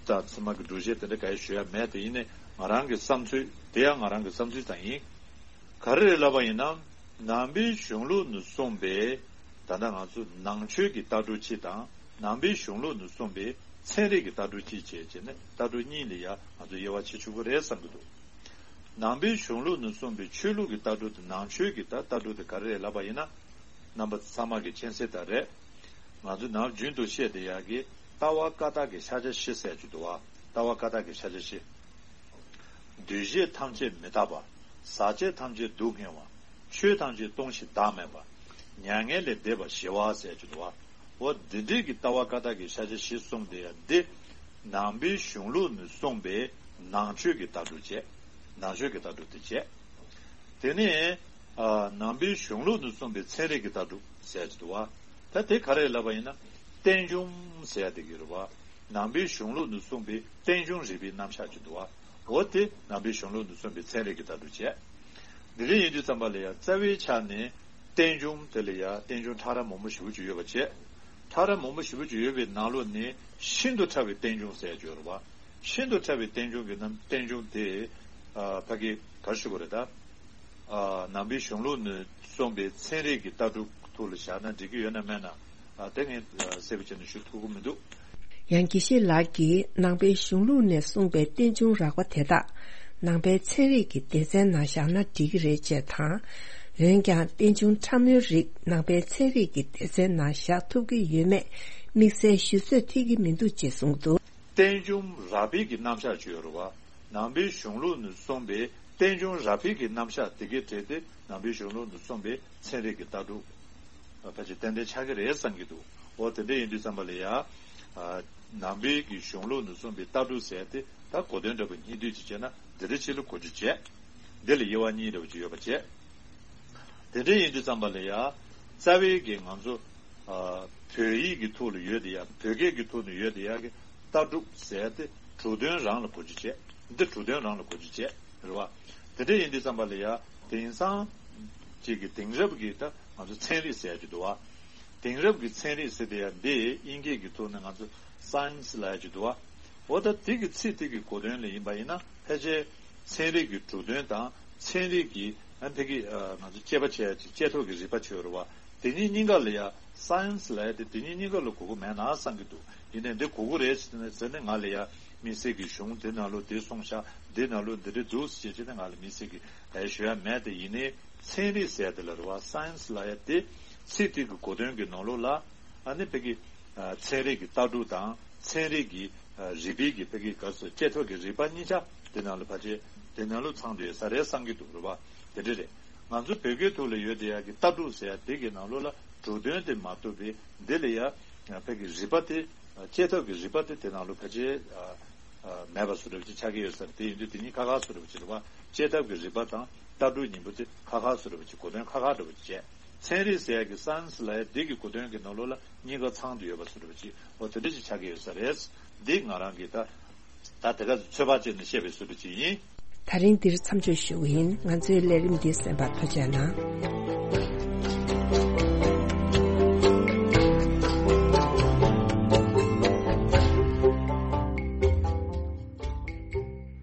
དང་ཚད་མ་གི་སྒྲུབ་བྱེད་དེ་འདྲ་ག་ཡེ་ཞུ་ཡ་མེད། དེ་ཡིན་ནའི་ང་རང་གི་བསམ་ཚུལ། དེ་ཡང་ང་རང་གི་བསམ་ཚུལ་ཙམ་ཡིན། ག་རེ་རེད་ལབ་པ་ཡིན་ན། ནང་པའི་གཞུང་ལུགས་ནས་གསུངས་པའི། ད་ལྟ་ང་ཚོ་ནང་ཆོས་ཀྱི་ལྟ་གྲུབ་གཅིག་དང་། ནང་པའི་གཞུང་ལུགས་ནས་གསུངས་པའི་ཚན་རིག་གི་ལྟ་གྲུབ་གཅིག་བྱས་བྱས་ནས། ལྟ་གྲུབ་གཉིས་ལ་ཡང་ང་ཚོ་དབྱེ་བ་ཕྱེ་ཆོག་གི་རེད་བསམ་གྱི་འདུག། ནང་པའི་གཞུང་ལུགས་ནས་གསུངས་པའི་ཆོས་ལུགས་ཀྱི་ལྟ་གྲུབ་དང་ནང་ཆོས་ཀྱི་ད་ལྟ་གྲུབ་དེ་ག་རེ་རེད་ལབ་པ་ཡིན་ན། རྣམ་པ་ཚང་མ་གི་མཁྱེན་གསལ་ལྟར་རེད། ང་ཚོ་ནམ་རྒྱུན་དུ་བཤད་བསྡད་ཡག་གི་ལྟ་བ་བཀའ་རྟགས་ཀྱི་ཕྱག་རྒྱ་བཞི་ཟེར་གྱི་འདུག་བ། ལྟ་བ་བཀའ་རྟགས་ཀྱི་ཕྱག་རྒྱ་བཞི། འདུས་བྱས་ཐམས་ཅད་མི་རྟག་པ། ཟག་བཅས་ཐམས་ཅད་སྡུག་བསྔལ་བ། ཆོས་ཐམས་ཅད་སྟོང་ཞིང་བདག་མེད་པ། མྱ་ངན་ལས་འདས་པ་ཞི་བ་ཟེར་གྱི་འདུག་བ། འོ་འདི་འདྲའི་གི་ལྟ་བ་བཀའ་རྟགས་ཀྱི་ཕྱག་རྒྱ་བཞི་གསུངས་བསྡད་ཡག་འདི། ནང་པའི་གཞུང་ལུགས་ནས་གསུངས་པའི་ནང་ཆོས་ཀྱི་ལྟ་གྲུབ་བྱས། ནང་ཆོས་ཀྱི་ལྟ་གྲུབ་དེ་བྱས། དེ་ནས། ཨ། ནང་པའི་གཞུང་ལུགས་ནས་གསུངས་པའི་ཚན་རིག་གི་ལྟ་གྲུབ་ཟེར་གྱི་འདུག་བ། ད་དེ་ག་རེ་ལབ་པ་ཡིན་ན། རྟེན་འབྱུང་ཟེར་ཡག་དེ་གི་རེད་བ། ནང་པའི་གཞུང་ལུགས་ནས་གསུངས་པའི་རྟེན་འབྱུང་རིག་པའི་རྣམ་གཞག་ཅིག་འདུག་བ། འོ་དེ་ནང་པའི་གཞུང་ལུགས་ནས་གསུངས་པའི་ཚན་རིག་གི་ལྟ་གྲུབ་བྱས། འདི་འདྲ་ཡིན་དུས་ཙམ་པ་ལ་ཡང་རྩ་བའི་ཆ་ནས་རྟེན་འབྱུང་དེ་ལ་ཡང་རྟེན་འབྱུང་ཕྲ་རབ་མང་པོ་ཞེ་པོ་ཅིག་ཡོད་པ་བྱས། ཕྲ་རབ་མང་པོ་ཞེ་པོ་ཅིག་ཡོད་པའི་ནང་ལོགས་ནས་ཤིན་ཏུ་ཕྲ་བའི་རྟེན་འབྱུང་ཟེར་ཡག་ཅིག་ཡོད་རེད་བ། ཤིན་ཏུ་ཕྲ་བའི་རྟེན་འབྱུང་གི་རྣམ། རྟེན་འབྱུང་དེ། ཨ། ཕ་གི་ག་རེ་ཞུ་དགོས་རེད་ད། ཨ། ནང་པའི་གཞུང་ལུགས་ནས་གསུངས་པའི་ཚན་རིག་གི་ལྟ་གྲུབ་ཐོག་ལ་བཞག་ན་འགྲིག་གི་ཡོད་ན་མེད་ན། ཨ། དེ་ངས་གསལ་པོ་བྱས་ནས་ཞུ་ཐུབ་ཀྱི་མི་འདུག། ཡང་དགེ་བཤེས་ལགས་ཀྱིས་ནང་པའི་གཞུང་ལུགས་ནས་གསུངས་པའི་རྟེན་འབྱུང་རགས་པ་དེ་དག་ནང་པའི་ཚན་རིག་གི་སྡེ་ཚན་ནང་བཞག་ན་འགྲིག་གི་རེད་ཅེས་དང་། འོན་ཀྱང་རྟེན་འབྱུང་ཕྲ་མོའི་རིགས་ནང་པའི་ཚན་རིག་གི་སྡེ་ཚན་ནང་བཞག་ཐུབ་ཀྱི་ཡོད་མེད་དམིགས་བསལ་ཞུ་ཚོད་ཐིག་གི་མི་འདུག་ཅེས་གསུངས་འདུག། རྟེན་འབྱུང་རགས་པའི་གི་རྣམ་གཞག་ཅིག་ཡོད་རེད་བ། ནང་པའི་གཞུང་ལུགས་ནས་གསུངས་པའི་རྟེན་འབྱུང་རགས་པའི་གི་རྣམ་གཞག་དེ་གའི་གྲས་དེ་ནང་པའི་གཞུང་ལུགས་ནས་གསུངས་པའི་ཚན་རིག་གི་ལྟ་གྲུབ་ཕལ་ཆེར་ཏན་ཏན་ཆགས་ཀྱི་རེད་བསམ་གྱི་འདུག། འོ་དེ་འདྲ་ཡིན་དུས་ཙམ་པ་ལ་ཡ། ནང་པའི་གི་གཞུང་ལུགས་ནས་གསུངས་པའི་ལྟ་གྲུབ་ཟེར་ཏེ་ད་གོ་དོན་འདྲ་པོ་སྙིང་བསྡུས་ཅིག་བྱས་ན་འདི་འདྲ་ཅིག་ལ་གོ་རྒྱུ་བྱས། འདི་ལ་དབྱེ་བ་གཉིས་འདྲ་པོ་ཅིག་ཡོད་པ་བྱས། དེ་འདྲ་ཡིན་དུས་ཙམ་པ་ལ་ཡ། རྩ་བའི་གི་ང་ཚོ་བོད་ཡིག་གི་ཐོག་ལ་ཡོད་དེ་ཡ་བོད་སྐད་ཀྱི་ཐོག་ནས་ཡོད་དེ་ཡ་གི་ལྟ་གྲུབ་ཟེར་ཏེ་གྲུབ་དོན་རང་ལ་གོ་རྒྱུ་བྱས། འདི་གྲུབ་དོན་རང་ལ་གོ་རྒྱུ་བྱས། རེད་བ། དེ་འདྲ་ཡིན་དུས་ཙམ་པ་ལ་ཡ་དེང་སང་ཅིག་གི་དེང་རབས་ཀྱི་ད་ང་ཚོ་ཚན་རིག་ཟེར་ཡ་ཅིག་འདུག་བ། དེང་རབས་ཀྱི་ཚན་རིག་ཟེར་དེ་ཡ་འདི་དབྱིན་སྐད་ཀྱི་ཐོག་ནས་ང་ཚོ་སའེན་སི་ལབ་ཡ་ཅིག་འདུག་བ། འོ་ད་དེ་གི་ཚིག་དེ་གི་གོ་དོན་ལ་ཡིན་པ་ཡིན་ན་ཕལ་ཆེར་ཚན་རིག་གི་གྲུབ་དོན་དང་ཚན་རིག་གི་ཨ་ཕ་གི་ང་ཚོ་དཔྱད་པ་བྱས་ཡ་ཅིག་དཔྱད་ཐོག་གི་རིག་པ་ཆོས་རེད་བ། དེ་གཉིས་གཉིས་ཀ་ལ་ཡ་སའེན་སི་ལབ་ཡ་དེ་དེ་གཉིས་གཉིས་ཀ་ལ་གོ་གི་མེད་ན་བསམ་གི་འདུག་ཡིན་ནའི་འདི་གོ་གི་རེད་ཟེར་ནས་ང་ལ་ཡ་དམིགས་བསལ་གྱི་གཞུང་འདི་ནང་ལོགས་འདི་གསུངས་ཤག་འདི་ནང་ལོགས་འདི་འདྲ་འདུག་ཟེར་བྱས་ནས་ང་ལ་དམིགས་བསལ་གྱི་ཨེ་ཞུ་ཡ་མེད། དེ་ཡིན་ནའི་ཚན་རིག་ཟེར་དེ་ལ་རེད་བ། སའེན་སི་ལབ་ཡ་དེ་ཚིག་དེ་གི་གོ་དོན་གྱི་ནང་ལོགས་ལ་ཨ་ནི་ཕ་གི་ཚན་རིག་གི་ལྟ་གྲུབ་དང་ཚན་རིག་གི་རིག་པའི་གི་ཕ་གི་ག་ཚོད་དཔྱད་ཐོག་གི་རིག་པ་གཉིས་ཆ་དེ་ནང་ལ་ཕལ་ཆེར་དེ་ནང་ལོགས་ཚང་བསྡད་ཡོད་ས་རེད་བསམ་གྱི་འདུག་རེད་བ། དེ་འདྲ་རེད། ང་ཚོ་བོད་སྐད་ཐོག་ལ་ཡོད་དེ་ཡ་གི་ལྟ་གྲུབ་ཟེར་ཡ་དེ་གི་ནང་ལོགས་ལ་གྲུབ་དོན་དེ་མ་གཏོགས་པའི་འདི་ལ་ཡ་ཕ་གི་རིག་པ་དེ་དཔྱད་ཐོག་གི་རིག་པ་དེ་དེ་ནང་ལོགས་ཕལ་ཆེར་མེད་པ་བཟོ་འདྲ་ཅིག་ཆགས་ཀྱི་ཡོད་ས་རེད། དེ་ཡིན་དུས་དེ་གཉིས་ཁ་ཁ་བཟོ་འདྲ་ཅིག་རེད་བ། དཔྱད་ཐོག་གི་རིག་པ་དང་ལྟ་གྲུབ་གཉིས་པོ་དེ་ཁ་ཁ་བཟོ་འདྲ་ཅིག་གོ་དོན་ཁ་ཁ་འདྲ་ཅིག་བྱས། ཚན་རིག་ཟེར་ཡ་གི་སའེན་སི་ལབ་ཡ་འདི་གི་གོ་དོན་གྱི་ནང་ལོགས་ལ་གཉིས་ཀ་ཚང་དུ་ཡོད་པ་བཟོ་འདྲ་ཅིག་འོ་དེ་འདྲ་ཅིག་ཆགས་ཀྱི་ཡོད་ས་རེད། འདི་ང་རང་གི་ད་ད་དེ་ག་ཚོད་དཔག་བྱས་ནས་བཤད་པའི་བཟོ་འདྲ་ཅིག་ཡིན། ད་རིང་འདིར་མཚམས་འཇོག་ཞུ་གི་ཡིན། ང་ཚོའི་ལས་རིམ་འདི་གསན་པར་ཐུགས་རྗེ་གནང་།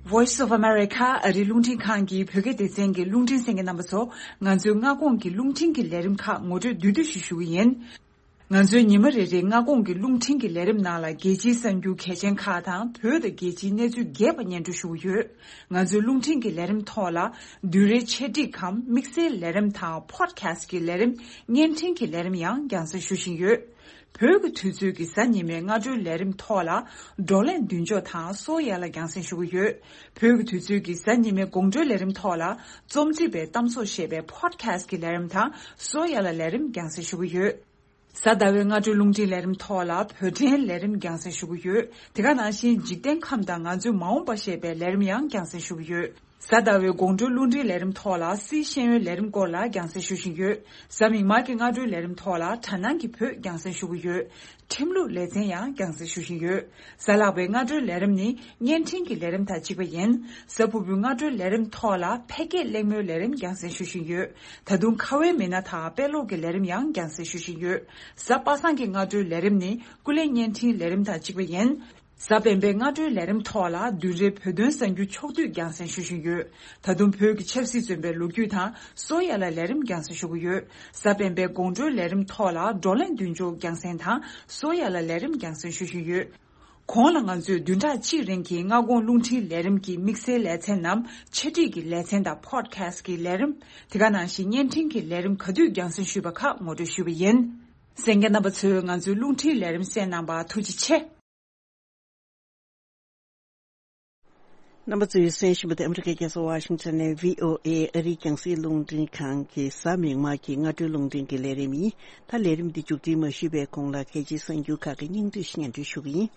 Voice of America ཨ་རིའི་རླུང་འཕྲིན་ཁང་གི་བོད་སྐད་སྡེ་ཚན་གྱི་རླུང་འཕྲིན་གསན་མཁན་རྣམ་པ་ཚོ། ང་ཚོའི་སྔ་དགོང་གི་རླུང་འཕྲིན་གྱི་ལས་རིམ་ཁག་ངོ་སྤྲོད་བསྡུས་བསྡུས་ཤིག་ཞུ་གི་ཡིན། ང་ཚོའི་ཉི་མ་རེ་རེའི་སྔ་དགོང་གི་རླུང་འཕྲིན་གྱི་ལས་རིམ་ནང་ལ་རྒྱལ་སྤྱིའི་གསར་འགྱུར་གལ་ཆེན་ཁག་དང་བོད་དང་རྒྱལ་སྤྱིའི་གནས་ཚུལ་རྒྱས་པ་སྙན་སྒྲོན་ཞུ་གི་ཡོད། ང་ཚོའི་རླུང་འཕྲིན་གྱི་ལས་རིམ་ཐོག་ལ་བསྡུས་གྲྭའི་འཆད་ཁྲིད་གམ་དམིགས་བསལ་ལས་རིམ་དང་པོ་ཌི་ཁ་སི་ཊི་གི་ལས་རིམ། བརྙན་འཕྲིན་གྱི་ལས་རིམ་ཡང་རྒྱང་སྲིང་ཞུ་བཞིན་ཡོད། བོད་ཀྱི་དུས་ཚོད་ཀྱི་གཟའ་ཉི་མའི་སྔ་དྲོའི་ལས་རིམ་ཐོག་ལ་བགྲོ་གླེང་མདུན་ལྕོག་དང་སོ་ཡ་ལ་རྒྱང་སྲིང་ཞུ་གི་ཡོད། བོད་ཀྱི་དུས་ཚོད་ཀྱི་གཟའ་ཉི་མའི་དགོང་དྲོའི་ལས་རིམ་ཐོག་ལ་རྩོམ་སྒྲིག་པའི་གཏམ་བཟོ་ཞེས་པའི་པོ་ཌི་ཁ་སི་ཊི་གི་ལས་རིམ་དང་སོ་ཡ་ལ་ལས་རིམ་རྒྱང་སྲིང་ཞུ་གི་ཡོད། གཟའ་ཟླ་བའི་སྔ་དྲོའི་རླུང་འཕྲིན་ལས་རིམ་ཐོག་ལ་བོད་འཕྲིན་ལས་རིམ་རྒྱང་སྲིང་ཞུ་གི་ཡོད། དེ་ག་ནང་བཞིན་འཇིག་རྟེན་ཁམས་དང་ང་ཚོའི་མ་འོངས་པ་ཞེས་པའི་ལས་རིམ་ཡང་རྒྱང་སྲིང་ཞུ་གི་ཡོད། གཟའ་ཟླ་བའི་དགོང་དྲོའི་རླུང་འཕྲིན་ལས་རིམ་ཐོག་ལ་སིའི་ཤེས་ཡོན་ལས་རིམ་སྐོར་ལ་རྒྱང་སྲིང་ཞུ་བཞིན་ཡོད། གཟའ་མིག་དམར་གྱི་སྔ་དྲོའི་ལས་རིམ་ཐོག་ལ་དྲ་སྣང་གི་བོད་རྒྱང་སྲིང་ཞུ་གི་ཡོད། ཁྲིམས་ལུགས་ལེ་ཚན་ཡང་རྒྱང་སྲིང་ཞུ་བཞིན་ཡོད། གཟའ་ལྷག་པའི་སྔ་དྲོའི་ལས་རིམ་ནི་བརྙན་འཕྲིན་གྱི་ལས་རིམ་དང་གཅིག་པ་ཡིན། གཟའ་ཕུར་བུའི་སྔ་དྲོའི་ལས་རིམ་ཐོག་ལ་ཕལ་སྐད་གླེང་མོལ་ལས་རིམ་རྒྱང་སྲིང་ཞུ་བཞིན་ཡོད། ད་དུང་ཁ་བའི་མི་སྣ་དང་དཔེ་ཀློག་གི་ལས་རིམ་ཡང་རྒྱང་སྲིང་ཞུ་བཞིན་ཡོད། གཟའ་པ་སངས་ཀྱི་སྔ་དྲོའི་ལས་རིམ་ནི་ཀུན་གླེང་བརྙན་འཕྲིན་ལས་རིམ་དང་གཅིག་པ་ཡིན། གཟའ་སྤེན་པའི་སྔ་དྲོའི་ལས་རིམ་ཐོག་ལ་བསྡུས་གྲྭའི་བོད་དོན་གསར་འགྱུར་ཕྱོགས་བསྡུས་རྒྱང་སྲིང་ཞུ་བཞིན་ཡོད། ད་དུང་བོད་ཀྱི་ཆབ་སྲིད་བཙོན་པའི་ལོ་རྒྱུས་དང་སོ་ཡ་ལ་ལས་རིམ་རྒྱང་སྲིང་ཞུ་གི་ཡོད། གཟའ་སྤེན་པའི་དགོང་དྲོའི་ལས་རིམ་ཐོག་ལ་བགྲོ་གླེང་མདུན་ལྕོག་རྒྱང་སྲིང་དང་སོ་ཡ་ལ་ལས་རིམ་རྒྱང་སྲིང་ཞུ་བཞིན་ཡོད། གོང་ལ་ང་ཚོས་བདུན་ཕྲག་གཅིག་རིང་གི་སྔ་དགོང་རླུང་འཕྲིན་ལས་རིམ་གྱི་དམིགས་བསལ་ལེ་ཚན་ནམ་འཆད་ཁྲིད་ཀྱི་ལེ་ཚན་དང་པོ་ཌི་ཁ་སི་ཊི་གི་ལས་རིམ། དེ་ག་ནང་བཞིན་བརྙན་འཕྲིན་གྱི་ལས་རིམ་ག་དུས་རྒྱང་སྲིང་ཞུས་པ་ཁག་ངོ་སྤྲོད་ཞུས་པ་ཡིན། གསན་མཁན་རྣམ་པ་ཚོས་ང་ཚོའི་རླུང་འཕྲིན་ལས་རིམ་གསན་གནང་བར་ཐུགས་རྗེ་ཆེ། རྣམ་པ་ཚོས་གསན་བཞིན་པ་དེ་ཨ་མི་རི་ཀའི་རྒྱལ་ས་ཝ་ཤིང་ཊོན་ནས་བྷི་ཨོ་ཨེ་ཨ་རིའི་རྒྱང་སྲིང་རླུང་འཕྲིན་ཁང་གི་གཟའ་མིག་དམར་གྱི་སྔ་དྲོའི་རླུང་འཕྲིན་གྱི་ལས་རིམ་ཡིན། ད་ལས་རིམ་འདི་མཇུག་སྒྲིལ་མ་ཞུས་པའི་གོང་ལ་གལ་ཆེའི་གསར་འགྱུར་ཁག་གི་སྙིང་བསྡུས་ཤིག་སྙན་སྒྲོན་ཞུ་གི་ཡིན།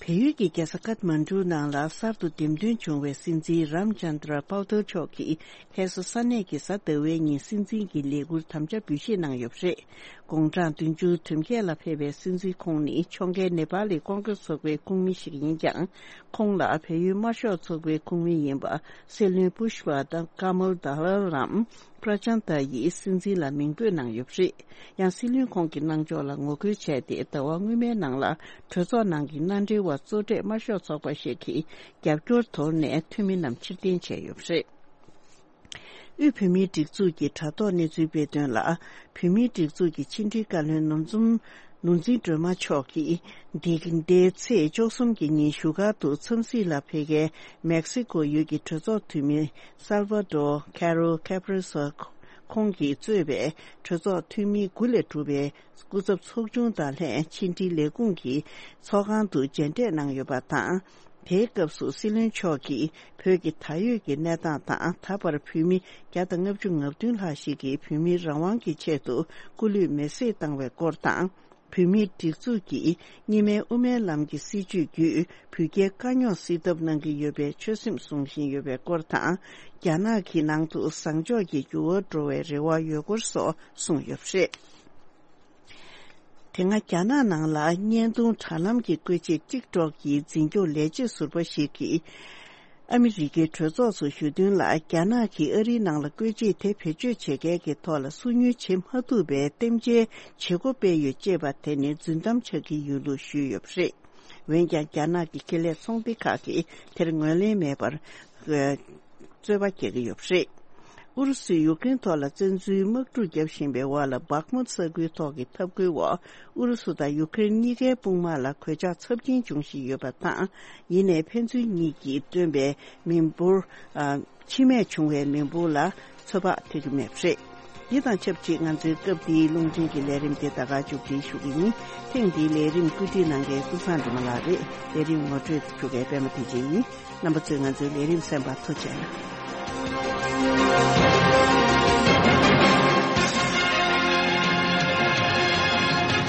བལ་ཡུལ་གྱི་རྒྱལ་ས་ཀཐ་མན་ཌུ་ནང་ལ་གསར་དུ་འདེམས་ཐོན་བྱུང་བའི་སྲིད་འཛིན་རམ་ཅན་དྲ་པའུ་ཏར་མཆོག་གིས་ཁ་སང་ས་གནས་ཀྱི་གཟའ་ཟླ་བའི་ཉིན་སྲིད་འཛིན་གྱི་ལས་ཁུར་དམ་བཅའ་འབུལ་བཞེས་གནང་ཡོད་པ་རེད། དགུང་གྲངས་བདུན་ཅུ་དོན་བརྒྱད་ལ་ཕེབས་པའི་སྲིད་འཛིན་ཁོང་ནི་ཕྱོགས་འགལ་ནེ་པ་ལི་ཀོང་ཀྲེས་ཚོགས་པའི་ཁོངས་མི་ཞིག་ཡིན་ཀྱང་། ཁོང་ལ་བལ་ཡུལ་དམར་ཤོག་ཚོགས་པའི་ཁོངས་མི་ཡིན་པ་སྲིད་བློན་པུཤ་པ་དང་ཀ་མལ་དཱ་ལལ་རམ་པྲ་ཅན་ད་ཡིས་སྲིད་འཛིན་ལ་མིང་འབོད་གནང་ཡོད་པ་རེད། ཡང་སྲིད་བློན་ཁོང་གི་གནང་ཕྱོགས་ལ་ངོ་རྒོལ་བྱས་ཏེ་ཟླ་བ་སྔོན་མའི་ནང་ལ་གྲོས་ཚོགས་ནང་གི་མནའ་འབྲེལ་བ་གཙོ་གྲས་དམར་ཤོག་ཚོགས་པ་ཞིག་གིས་རྒྱབ་སྐྱོར་དོར་ནས་འཐུས་མི་རྣམས་ཕྱིར་འཐེན་བྱས་ཡོད་པ་རེད། དབུས་བོད་མིའི་སྒྲིག་འཛུགས་ཀྱི་དྲ་ཐོག་གནས་ཚུལ་སྤེལ་དོན་ལ། བོད་མིའི་སྒྲིག་འཛུགས་ཀྱི་ཕྱི་འབྲེལ་བཀའ་བློན་ནོར་འཛོམས་ནོར་འཛིན་སྒྲོལ་མ་མཆོག་གིས། འདི་ཟླའི་ཚེས་བཅུ་གསུམ་གྱི་ཉིན་བཞུགས་སྒར་དུ་འཚམས་གཟིགས་ལ་ཕེབས་མཁན་མེག་སི་ཀོ་ཡུལ་གྱི་གྲོས་ཚོགས་འཐུས་མི་སལ་ཝ་ཌོར་ཁེ་རོ་ཁེ་པྲེ་སོ་ཁོང་གིས་གཙོས་པའི་གྲོས་ཚོགས་འཐུས་མི་དགུ་ལས་གྲུབ་པའི་སྐུ་ཚབ་ཚོགས་ཆུང་དང་ལྷན་ཕྱི་འབྲེལ་ལས་ཁུངས་ཀྱི་ཚོགས་ཁང་དུ་མཇལ་འཕྲད་གནང་ཡོད་པ་དང་། དེའི་སྐབས་སུ་སྲིད་བློན་མཆོག་གིས་བོད་ཀྱི་ད་ཡོད་ཀྱི་གནས་སྟངས་དང་། ད་བར་བོད་མི་བརྒྱ་དང་ལྔ་བཅུ་ང་བདུན་ལྷག་ཞིག་གིས་བོད་མིའི་རང་དབང་གི་ཆེད་དུ་སྐུ་ལུས་མེར་སྲེག་བཏང་བའི་སྐོར་དང་། བོད་མིའི་སྒྲིག་འཛུགས་ཀྱིས་གཉིས་སྨན་དབུ་མའི་ལམ་གྱི་སྲིད་བྱུས་བརྒྱུད་བོད་རྒྱའི་དཀའ་རྙོག་སེལ་ཐབས་གནང་གི་ཡོད་པའི་ཆོད་སེམས་བཟུང་བཞིན་ཡོད་པའི་སྐོར་དང་། རྒྱ་ནག་གི་ནང་དུ་བཟང་ཕྱོགས་ཀྱི་འགྱུར་བ་འགྲོ་བའི་རེ་བ་ཡོད་སྐོར་སོགས་གསུངས་ཡོད་པ་རེད། དེ་སྔ་རྒྱ་ནག་ནང་ལ་བརྙན་ཐུང་དྲ་ལམ་གྱི་བཀོལ་ཆས་ཊིག་ཊོག་གི་འཛིན་སྐྱོང་ལས་བྱེད་ཟུར་པ་ཞིག་གིས། ཨ་མི་རི་ཀའི་གྲོས་ཚོགས་སུ་ཞུགས་དོན་ལ། རྒྱ་ནག་གིས་ཨ་རིའི་ནང་ལ་བཀོལ་ཆས་དེ་བེད་སྤྱོད་བྱེད་མཁན་གྱི་ཐོག་ལ་སོ་ཉུལ་བྱེད་མ་ཐུབ་པའི་རྟེན་འབྲེལ་བྱེད་སྒོ་སྤེལ་ཡོད་ཅེས་པ་དེ་ནི་རྫུན་གཏམ་ཆགས་ཀྱི་ཡོད་ལུགས་ཞུས་ཡོད་པ་རེད། འོན་ཀྱང་རྒྱ་ནག་གི་ཁེ་ལས་ཚོང་སྡེ་ཁག་གིས་དེར་ངོས་ལེན་མེད་པར། རྩོད་པ་རྒྱག་གི་ཡོད་པ་རེད། ཨུ་རུ་སུས་ཡུཀ་རེན་ཐོག་ལ་བཙན་འཛུལ་དམག་འཁྲུག་བརྒྱབ་བཞིན་པའི་འོག་ལ་སྦག་མུ་ས་ཁུལ་ཐོག་གི་འཐབ་རྒོལ་འོག་ཨུ་རུ་སུ་དང་ཡུཀ་རེན་གཉིས་ཀའི་དཔུང་དམག་ལ་གོད་ཆག་ཚབས་ཆེན་འབྱུང་བཞིན་ཡོད་པ་དང་། ཡིན་ནའི་ཕན་ཚུན་གཉིས་ཀྱིས་བཏོན་པའི་མི་འབོར། ཨ། འཆི་རྨས་བྱུང་བའི་མི་འབོར་ལ་ཚོད་དཔག་ཐེབས་ཀྱི་མེད་པ་རེད། འདི་དང་ཆབས་ཅིག་ང་ཚོའི་སྐབས་འདིའི་རླུང་འཕྲིན་གྱི་ལས་རིམ་དེ་ད་ག་མཇུག་སྒྲིལ་ཞུ་གི་ཡིན། ཐེངས་འདིའི་ལས་རིམ་བཀོད་སྒྲིག་གནང་མཁན་ཀུན་བཟང་སྒྲོལ་མ་ལགས་རེད། ལས་རིམ་ངོ་སྤྲོད་ཞུ་མཁན་པད་མ་བདེ་ཆེན་ཡིན། རྣམ་པ་ཚོས་ང་ཚོའི་ལས་རིམ་གསན་པར་ཐུགས་རྗེ་གནང་།